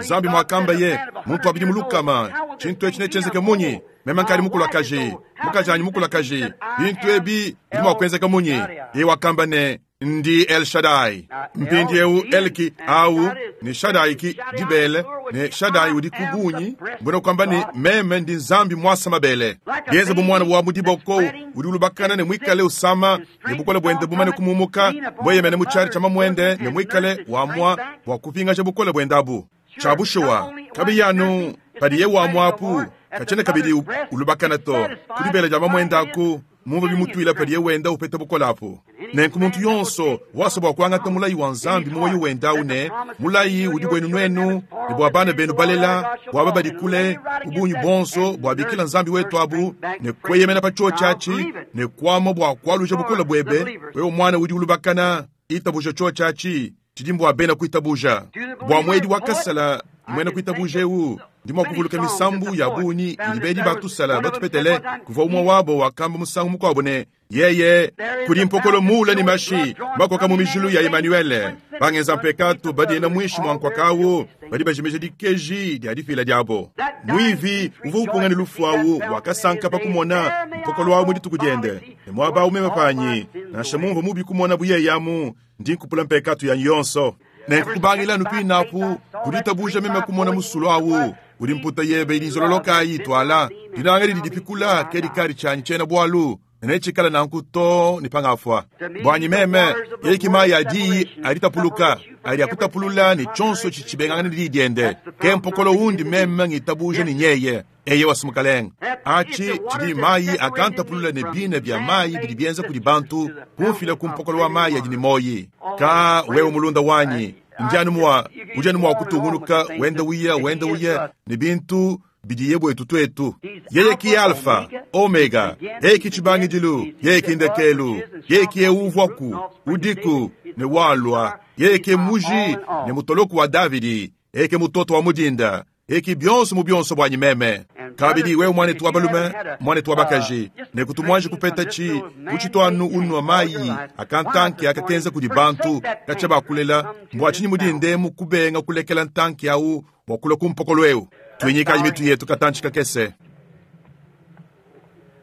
Nzambi mwakamba ye muntu wabidi mulukama tshintu etshi netshienzeke munyi meme nkadi mukulakaji mukaji anyi mukulakaji bintu ebi bidi mua kuenzeka munyi. Yeye wakamba ne ndi El Shaddai. Mpindieu Elki au ni Shaddai ki dibele ne Shaddai udi kubunyi mbona kwamba ni meme ndi Nzambi mwasa mabele yenze bu mwana wa mudiboko udi ulubakana ne mwikale usama ne bukole bwende bumane kumumuka bweyemene mu chari cha mamwende ne mwikale wamwa bwa kupingasha bukole bwendabu chabushuwa kabiyanu padiye wamwapu kachene kabidi ulubakana to kudibele ja mamwendaku mumva bimutwila padiye wenda upeta bukolapo. Nenku muntu yonso wasa bua kuangata mulayi wa Nzambi muoyo wenda une mulayi udi bwenu nwenu ne bua bana benu balela bua babadi kule ubunyu bonso bua bikila Nzambi wetu abu ne kweyemena pa chio chachi ne kwama bua kwaluja bukola bwebe wewe mwana udi ulubakana itabuja chio chachi tshidimbu bena kuitabuja bua mwedi wakasala mwena kuitabuja eu ndimo kuvuluka misambu ya bunyi ilibedi batusala batupetele kuva umwe wabo wakamba musangu mukwabo ne yeye kuli mpokolo mula ni mashi makoka mu mijulu ya Emmanuel bangenza mpekatu badiena mwishi mwankwakawu badi bajimeja dikeji dia difila diabo mwivi uva upunga ne lufu awu wakasanka pakumona mpokolo wawu mu dituku diende ne mwaba umema panyi nansha mumva mubi kumona buyeyamu ndi nkupula mpekatu yanyu yonso nenkukubangila nupinapu kuditabuja meme kumona musulu awu udi mputa yebe ilizololoka itwala dinanga lidi dipikula ke dikali tshanyi tshiena bwalu netshikala nanku to ni pangafwa bwanyi meme yeki mayi adi alitapuluka ali akutapulula ne tshonso tshitshibengangana ne didiende ke mpokolo undi meme ngitabuja ni nyeye eye wasumukalenga achi tshidi mayi akantapulula ne bina bya mayi bidi bienza kudi bantu kumfila ku mpokolo wa mayi adi ni moyi ka wewe mulunda wanyi ndianu mwa ujanu mwa kutungunuka wenda uya wenda uya ne bintu bidiye bwetu twetu yeye ki alfa omega yeye ki tshibangidilu yeye ki ndekelu yeye ki euvwaku udiku ne walwa yeye ke muji ne mutoloku wa Davidi yeye ke mutoto wa mudinda yeye ki bionso mu bionso bwanyi meme kabidi wewe mwanetu wa balume mwanetu wa bakaji ne kutumwanje kupeta chi kuchitwanu unwa mayi akantanki akakenza kudi bantu kacha bakulela mbwa chinyi mudinde mukubenga kulekela ntanki au bwakula kumpokolo eu tuinyikaji mitu yetu katanchi kakese.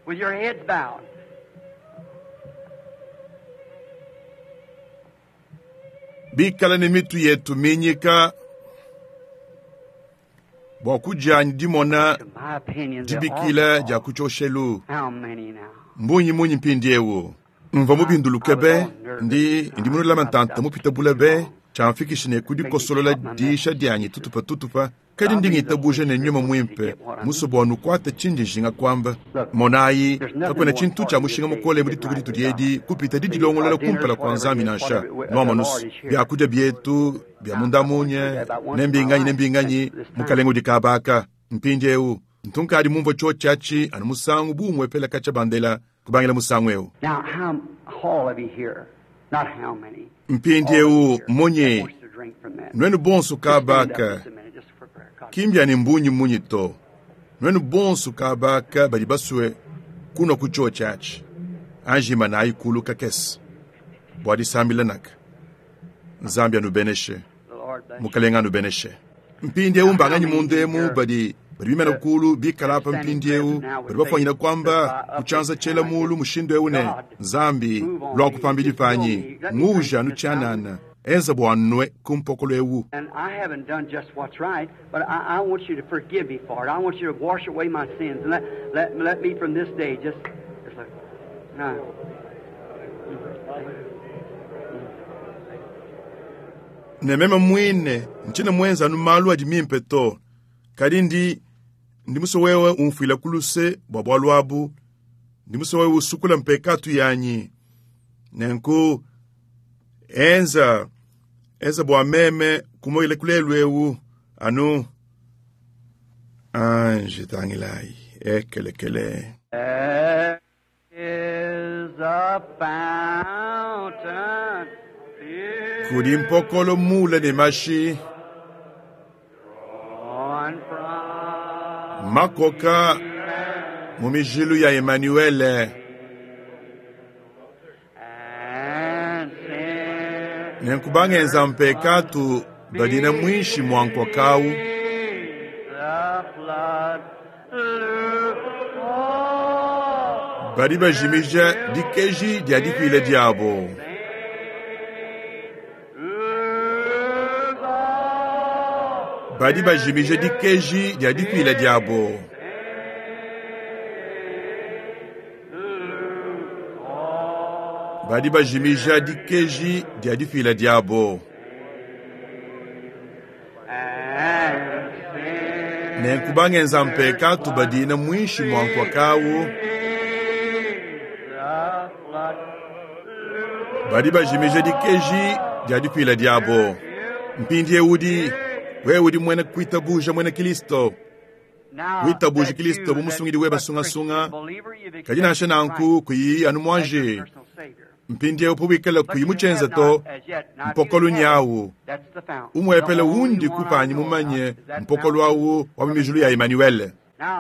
With your heads bowed. Bikala ne mitu yetu minyika bwa kujanyi dimona To my opinion, the dibikila altar dia kuchoshelu call. How many now? mbunyi munyi mpindiewu Mvua mubinduluke be, ndi ndi munulama ntanta mupite bule be, tshiamfikishi ne kudikosolola diisha dianyi tutupa tutupa, kadi ndi ngitabuja ne nyuma mwimpe, musue bua nukuate tshindi njinga kuamba. Monayi, kakuena tshintu tshia mushinga mukole mu dituku ditudi edi kupita didilongolola kumpala kua Nzambi nansha. Nuamonusu, biakudia bietu bia mundamunye, ne mbinganyi ne mbinganyi, mukalenge udi kabaka. Mpindiewu, ntunkadi mumvue tshiotshi anu musangu bumwe pela katshia bandela kubangila musangu eu. Now, how all of you here, not how many, Mpindiewu munyi, wants to drink from that? nuenu bonso Stand up kabaka, just a minute, just for prayer. God. kimbya ne mbunyi munyi to. Nuenu bonso kabaka badi basue kunwa ku tshiotshi atshi. Anjima na ayikulu kakese. Bua disambila naka. Nzambi anubeneshe. The Lord bless you. Mukalenga anubeneshe. Mpindiewu mbanganyi mundemu badi badi bimana kulu bikala apa mpindiewu badi bafwanyina kwamba kutshianza tshiela mulu mushindu ewu ne Nzambi lwa kupambidi panyi nguja anu tshianana enza bua nwe ku mpokolo ewu. And I haven't done just what's right, but I, I want you to forgive me for it. I want you to wash away my sins and let, let, let me from this day just, just look. Now, Ne meme mwine ntshina mwenza anu malu adi mimpe to. Kadi ndi ndi musue wewe umfuila kuluse bua bualu abu. Ndi musue wewe usukula mpekatu yanyi. Nenku enza enza bua meme kumoyile kulelu ewu anu anje tangilayi ekelekele. There is a fountain pure Kudi mpokolo mule ne mashi flowing from makoka mu mijilu ya Emanuele. and sin. Nenkubangenza mpekatu badina mwishi mwa nkokawu. The flood lukewarm. Badi bajimija dikeji dia dipile diabo. Badi bajimija dikeji dia dipile diabo. Badi bajimija dikeji dia dipile diabo. Nenkubangenza mpekatu badina mwishi mwa nkokawu. Badi bajimija dikeji dia dipila diabo. Mpindiewu udi wewe udi mwene kuitabuja mwene Kristo. Witabuja Kristo bu musungidi weba sungasunga Kadi nansha nanku kuyi anu mwanje. Mpindiewu powikala kuyi mutshenza to mpokolo nyawu. Umwepele wundi kupanyi mumanye mpokolo awu wa mimijulu ya Emanuele.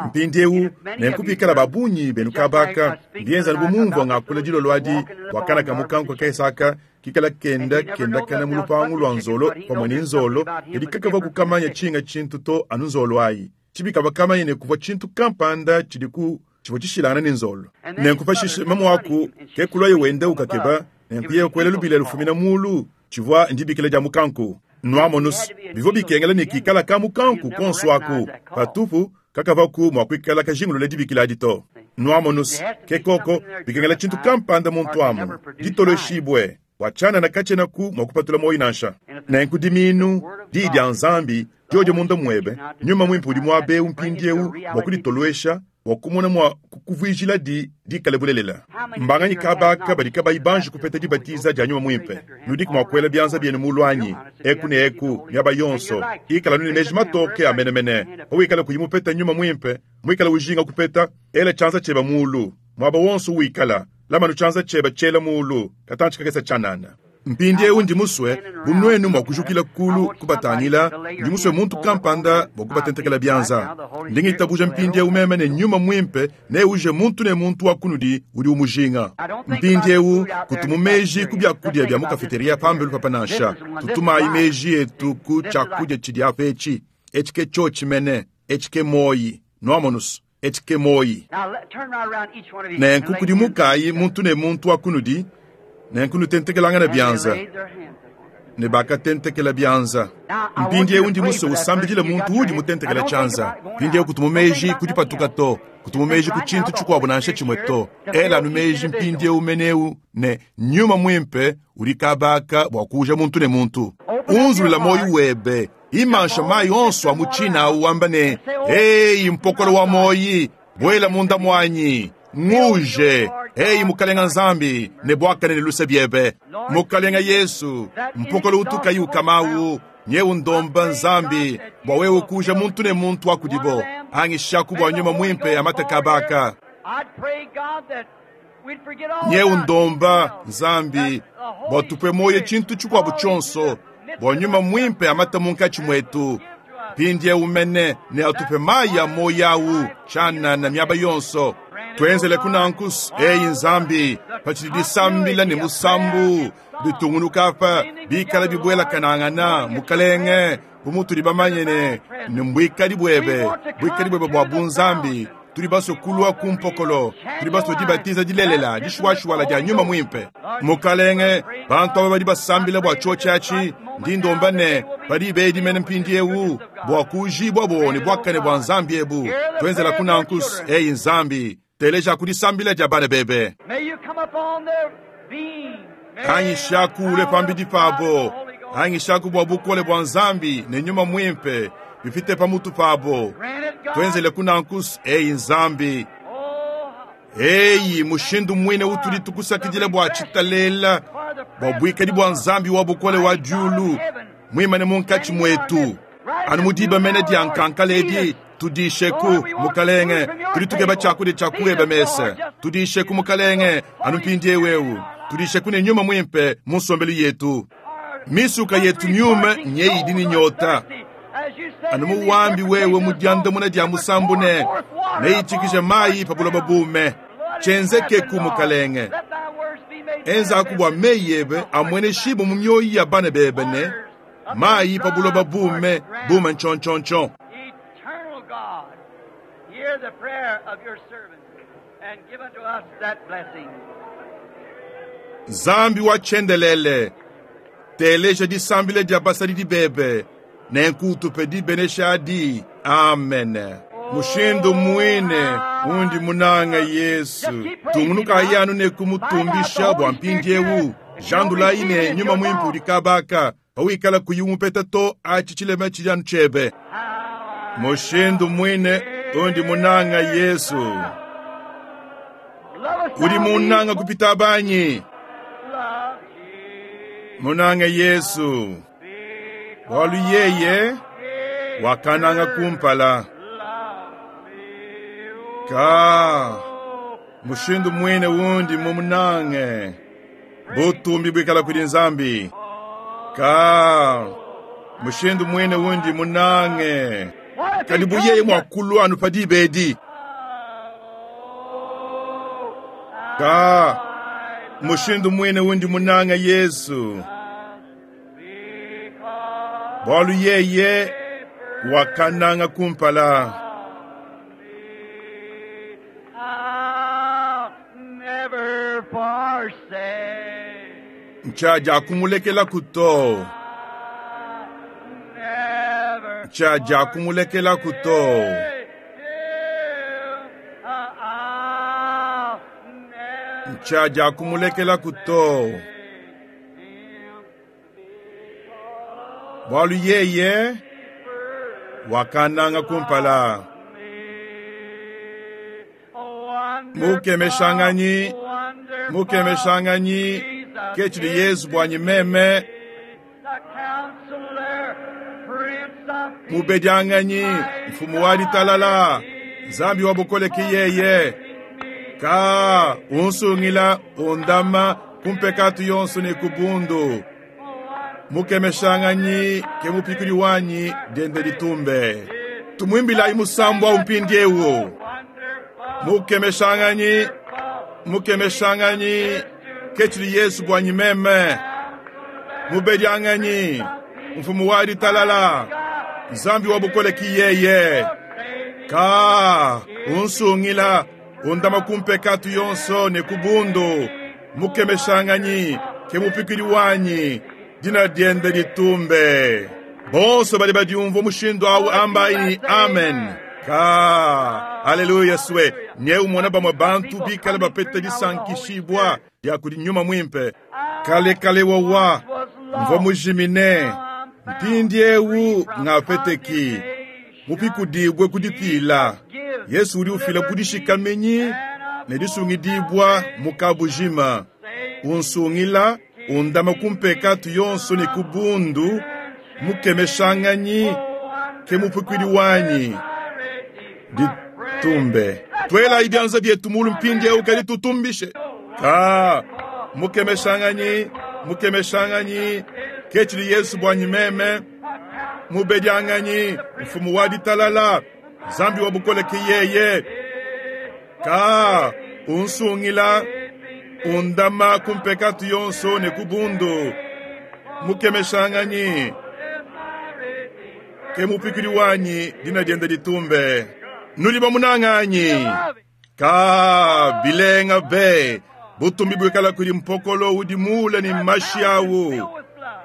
Mpindiewu nenkupikala babunyi benu kabaka ndienza bumumvua ngakula dilolo adi wakana kamukanku kaesaka kikala kenda kendakana mu lupangu lwa nzolo pamwe ne nzolo kadi kakava kukamanya tshinga tshintu to anu nzolo ayi tshibikava kamanye ne kuvua tshintu kampanda tshidi ku tshivua tshishilangana ne nzolo nenkupashishe mamuaku ke kulwaye wenda ukakeba nenkuye kuela lubila lufumina mulu tshivua ndibikila dia mukanku nuamonusu bivua bikengela ne kikala ka mukanku konso aku patupu kakavaku mua kuikala kajingulula dibikila adi to nuamonusu ke koko bikengela tshintu kampanda muntu amu ditoloshibwe wachanana katshenaku mua kupatula moyi nansha nenku diminu diyi dia nzambi diodio munda muebe nyuma mwimpe udi muabe mpindiewu bua kuditolwesha bua kumona mua kukuvuijila di dikale bulelela. Mbanganyi kabaka badi kabayi banji kupeta dibatiza dia nyuma mwimpe. Nudiku mua kuela bianza bienu mulu anyi eku ne eku miaba yonso ikala nuni meji matoke amenemene. Pawikala kuyi mupeta nyuma mwimpe mwikala ujinga kupeta ela tshianza tshieba mulu mwaba wonso wikala lamanu tshianza tshieba tshiela mulu katantshi kakesa tshianana. Mpindiewu ndi musue bu nuenu mua kujukila kulu kubatangila ndi musue muntu kampanda bua kubatentekela bianza. Ndi ngitabuja mpindiewu meme ne nyuma mwimpe neuje muntu ne muntu wa kunudi udi umujinga. Mpindiewu kutumu meji ku biakudia bia mu kafeteria pambelu papa nansha. Tutumayi meji etu ku tshiakudia tshidi apa etshi. Etshi ke tshiotshi mene, etshi ke moyi. Nuamonusu, etshi ke moyi. Nenku kudimukayi muntu ne muntu wa kunudi, nenku nutentekelangana bianza. Ne bakatentekela bianza. Mpindiewu ndi musue usambidile muntu udi mutentekela tshianza. Mpindiewu kutumu meji ku dipatuka to, kutumu meji ku tshintu tshikuabu nansha tshimue to. Ela anu meji mpindiewu meneu ne nyuma mwimpe udi kabaka bua kuuja muntu ne muntu. Unzulula moyo webe, imansha mayi onso a mu tshina awu wamba ne, Eyi mpokolo wa moyi, buela munda muanyi, nguje. Eyi mukalenga Nzambi, ne buakane ne luse biebe. Mukalenga Yesu, mpokolo utukayi ukamawu, nyewu ndomba Nzambi, bua wewe kuja muntu ne muntu wa kudibo. Angishaku bua nyuma mwimpe amate kabaka. Nyewu ndomba Nzambi, bua tupwe moyo tshintu tshikuabu tshionso, bua nyuma mwimpe amate munkatshi mwetu. Mpindiewu mene ne atupe mayi a moyo awu, tshianana miaba yonso. Tuenzele kunankus, eyi Nzambi, patshidi disambila ne musambu, bitungunuka apa, bikala bibuela kanangana, mukalenge, bu mutudi bamanye ne, ne mbuikadi buebe, buikadi buebe bua bunzambi, tudi basue kulua ku mpokolo, tudi basue dibatiza dilelela, dishuashuala dia nyuma mwimpe. Mukalenge, bantu aba badi basambila bua tshiotshi atshi, ndi ndomba ne, badi bedimene mpindiewu, bua kujibua bo ne buakane bua Nzambi ebu. Tuenzela kunankus, eyi Nzambi, teleja kudisambila dia bana bebe. Angishaku ule pambidi pabo, angishaku bua bukole bua Nzambi ne nyuma mwimpe bipite pamutu pabo. Tuenzele kunankus, eyi Nzambi. Eyi mushindu mwine utudi tukusakidila bua tshitalela, bua buikadi bua Nzambi wa bukole wa diulu, mwimane munkatshi mwetu. Anu mudiba mene dia nkankala edi, tudisheku mukalenge, tudi tukeba tshiakudia tshia kueba mesa. Tudisheku mukalenge, anu mpindiewu eu. Tudisheku ne nyuma mwimpe mu nsombelu yetu. Misuka yetu myume nyeyi idi ne nyota. Anu muwambi wewe mu diandamuna dia musambu ne, neyitshikije mayi pa buloba bume. Tshienzeke mukalenge. Enzaku bua meyi ebe amwene shibo mu mioyo ya bana bebe ne, mayi pa buloba bume, bume ntshontshontshon. Eternal God, hear the prayer of your servant and give unto us that blessing. Nzambi wa tshiendelele, teleja disambila dia basadidi bebe, nenku utupe dibenesha adi. Amen. Mushindu mwine undi munanga Yesu, tungunuka yanu ne kumutumbisha bua mpindiewu. Jandulayi ne nyuma mwimpe udi kabaka, pawikala kuyi umupeta to atshi tshilema tshidi anu tshiebe. Mushindu mwine undi munanga Yesu, udi munanga kupita banyi. Munanga Yesu, bualu yeye wakananga kumpala. Ka mushindu mwine wundi mumunange, butumbi bwikala kudi Nzambi. Ka mushindu mwine wundi munange, kadi buyeye mwa kulwa anu padibedi. Ka mushindu mwine wundi munange Yesu, bualu yeye wakananga kumpala. I'll never forsake. Nchaja kumulekela kuto. Never Nchaja kumulekela kuto. forsake him. I'll never Nchaja kumulekela kuto. him. Bualu yeye wakananga kumpala. Mukemeshanganyi, mukemeshanganyi, ketshidi Yesu bwanyi meme, mubedianganyi, mfumu wa ditalala, Nzambi wa bukole ki yeye. Ka unsungila undama kumpekatu yonso ne kubundu. Mukemeshanganyi ke mupikuli wanyi dende litumbe. Tumwimbilayi musambu wa umpindiewu. Mukemeshanganyi, mukemeshanganyi, ketshidi Yesu bwanyi meme. Mubedianganyi, mfumu wa ditalala, Nzambi wa bukole ki yeye. Ka unsungila undama kumpekatu yonso ne kubundu. Mukemeshanganyi ke mupikuli wanyi Dina diende ditumbe. Bonso badi badiumvua mushindu awu ambayi amen. Ka haleluya swe nye umona bamwe bantu bikale bapeta disankishibwa dia kudi nyuma mwimpe. Kale kale wawa mvua mujimine mpindiewu ngapeteki mupikudibwe kudipila. Yesu udi ufila kudishikamenyi ne disungidibwa mukabujima unsungila undama kumpekatu yonso ne kubundu mukemeshanganyi ke mupikwidi wanyi ditumbe. Twela ibyanza byetu mulu mpindiewu kadi tutumbishe ka mukemeshanganyi mukemeshanganyi kechili Yesu bwanyi meme mubedianganyi mfumu wa ditalala Nzambi wa bukole ke yeye ka unsungila undama kumpekatu yonso ne kubundu mukemeshanganyi ke mupikuli wanyi dina diende ditumbe. Nuli bamunanganyi ka bilenga be butumbi bwikala kuli mpokolo udi mule ni mashi awu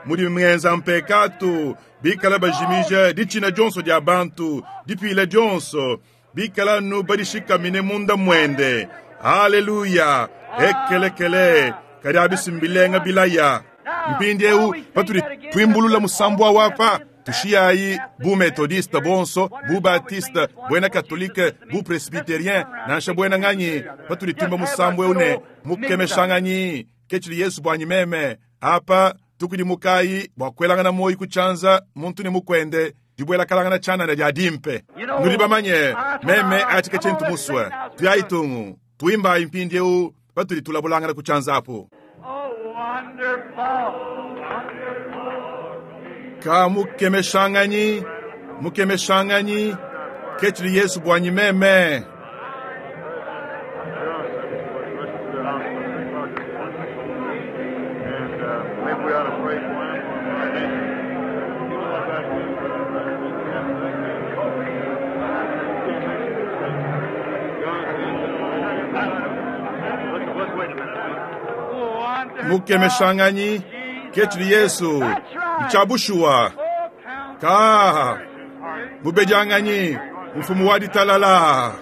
mudi mwenza mpekatu bikala bajimija ditshina dionso dia bantu dipila dionso bikala nu badishikamine munda mwende. Haleluya ekelekele kadi abisimbilenga bilaya mpindiewu patudi twimbulula musambwa wapa tushiyayi bu methodiste bonso bu baptiste bwena katolike bu presbyterien nansha bwena nganyi patudi twimba musambwa une mukemeshanganyi kechili Yesu bwanyi meme apa tukudi mukayi bwa kwelangana moyi kuchanza muntu ni mukwende dibwela kalangana chanana dia dimpe. Nuli bamanye meme atika chintu muswe tuyayitungu tuimba impindiewu patudi tulabulangana kuchanza apo. Ka mukemeshanganyi mukemeshanganyi kechili Yesu bwanyi meme. Mukemeshanganyi kechili Yesu mchabushuwa ka mubedianganyi mfumu wa ditalala.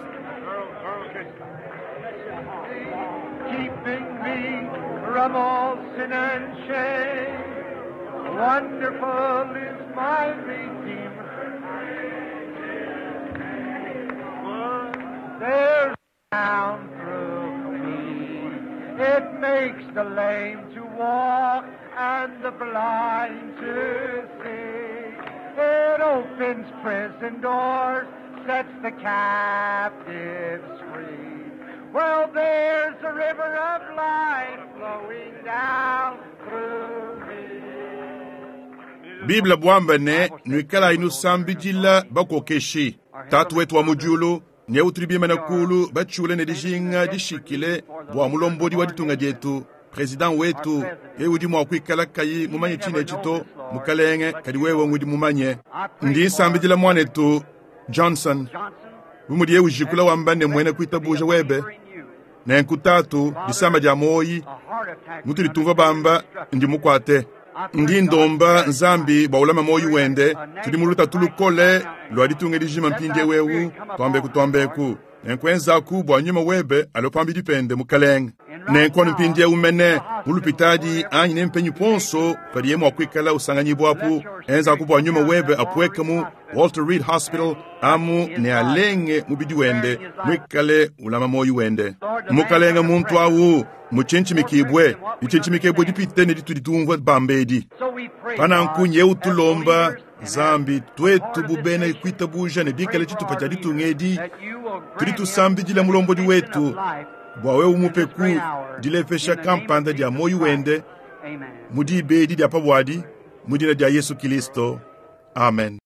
Keeping me from all sin and shame. Wonderful is my Redeemer. There's down through me. It makes the lame to walk and the blind to see. It opens prison doors, sets the captives free. Well, there's a river of life flowing down through me. Biblia bwamba ne nwikala inusambidila bakokeshi tatu wetu wa mujulu ne utribima na kulu bachule ne dijinga dishikile bwa mulombodi wa ditunga dietu president wetu ye udi mwa kuikala kayi mumanye chine chito mukalenge kadi wewe ngudi mumanye. Ndi nsambidila mwanetu Johnson bumudi ye ujikula wamba ne mwene kuitabuja webe ne nkutatu disamba dia moyi mutuli tumva bamba ndi mukwate. Ndi ndomba Nzambi bwa ulama moyi wende tudi muluta tulukole lwa ditunga dijima mpindie wewu twambeku twambeku nenkwenzaku bwa nyuma webe alopambi dipende mukalenge nenkwanu mpindie umene mulupitadi anyi nempenyi ponso padiye mwa kuikala usanganyibwapu enzaku bwa nyuma webe apweke mu Walter Reed Hospital amu ne alenge mubidi wende mwikale ulama moyi wende mukalenge muntu awu muchinchimikibwe lichinchimikibwe dipite ne ditudi tumvua bambedi. Pananku nyeu tulomba Nzambi twetu bubene kuitabuja ne bikale tshitupa tshia ditunga edi tudi tusambidila mulombodi wetu bwa wewe umupeku dilepesha kampanda dia moyi wende mudibedi dia pabwadi mudina dia Yesu Kristo. Amen.